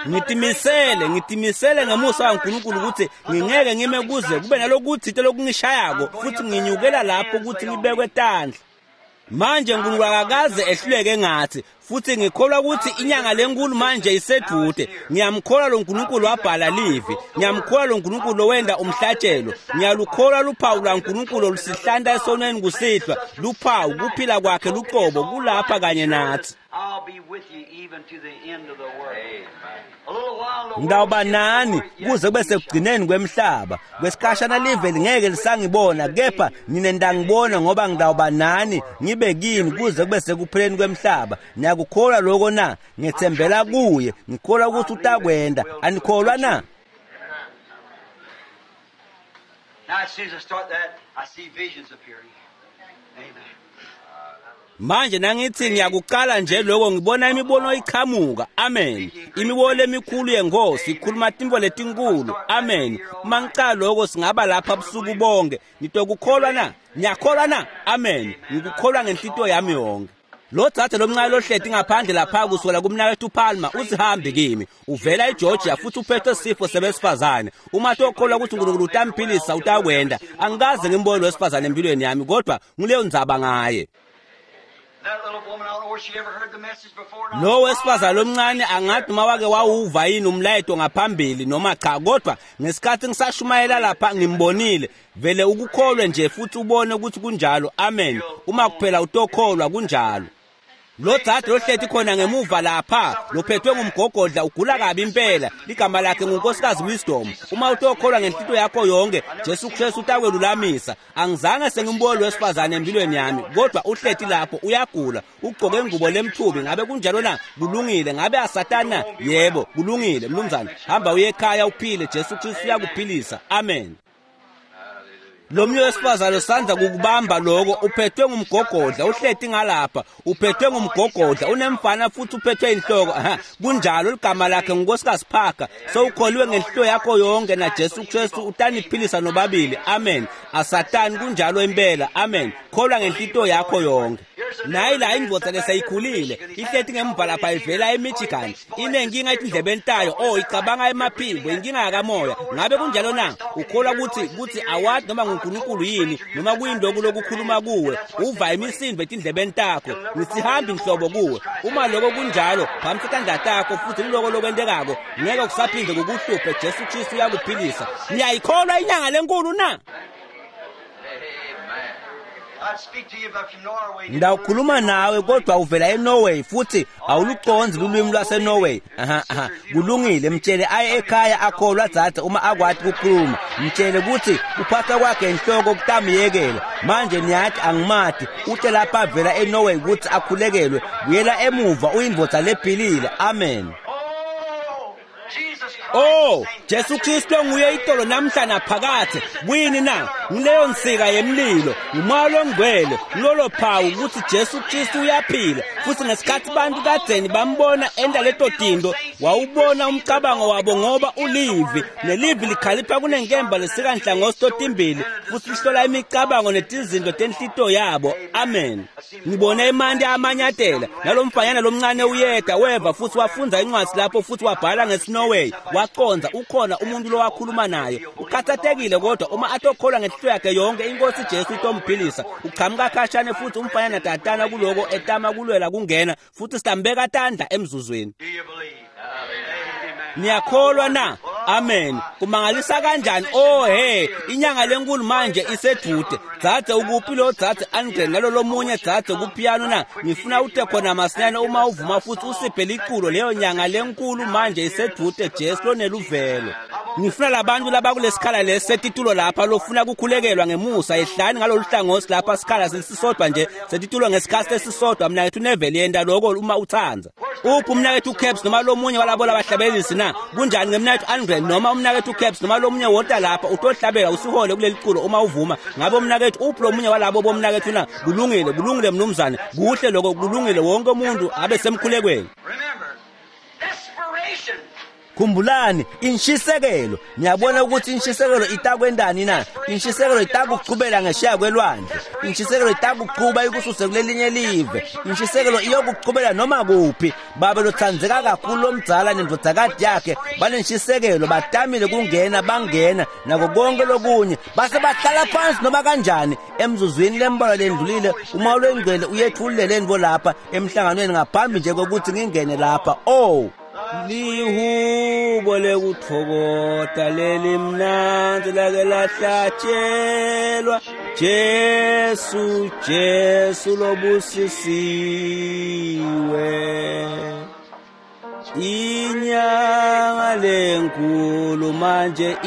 Ngitimisele, ngitimisele ngemusa waNkulunkulu ukuthi ngingeke ngime kuze kube nalokuthite lokungishayako, futhi nginyukela lapho ukuthi ngibekwe tandla. Manje uNkulunkulu akakaze ehluleke ngathi, futhi ngikholwa ukuthi inyanga lenkulu manje isedude. Ngiyamkholwa lo Nkulunkulu wabhala livi, ngiyamkholwa lo Nkulunkulu lowenda umhlatshelo, ngiyalukholwa luphawu lwaNkulunkulu olusihlanta esonweni kusihlwa, luphawu kuphila kwakhe luqobo kulapha kanye nathi. Ngitawuba nani kuze kube sekugcineni kwemhlaba. Kwesikhashana live lingeke lisangibona, kepha nina nitangibona, ngoba ngitawuba nani ngibe kini kuze kube sekupheleni kwemhlaba. Niyakukholwa lokho na? Ngethembela kuye, ngikholwa ukuthi utakwenda. Anikholwa na? Now as soon as I start that, I see visions appearing. Amen. Manje nangithi ngiyakuqala nje lokho, ngibona imibono iqhamuka. Amen. Imibono emikhulu yenkosi ikhuluma tintfo letinkulu. Amen. Uma ngicala lokho singaba lapha busuku bonke. Nitokukholwa na? Niyakholwa na? Amen. Ngikukholwa ngenhlitiyo yami yonke. Lo dzadze lomncane lohleti ngaphandle lapha kusukela kumnakethu Palmer usihambi kimi. Uvela eGeorgia futhi uphethwe sifo sebesifazane. Uma tokholwa ukuthi uNkulunkulu utamphilisa utakwenda. Angikaze ngimbone lo wesifazane empilweni yami, kodwa nguleyo ndzaba ngaye. Lo wesifazane lomncane angathi noma wake wawuva yini umlayeto ngaphambili noma cha, kodwa ngesikhathi ngisashumayela lapha ngimbonile. Vele ukukholwe nje futhi ubone ukuthi kunjalo. Amen. Uma kuphela utokholwa kunjalo. Lo dzadze lohleti khona ngemuva lapha lophethwe ngumgogodla ugula kabi impela, ligama lakhe ngunkosikazi Wisdom. Uma utokholwa ngenhlito yakho yonke, Jesu Kristu utakwelulamisa. Angizange sengimbone wesifazane empilweni yami, kodwa uhleti lapho uyagula, ugcoke ingubo lemthubi. Ngabe kunjalo na? Kulungile. Ngabe asatana? Yebo, kulungile mnumzane. Hamba uye ekhaya uphile, Jesu Kristu uyakuphilisa. Amen. Lo mnye wesifazane usandza kukubamba lokho, uphethwe ngumgogodla, uhleti ngalapha, uphethwe ngumgogodla, unemfana futhi uphethwe inhloko. Aha, kunjalo, ligama lakhe ngunkosikazi Parker. Sowukholiwe ngenhlito yakho yonke na Jesu Kristu utaniphilisa nobabili. Amen. Asatani, kunjalo impela. Amen. Kholwa ngenhlito yakho yonke. Nayi la indvodza leseyikhulile ihleti ngemuva lapha ivela eMichigan, inenkinga etindlebeni tayo. Oh, icabanga emaphimbo, inkinga yakamoya. Ngabe kunjalo na? Ukholwa ukuthi ukuthi awazi noma nguNkulunkulu yini noma kuyindoku lokukhuluma kuwe, uva imisindo etindlebeni takho. Ngisihambi nhlobo kuwe. Uma lokho kunjalo, phamisa tandla takho futhi liloko lokwentekako ngeke kusaphinde kukuhluphe. Jesu Kristu uyakuphilisa. Niyayikholwa inyanga lenkulu na? Ngidawukhuluma nawe kodwa uvela eNorway futhi awuluconzi lulwimi lwaseNorway. Aha, aha, kulungile. Mtshele aye ekhaya akholwa dzadze uma akwati kukhuluma. Mtshele ukuthi kuphatha kwakhe inhloko kutamyekela. Manje niyathi angimati, ute lapha avela eNorway ukuthi akhulekelwe. Buyela emuva uyindvodza lephilile. Amen. Oh, Jesu Kristu nguye itolo namhla naphakathe. Kuyini na? Ngileyo nsika yemlilo, ngumoya longcwele, lolo phawu ukuthi Jesu Kristu uyaphila. Futhi ngesikhathi bantu kadzeni bambona enda leto tinto, wawubona umcabango wabo ngoba ulivi, nelivi likhalipha kunenkemba lesika nhlangothi totimbili, futhi lihlola imicabango netizinto tenhlito yabo. Amen. Ngibone emanti amanyatela nalomfanyana lomncane uyeda weva futhi wafundza incwadi lapho futhi wabhala ngesiNorway. Waqonza ukhona umuntu lowakhuluma naye. Ukhathatekile kodwa uma atokholwa ngenhlito yakhe yonke, inkosi Jesu itomphilisa. Uqhamuka khashane futhi umfanyana tatana kuloko etama kulwela kungena futhi sitambeka tandla emzuzweni. Niyakholwa na? Amen. Kumangalisa kanjani? Oh hey, inyanga lenkulu manje isedude. Dzadze ukuphi lo dzadze Andre nalo lomunye dzadze kupiano na? Ngifuna ute khona masinyane uma uvuma futhi usiphe liculo leyo nyanga lenkulu manje isedude, Jesu loneluvelo. Ngifuna labantu labakulesikhala lesetitulo lapha lofuna kukhulekelwa ngemusa, ehlani ngalolu hlangothi lapha sikhala sisodwa nje setitulo ngesikhathi esisodwa. Mina ngithi uneveli yenda lokho uma uthanza. Uphi umnakethu Caps noma lomunye walabo labahlabelisi na? Kunjani ngemnakethu Andre noma umnakethu Caps noma lomunye wota lapha utohlabela usihole kuleli culo uma uvuma. Ngabe umnakethu uphi lomunye walabo bomnakethu na? Kulungile, kulungile mnumzane. Kuhle lokho, kulungile. Wonke umuntu abe semkhulekweni. Khumbulani inshisekelo. Niyabona ukuthi inshisekelo itakwendani na? Inshisekelo itakuchubela ngesheya kwelwandle. Inshisekelo itakuchuba ikususe kulelinye live. Inshisekelo iyokuchubela noma kuphi. Babe lotsandzeka kakhulu lomdzala nendvodzakati yakhe banenshisekelo, batamile kungena, bangena nako konke lokunye, base bahlala phansi noma kanjani. Emzuzwini lembalwa lendlulile uma lwengcwele uyethulile lentfo lapha emhlanganweni ngaphambi nje kokuthi ngingene lapha. Oh, lihubo lekutfokota lelimnandzi lake lahlatshelwa, Jesu, Jesu lobusisiwe. Inyanga lenkulu manje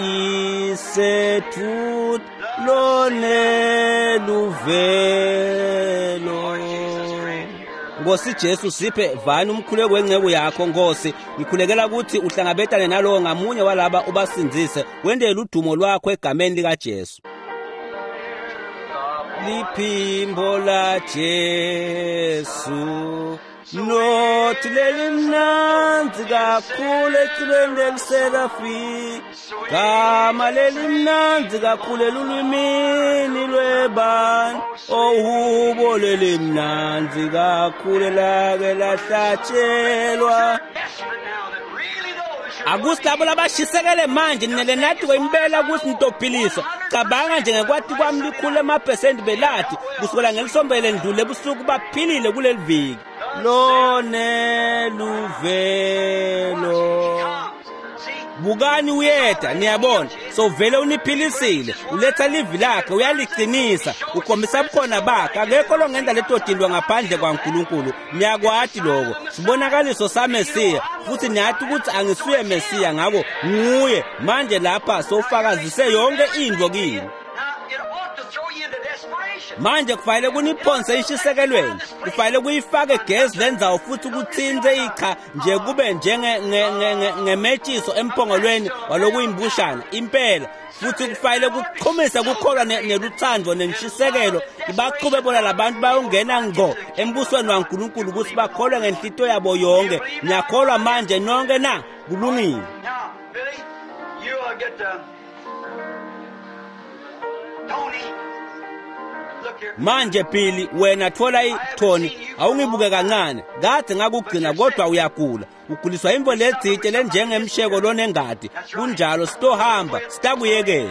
isethuthi loneluvelo. Nkosi Jesu, siphe vani umkhuleko wenceku yakho Nkosi. Ngikhulekela ukuthi uhlangabetane nalowo ngamunye walaba ubasindzise, wendele udumo lwakho egameni likaJesu. Liphimbo la Jesu nothi lelimnandzi kakhulu eculweni leliserafi, gama lelimnandzi kakhulu elulwimini lwebani, ohubo lelimnandzi kakhulu lake lahlatshelwa. Akusilabo labashisekele manje ninelenati impela ukuthi nitophiliswa. Cabanga nje ngekwati kwami likhulu emaphesenti belati kusukela ngelisombele ndlule ebusuku baphilile kuleli viki. Lone luvelo. Bukani uyeda, niyabona. So vele uniphilisile, uletha livi lakhe, uyaliqinisa, ukhombisa bukhona bakhe. Akekho longenza leto tintfo ngaphandle kwaNkulunkulu. Niyakwati lokho. Sibonakaliso saMesiya, futhi niyathi ukuthi angisuye Mesiya, ngako nguye. Manje lapha sofakazise yonke intfo kini. Manje kufanele kuniphonse inshisekelweni, kufanele kuyifake gezi lendzawo futhi kutsintse icha nje kube njenge ngemetshiso emphongolweni walokuyimbushana impela. Futhi kufanele kuqhumisa kukholwa neluthando nenshisekelo ibaqhube bona labantu bayongena ngqo embusweni waNkulunkulu ukuthi bakholwe ngenhlito yabo yonke. Niyakholwa manje nonke na? Kulungile. Manje Billy, wena thola iTony, awungibuke kancane. Kade ngakugcina kodwa uyagula. Uguliswa imvo letsite lenjengemsheko lonengadi. Kunjalo sitohamba, sitakuyekela.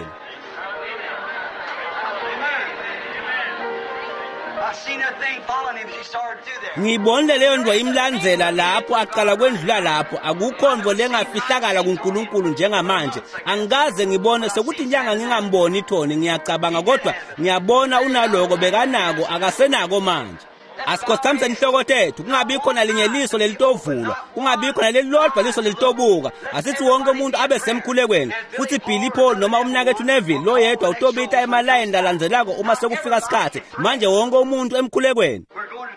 Ngibonile leyo nto imlandzela lapho aqala kwendlula lapho. Akukho nto lengafihlakala kuNkulunkulu njengamanje. Angikaze ngibone sekuthi inyanga ngingamboni iTony, ngiyacabanga kodwa ngiyabona unaloko bekanako akasenako manje. Asikhothamise inhloko tethu, kungabikho nalinye liso lelitovulwa, kungabikho nalelilodwa liso lelitobuka. Asithi wonke umuntu abe semkhulekweni. Futhi Billy Paul noma umnakethu Neville loyedwa utobita emalayini lalandzelako uma sekufika isikhathi. Manje wonke umuntu emkhulekweni.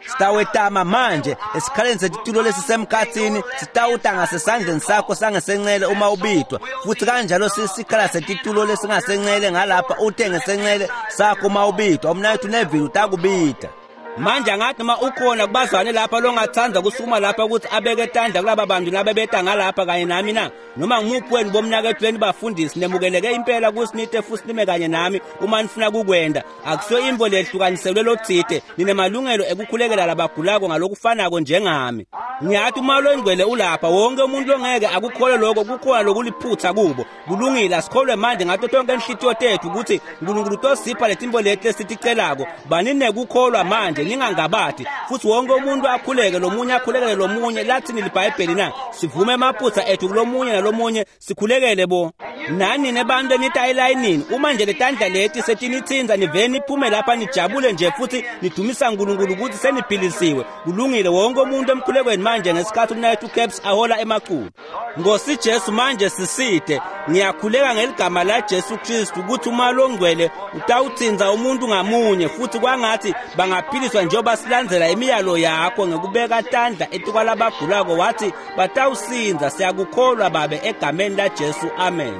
Sitawetama manje esikhaleni setitulo lesisemkhathini, sitawuta ngasesandleni sakho sangesencele uma ubidwa, futhi kanjalo sisikhala setitulo lesingasencele ngalapha ute ngesencele sakho uma ubidwa. Umnakethu Neville utakubida. Manje angathi noma ukhona kubazwane lapha longathanda kusukuma lapha ukuthi abeke tandla kulaba bantu labebeta ngalapha kanye nami na? Noma ngimuphi wenu bomnakethu wenu bafundisi, nemukeleke impela kusinite futhi nime kanye nami uma nifuna kukwenda. Akusiyo imvo lehlukaniselwe lotsite, ninemalungelo ekukhulekela labagulako ngalokufanako njengami. Ngiyathi uma longcwele ulapha, wonke umuntu longeke akukholwe lokho, kukhona lokuliphutha kubo. Kulungile, asikholwe manje ngato tonke inhlitiyo tethu ukuthi uNkulunkulu utosipha letimvo leti lesiticelako. Baninekukholwa manje, ningangabati. Futhi wonke umuntu akhuleke lomunye akhulekele lomunye. Lathini liBhayibheli na? Sivume emaphutha ethu kulomunye nalomunye, sikhulekele bo. Nani nebantu enita elayinini, uma nje letandla leti setinitsinza nivele niphume lapha nijabule nje futhi nidumisa uNkulunkulu ukuthi seniphilisiwe. Kulungile, wonke umuntu emkhulekweni manje ngesikhathi umnakethu Caps ahola emaculo. Nkosi Jesu, manje siside. Ngiyakhuleka ngeligama la Jesu Kristu ukuthi uma longcwele utawutsinza umuntu ngamunye, futhi kwangathi bangaphiliswa njengoba silandzela imiyalo yakho ngekubeka tandla etikwalabagulako. Wathi batawusinza. Siyakukholwa Babe egameni la Jesu, amen.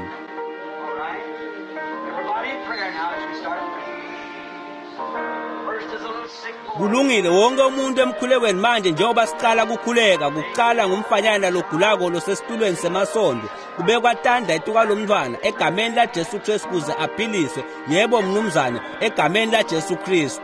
Kulungile, wonke umuntu emkhulekweni manje njengoba siqala kukhuleka. Kuqala ngumfanyana logulako losesitulweni semasondo, kubekwa tandla etikwalomntwana egameni la Jesu Kristu kuze aphiliswe. Yebo mnumzane, egameni la Jesu Kristu.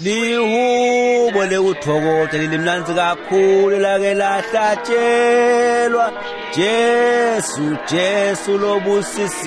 Lihubo lekuthokoza limnandzi kakhulu lake lahlatshelwa Jesu Jesu lobusisiwe.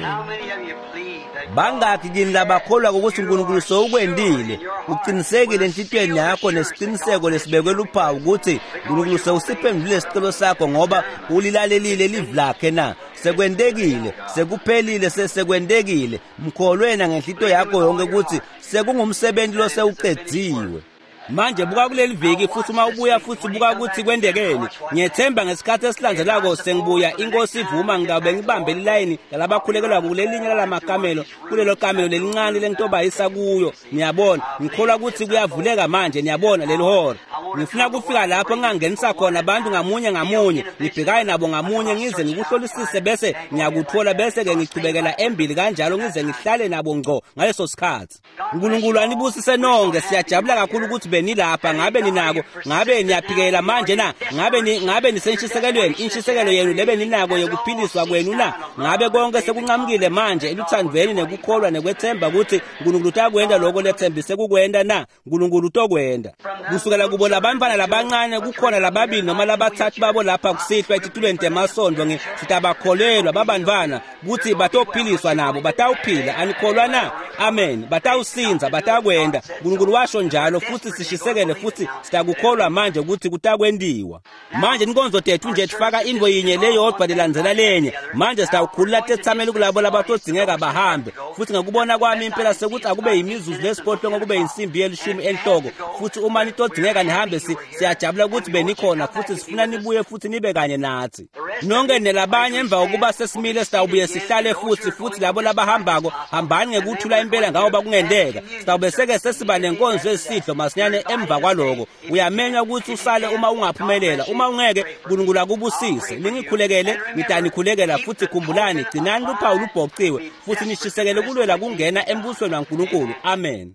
How many of you believe that Bangaki kini labakholwa ukuthi uNkulunkulu sewukwendile? Uqinisekile enhlitiyweni yakho nesiqiniseko lesibekwe luphawu ukuthi uNkulunkulu sewusiphendulile isicelo sakho ngoba ulilalelile livi lakhe na? Sekwentekile, sekuphelile, sesekwentekile. Mkholwena ngenhlitiyo yakho yonke ukuthi sekungumsebenzi lo sewuqediwe. Manje buka kuleli viki futhi uma ubuya futhi buka ukuthi kwendekeni. Ngiyethemba ngesikhathi esilandzelako sengibuya inkosi ivuma ngidawube ngibambe lilayini lalabakhulekelwa kulelinye lalamakamelo kulelo kamelo lelincane lengitobayisa kuyo. Niyabona, ngikholwa ukuthi kuyavuleka manje, niyabona leli hora. Ngifuna kufika lapho ngingangenisa khona abantu ngamunye ngamunye, ngibhekane nabo ngamunye ngize ngikuhlolisise bese ngiyakuthola bese ke ngichubekela embili kanjalo ngize ngihlale nabo ngco ngaleso sikhathi. uNkulunkulu anibusise nonke. Siyajabula kakhulu ukuthi benilapha. Ngabe ninako? Ngabe niyaphikela manje na? Ngabe ni ngabe nisenshisekelweni? Inshisekelo yenu lebe ninako yokuphiliswa kwenu na? Ngabe konke sekunqamukile manje eluthandweni nekukholwa nekwethemba ukuthi uNkulunkulu utakwenda lokho lethembise kukwenda na? uNkulunkulu utokwenda. Kusukela kubo labantwana labancane kukhona lababili noma labathathu babo lapha kusihlwa etitulweni temasondvo sitabakholelwa babantwana ukuthi batophiliswa nabo batawuphila. Anikholwa na? Amen. Batawusinza, batakwenda. uNkulunkulu washo njalo futhi sishisekele futhi sitakukholwa manje ukuthi kutakwendiwa. Manje inkonzo tethu nje tifaka intfo yinye leyodwa lelandzela lenye. Manje sitawukhulula tetsameli kulabo labatodingeka bahambe. Futhi ngakubona kwami impela sekuthi akube yimizuzu lesiphohlongo kube insimbi yelishumi enhloko. Futhi uma nitodingeka nihambe siyajabula ukuthi benikhona futhi sifuna nibuye futhi nibe kanye nathi. Nonke nelabanye emva kokuba sesimile sitawubuye sihlale futhi futhi labo labahambako hambani ngekuthula impela ngoba kungendeka. Sitawube seke sesiba nenkonzo yesidlo masinyane emva kwaloko. Uyamenywa ukuthi usale uma ungaphumelela. Uma ungeke uNkulunkulu akubusise. Ningikhulekele, ngitanikhulekela futhi khumbulani gcinani luphawu lubhociwe futhi nishisekele kulwela kungena embusweni waNkulunkulu. Amen.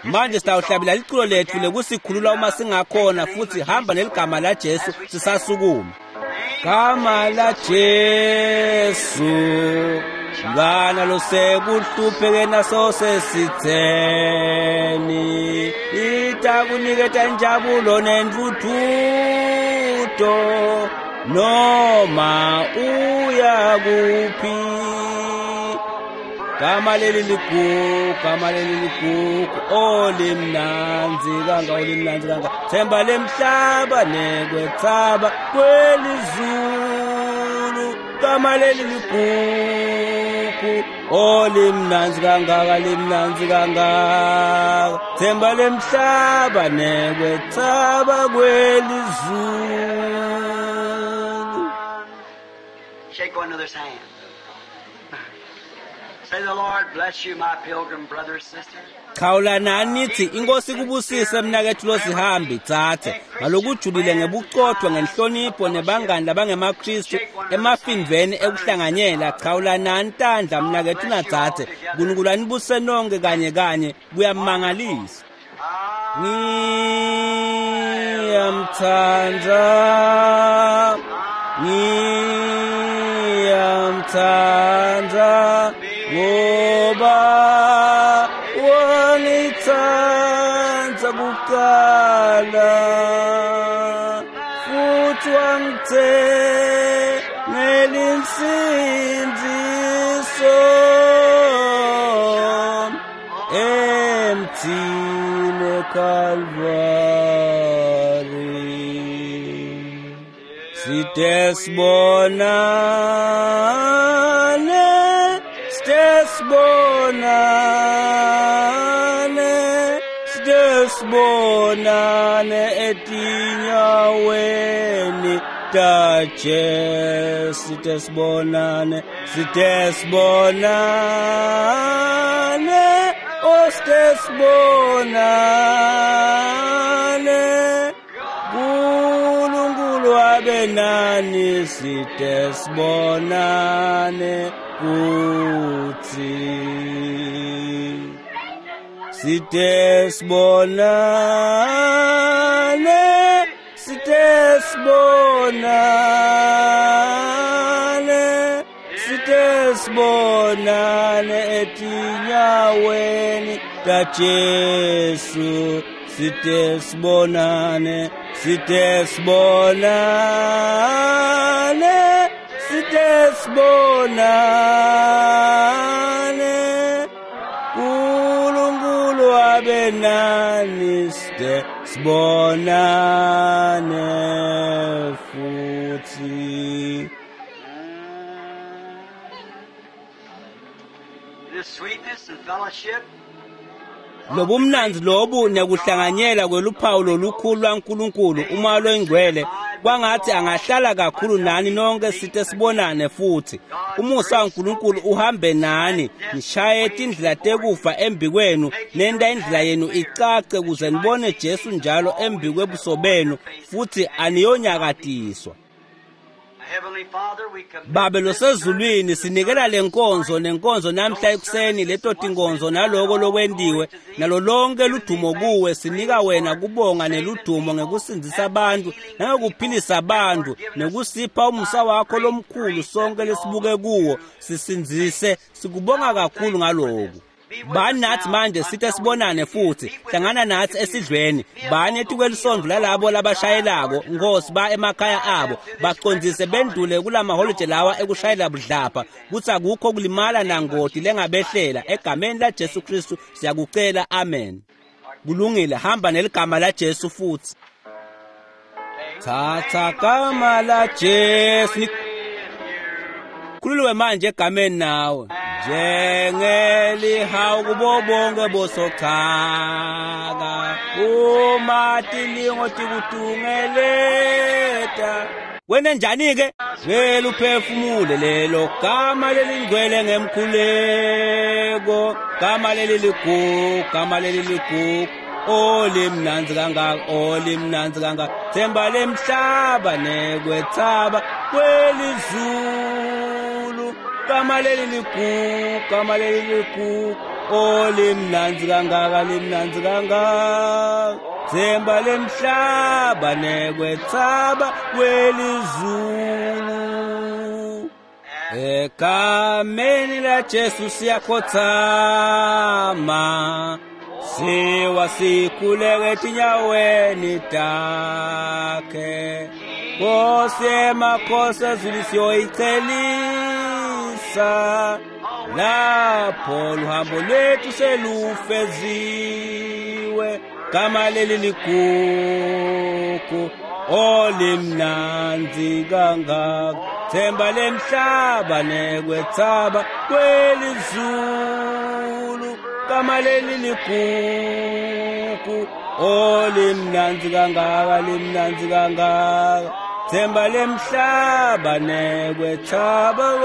Manje sitawuhlabela liculo lethu lekusikhulula uma singakhona futhi hamba neligama la Jesu sisasukuma. Gama la Jesu mntwana losekuhlupheke naso sesitheni itakuniketa injabulo nentuthuto noma uya kuphi. Gama leli ligugu, gama leli ligugu, olimnandzi kanga, olimnandzi kanga, themba lemhlaba nekwethaba kwelizulu. Gama leli ligugu, olimnandzi kangaka, limnandzi kangaka, themba lemhlaba nekwethaba kwelizulu. Shake one another's hand. Say the Lord bless you, my pilgrim brothers, sisters. Chawulanani nithi inkosi kubusise mnakethu losihambi tsatse ngalokujulile ngebucotho ngenhlonipho nebangani labangemaKristu emafindveni ekuhlanganyela. Chawulanani tandla mnakethu natsatse. uNkulunkulu anibuse nonke kanye kanye kuyamangalisa. Ngiyamthanda, ngiyamthanda ngoba wangithanda kuqala futhi wangithengela insindiso emthini eKalvari. Side sibonane, side sibonane, side sibonane etinyaweni taJesu. Side sibonane, side sibonane, oh side sibonane. uNkulunkulu abe nani, side sibonane kuthi. Side sibonane, side sibonane, side sibonane etinyaweni taJesu. Side sibonane, side sibonane, side sibonane. abe nani side sibonane futhi. The sweetness and fellowship Lobumnandzi lobu nekuhlanganyela kweluphawu lolukhulu lwaNkulunkulu uma loyingcwele kwangathi angahlala kakhulu nani nonke site sibonane futhi. Umusa waNkulunkulu uhambe nani, nishaye tindlela tekufa embi kwenu, nenta indlela yenu icace kuze nibone Jesu njalo embi kwebuso benu futhi aniyonyakatiswa. Heavenly Father, we commit Babe losezulwini sinikela lenkonzo nenkonzo namhla ekuseni leto tinkonzo naloko lokwentiwe nalo lonke ludumo kuwe. Sinika wena kubonga neludumo ngekusindzisa abantu nangekuphilisa abantu nekusipha umusa wakho lomkhulu sonke lesibuke kuwo sisindzise. Sikubonga kakhulu ngaloku. Bani nathi manje site sibonane futhi, hlangana nathi esidlweni, bani etikwelisondvo lalabo labashayelako, Nkosi, ba emakhaya abo, bacondzise bendlule kulamaholide lawa ekushayela budlapha, kutsi akukho kulimala nangoti lengabehlela. Egameni la Jesu Kristu siyakucela, amen. Kulungile, hamba neligama la Jesu futhi. Thatha gama la Jesu, khululiwe manje egameni nawe. Njengelihawu kubo bonke bosochaka, uma tilingo tikutungeleta. Wena njani-ke? Vele uphefumule lelo gama lelingcwele ngemkhuleko, gama leli ligugu, gama leli ligugu, olimnandzi kangaka, olimnandzi kangaka, themba lemhlaba nekwethaba kwelizulu, gama leli ligugu, gama leli ligugu, olimnandzi kangaka, limnandzi kangaka, themba lemhlaba nekwethaba kwelizulu. Egameni la Jesu siyakhothama, siwa sikhuleke etinyaweni takhe. Nkosi emakhosi ezulu siyoyichelisa, lapho luhambo lwethu selufeziwe. Gama leli ligugu, olimnandzi kangaka, themba lemhlaba nekwethaba kwelizulu, gama leli ligugu, olimnandzi kangaka, limnandzi kangaka, themba lemhlaba nekwethaba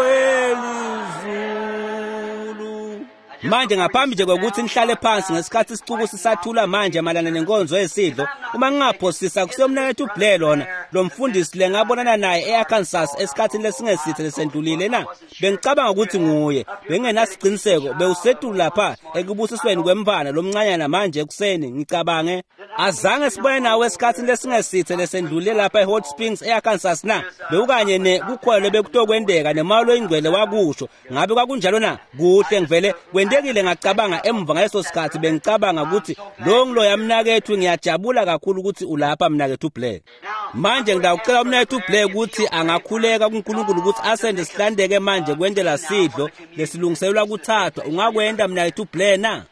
kwelizulu. Manje ngaphambi nje kokuthi nihlale phansi ngesikhathi isicuku sisathula manje mayelana nenkonzo yesidlo, uma ngingaphosisa kusiyomnakethu Blair lona lo mfundisi le ngabonana naye e-Arkansas esikhathini lesingesithe lesendlulile na. Bengicabanga ukuthi nguye, bengingenasiqiniseko. Bewusetulu lapha ekubusisweni kwemfana lomncanyana manje ekuseni, ngicabange azange sibone nawe esikhathini lesingesithe lesendlulile lapha e-Hot Springs e-Arkansas na. Bewukanye ne kukhwelo bekutokwenteka nemali oyingcwele wakusho. Ngabe kwakunjalo na? Kuhle, ngivele kwentekile. Ngacabanga emva ngaleso sikhathi bengicabanga ukuthi lo ngiloya mnakethu, ngiyajabula kakhulu ukuthi ulapha mnakethu Blair. Manje ngidawucela umnakethu Blair ukuthi angakhuleka kuNkulunkulu ukuthi asende sihlandeke manje kwentela sidlo lesilungiselelwa kuthathwa. Ungakwenta mnakethu Blair na? Our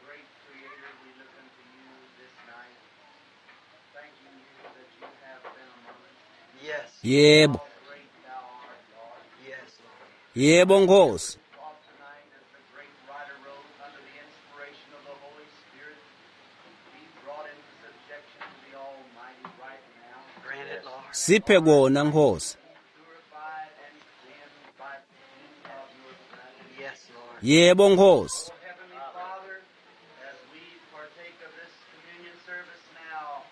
great Creator, we look unto you this night, thanking you that you have been among us. Yes. Yebo, How great thou art, Lord. Yes, Lord. yebo Nkosi. Taught tonight, as the great writer wrote, under the inspiration of the Holy Spirit, be brought into subjection to the Almighty right now. Grant it, Lord. Siphe kona Nkosi. Purified and cleansed by the of your presence. Yes, Lord. Yebo Nkosi. Oh, Heavenly Father, as we partake of this communion service now,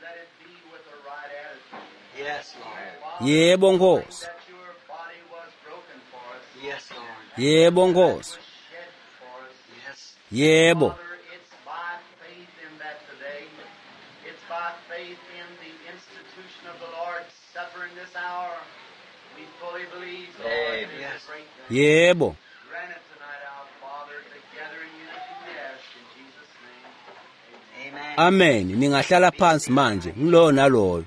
let it be with the right attitude. Yes, Lord. Father, Yebo Nkosi. that your body was broken for us. Yes, Lord. Yebo Nkosi. Was shed for us. Yes. Yebo. Father, it's by faith in that today. It's by faith in the institution of the Lord's Supper in this hour. We fully believe, Lord, it is Yes. a great thing. Yebo. Grant it tonight, our Father, together in unity we ask in Jesus' name. Amen. Amen. Ningahlala phansi manje ngiloyo naloyo.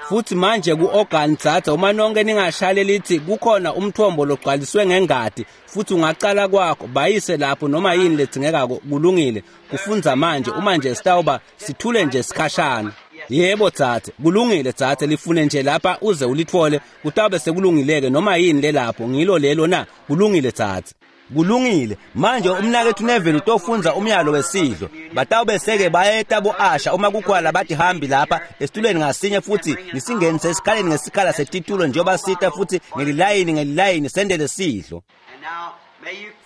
Futhi manje ku-organ dzadze uma nonke ningashaya lithi kukhona umthombo logcwaliswe ngengati futhi ungacala kwakho bayise lapho noma yini ledzingekako kulungile kufundza manje uma nje sitawuba sithule nje sikhashana. Yebo dzadze, kulungile dzadze, lifune nje lapha uze ulithole kutawube sekulungileke noma yini lelapho ngilo lelo na kulungile dzadze. Kulungile manje umnakethu Neville utofundza umyalo wesidlo batawube seke bayeta bo-asha uma kukhona batihambi lapha esitulweni ngasinye futhi nisingenise esikhaleni ngesikhala setitulo njengoba sita futhi ngelilayini ngelilayini sendele sidlo.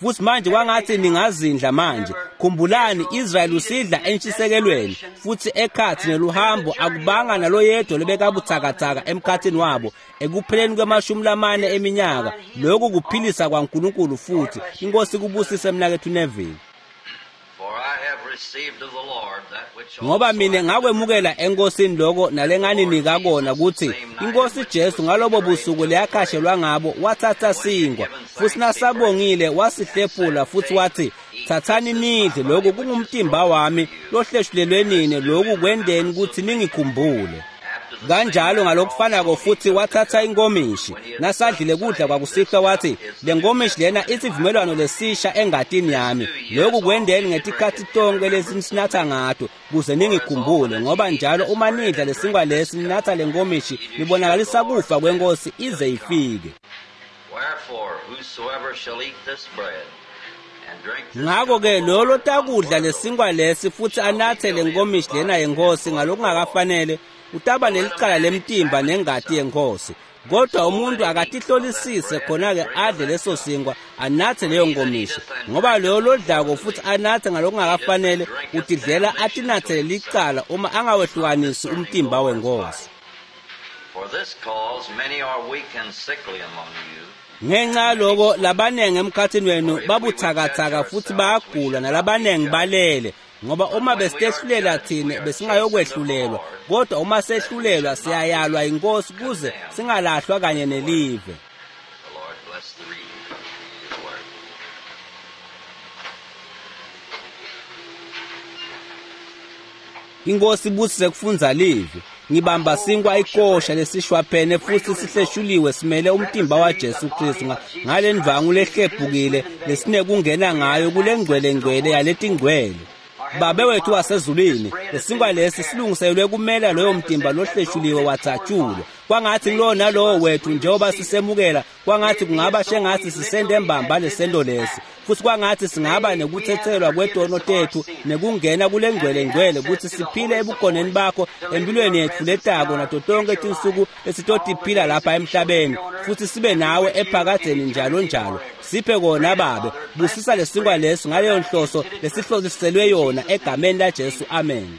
Futhi manje kwangathi ningazindla manje khumbulani Israel usidla entshisekelweni futhi ekhathi neluhambo akubanga naloyedwa lobekabuthakathaka emkhathini wabo ekupheleni kwemashumi lamane eminyaka lokhu kuphilisa kwaNkulunkulu futhi inkosi kubusise mnakethu Neville. Ngoba mina ngakwemukela enkosini lokho nalenganinika kona ukuthi inkosi Jesu ngalobo busuku leyakhashelwa ngabo wathatha sinkwa futhi nasabongile wasihlephula futhi wathi thathani nidle lokhu kungumtimba wami lohleshulelwe nini lokhu kwendeni ukuthi ningikhumbule. Kanjalo ngalokufanako futhi wathatha inkomishi nasadlile kudla kwakusihlwa wathi le nkomishi lena isivumelwano lesisha engatini yami lokhu kwendeni ngetikhathi tonke lesisinatha ngato kuze ningikhumbule ngoba njalo uma nidla lesinkwa lesi ninatha le nkomishi nibonakalisa kufa kwenkosi ize ifike. Ngakho-ke loyo lotakudla lesinkwa lesi futhi anathe le nkomishi lena yenkosi ngalokungakafanele utaba nelicala lemtimba nengati yenkosi kodwa umuntu akatihlolisise khona-ke adle leso sinkwa anathe leyo nkomishi ngoba loyo lodlako futhi anathe ngalokungakafanele utidlela atinathele licala uma angawehlukanisi umtimba wenkosi. Ngenxa yaloko labanengi emkhathini wenu babuthakathaka futhi bayagula nalabanengi balele ngoba uma besihlulela thina besingayokwehlulelwa kodwa uma sehlulelwa siyayalwa inkosi kuze singalahlwa kanye nelive. Inkosi ibusise kufundza livi. Ngibamba sinkwa ikosha lesishwaphene futhi sihleshuliwe simele umtimba waJesu Kristu ngale ndvangu lehlephukile lesinekungena ngayo kule ngcwele ngcwele yaletingcwele. Babe wethu wasezulwini lesinkwa lesi silungiselwe kumela loyo mtimba lohleshuliwe wathatshulwa kwangathi kulowo nalowo wethu njengoba sisemukela kwangathi kungaba shengathi sisende embamba lesento lesi futhi kwangathi singaba nekuthethelwa kwetono tethu nekungena kule ngcwele ngcwele ukuthi siphile ebukhoneni bakho empilweni yethu letako nato tonke tinsuku lesitotiphila lapha emhlabeni futhi sibe nawe ephakadzeni njalo njalo. Siphe kona babe busisa lesinkwa lesi ngaleyo nhloso lesihlosiselwe yona egameni laJesu, amen.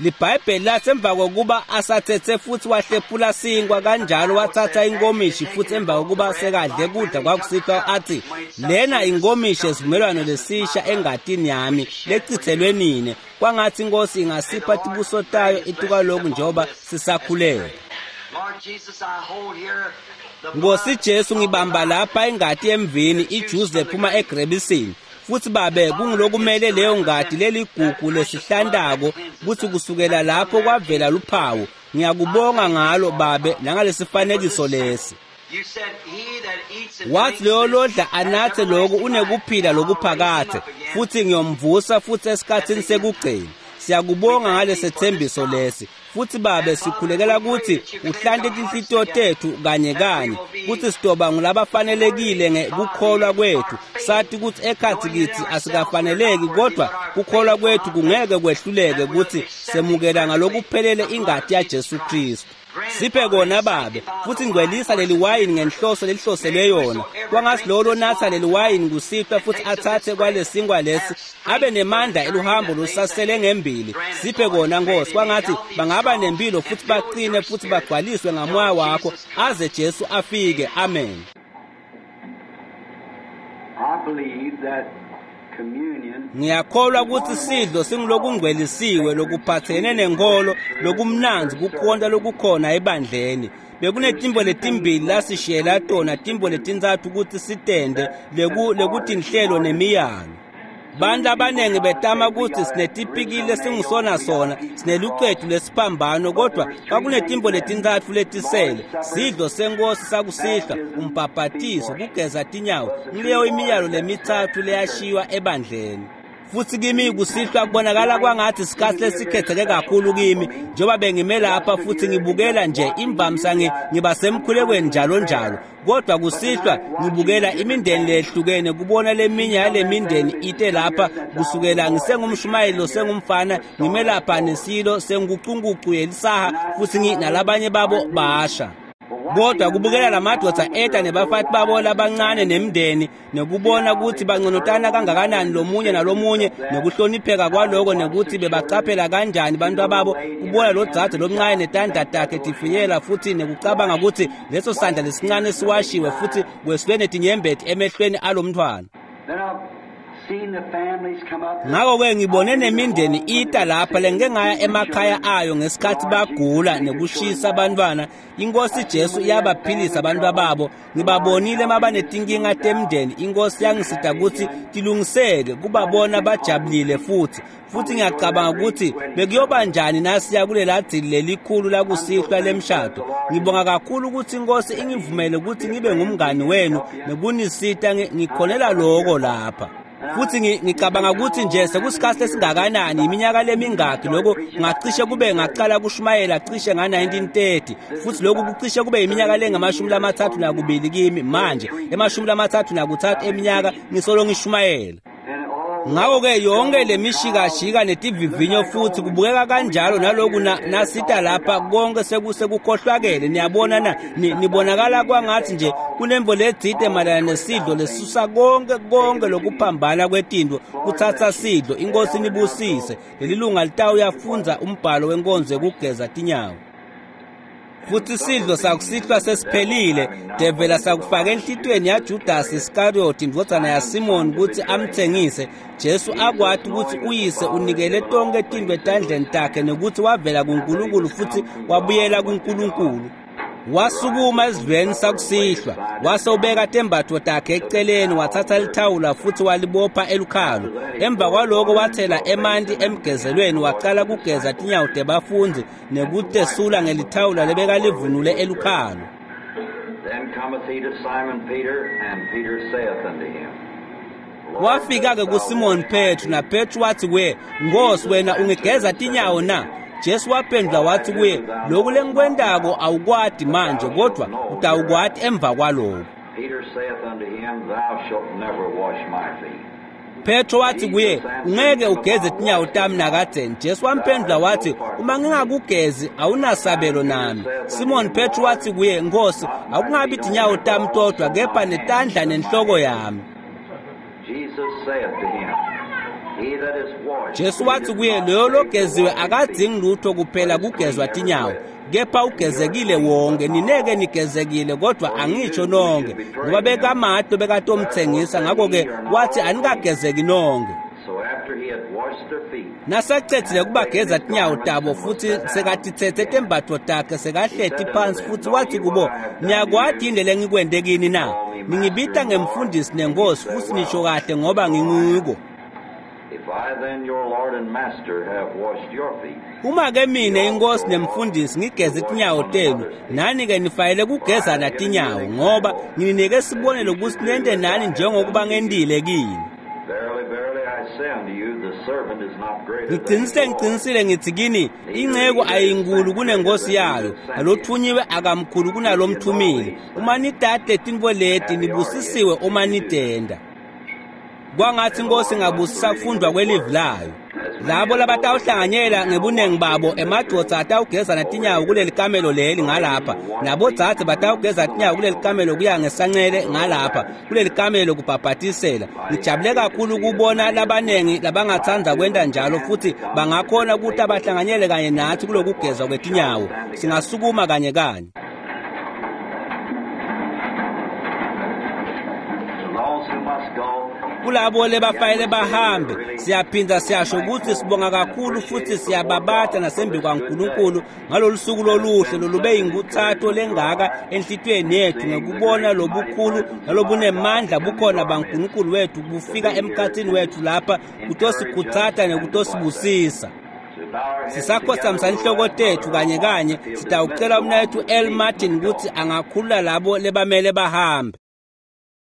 LiBhayibheli lathi emva kokuba asathethe futhi wahlephula sinkwa kanjalo wathatha inkomishi futhi emva kokuba sekadle kudla kwakusihlwa athi lena inkomishi esivumelwano lesisha engatini yami lechithelwe nine kwangathi inkosi ingasipha tibuso tayo itukalokhu njengoba sisakhuleka. Nkosi Jesu ngibamba lapha ingati emvini ijuice lephuma egrebisini futhi babe kungulokumele leyo ngati leligugu lesihlandako kuthi kusukela lapho kwavela luphawu ngiyakubonga ngalo babe nangalesifanekiso lesi. Wathi loyo lodla anathe lokhu unekuphila lokuphakathe futhi ngiyomvusa futhi esikhathini sekugcina. Siyakubonga ngalesethembiso lesi futhi babe sikhulekela ukuthi uhlante tinhlitiyo tethu kanye kanye kuthi sidoba ngulabafanelekile ngekukholwa kwethu sathi ukuthi ekhathi kithi asikafaneleki kodwa kukholwa kwethu kungeke kwehluleke ukuthi semukela ngalokuphelele ingati yaJesu Kristu. Siphe kona babe futhi ngcwelisa leli wayini ngenhloso lelihloselwe yona kwangathi lowo lonatha leli wayini kusihlwa futhi athathe kwalesinkwa lesi abe nemandla eluhambo lusasele ngembili. Siphe kona Nkosi kwangathi bangaba nempilo futhi baqine futhi bagcwaliswe ngamoya wakho aze Jesu afike, amen. I believe that Ngiyakholwa ukuthi sidlo singulokungcwelisiwe lokuphathene nenkolo lokumnanzi kukhonta lokukhona ebandleni. Bekunetimbo letimbili lasishiyela tona timbo letintsatfu ukuthi sitende leku lekutinhlelo nemiyalo. Bantu abaningi betama ukuthi sinetipikili lesingusona sona, sinelucetu lesiphambano, kodwa kwakunetimbo letintatfu letisele: sidlo senkosi sakusihlwa, umbhabhatiso, kugeza tinyawo. Ngileyo imiyalo lemitsatfu leyashiywa ebandleni. Futhi kimi kusihlwa kubonakala kwangathi isikhathi lesikhetheke kakhulu kimi, njengoba bengime lapha futhi ngibukela nje imvamisa ngiba semkhulekweni njalo njalo, kodwa kusihlwa ngibukela imindeni lehlukene, kubona leminye yale mindeni ite lapha kusukela ngisengumshumayeli sengumfana, ngime lapha nesilo sengucungucu yelisaha, futhi nginalabanye babo basha. Kodwa kubukela lamadoda eta nebafati babo labancane nemndeni, nekubona ukuthi banconotana kangakanani lomunye nalomunye, nekuhlonipheka kwaloko, nekuthi bebacaphela kanjani bantu babo, kubona lo dzadze lomncane netandla takhe tifinyela, futhi nekucabanga ukuthi leso sandla lesincane siwashiwe futhi kweswe netinyembeti emehlweni alomntwana. Ngakho-ke ngibone nemindeni ita lapha lengike ngaya emakhaya ayo ngesikhathi bagula nekushisa abantwana. Inkosi Jesu iyabaphilisa abantu babo. Ngibabonile mabanetinkinga temndeni, inkosi yangisita ukuthi tilungiseke, kubabona bajabulile futhi. Futhi ngiyacabanga ukuthi bekuyoba njani nasiya kulela dzili lelikhulu lakusihlwa lemshado. Ngibonga kakhulu ukuthi inkosi ingivumele ukuthi ngibe ngumngani wenu nekunisita, ngikhonela lokho lapha. Futhi ngicabanga ukuthi nje sekusikhathi esingakanani, iminyaka lemingaki lokho ngacishe kube ngaqala kushumayela cishe nga nineteen thirty, futhi lokhu kucishe kube iminyaka lengamashumi lamathathu nakubili kimi manje, emashumi lamathathu nakuthathu eminyaka ngisolo ngishumayela. Ngakho-ke yonke le mishikashika netivivinyo futhi kubukeka kanjalo naloku nasita lapha konke sekukhohlwakele. Niyabona na, nibonakala kwangathi nje kunemvo letsite mayelana nesidlo lesusa konke konke lokuphambana kwetinto, kuthatha sidlo. Inkosi nibusise. Leli lunga litawuyafunza umbhalo wenkonzo yokugeza tinyawo. Futhi sidlo sakusihlwa sesiphelile, devela sakufaka enhlitweni yaJudas Iskariyoti indvodzana yaSimoni ukuthi amthengise. Jesu akwati ukuthi uyise unikele tonke tintfo etandleni takhe, nekuthi wavela kuNkulunkulu futhi wabuyela kuNkulunkulu. Wasukuma esidlweni sakusihlwa, wase ubeka tembatfo takhe eceleni, wathatha lithawula futhi walibopha elukhalo. Emva kwaloko wathela emanti emgezelweni, waqala kugeza tinyawo tebafundzi nekutesula ngelithawula lebekalivunule elukhalo. Then cometh he to Simon Peter, and Peter saith unto him, Wafika-ke kuSimoni Petru, naPetru wathi kuye, Nkosi, wena ungigeza tinyawo na? Jesu waphendula wathi kuye, lokhu lengikwentako awukwati manje, kodwa utawukwati emva kwaloko. Peter saith unto him, Thou shalt never wash my feet. Petro wathi kuye, ungeke ugeze tinyawo tami nakadzeni. Jesu wamphendula wathi, uma ngingakugezi awunasabelo nami. Simon Petro wathi kuye, Nkosi, akungabi tinyawo tami todwa, kepha netandla nenhloko yami. Jesus saith to him, He that is washed, Jesu wathi kuye, loyo logeziwe akadzingi lutho kuphela kugezwa tinyawo, kepha ugezekile wonke. Nineke nigezekile, kodwa angitsho nonke, ngoba bekamado bekatomthengisa. Ngakho-ke wathi anikagezeki nonke. So after he had washed their feet, Nasacedzile kubageza tinyawo tabo futhi sekatithethe tembatfo takhe, sekahleti phansi futhi wathi kubo, niyakwati yini lengikwente kini na? Ningibita ngemfundisi nenkosi, futhi nisho kahle ngoba ngingiko. If I then, your Lord and Master, have washed your feet, Uma-ke mine inkosi nemfundisi ngigeze tinyawo tenu, nani-ke nifanele kugezana tinyawo, ngoba ngininike sibonelo ukuthi nente nani njengokuba ngentile kini. verily, verily, I say unto you, the servant is not greater than his Ngiqinisile, Lord. ngiqinisile ngithi kini, inceku ayinkulu kunenkosi yayo, nalothunyiwe akamkhulu kunalomthumile. Uma nidade tintfo leti, nibusisiwe uma nitenta. Kwangathi inkosi ingabusisa kufundwa kwelivi layo. Labo labatawuhlanganyela ngebuningi babo, emadvodza atawugezana tinyawo kuleli kamelo leli ngalapha, nabodzadze batawugeza tinyawo kuleli kamelo kuya ngesancele ngalapha kuleli kamelo kubhabhatisela. Ngijabule kakhulu kubona labaningi labangatsandza kwenta njalo, futhi bangakhona ukuthi abahlanganyele kanye nathi kulokugezwa kwetinyawo. Singasukuma kanye kanye. Those who must go, Kulabo lebafanele bahambe, siyaphinda siyasho ukuthi sibonga kakhulu futhi siyababata nasembi kwaNkulunkulu ngalolu suku loluhle lolube yinkuthato lengaka enhlitiyweni yethu ngekubona lobukhulu nalobunemandla bukhona baNkulunkulu wethu bufika emkhathini wethu lapha kutosikhutsata nekutosibusisa. Sisakhothamisa inhloko tethu kanye kanye, sitawucela umnaketfu El Martin kutsi angakhulula labo lebamele bahambe.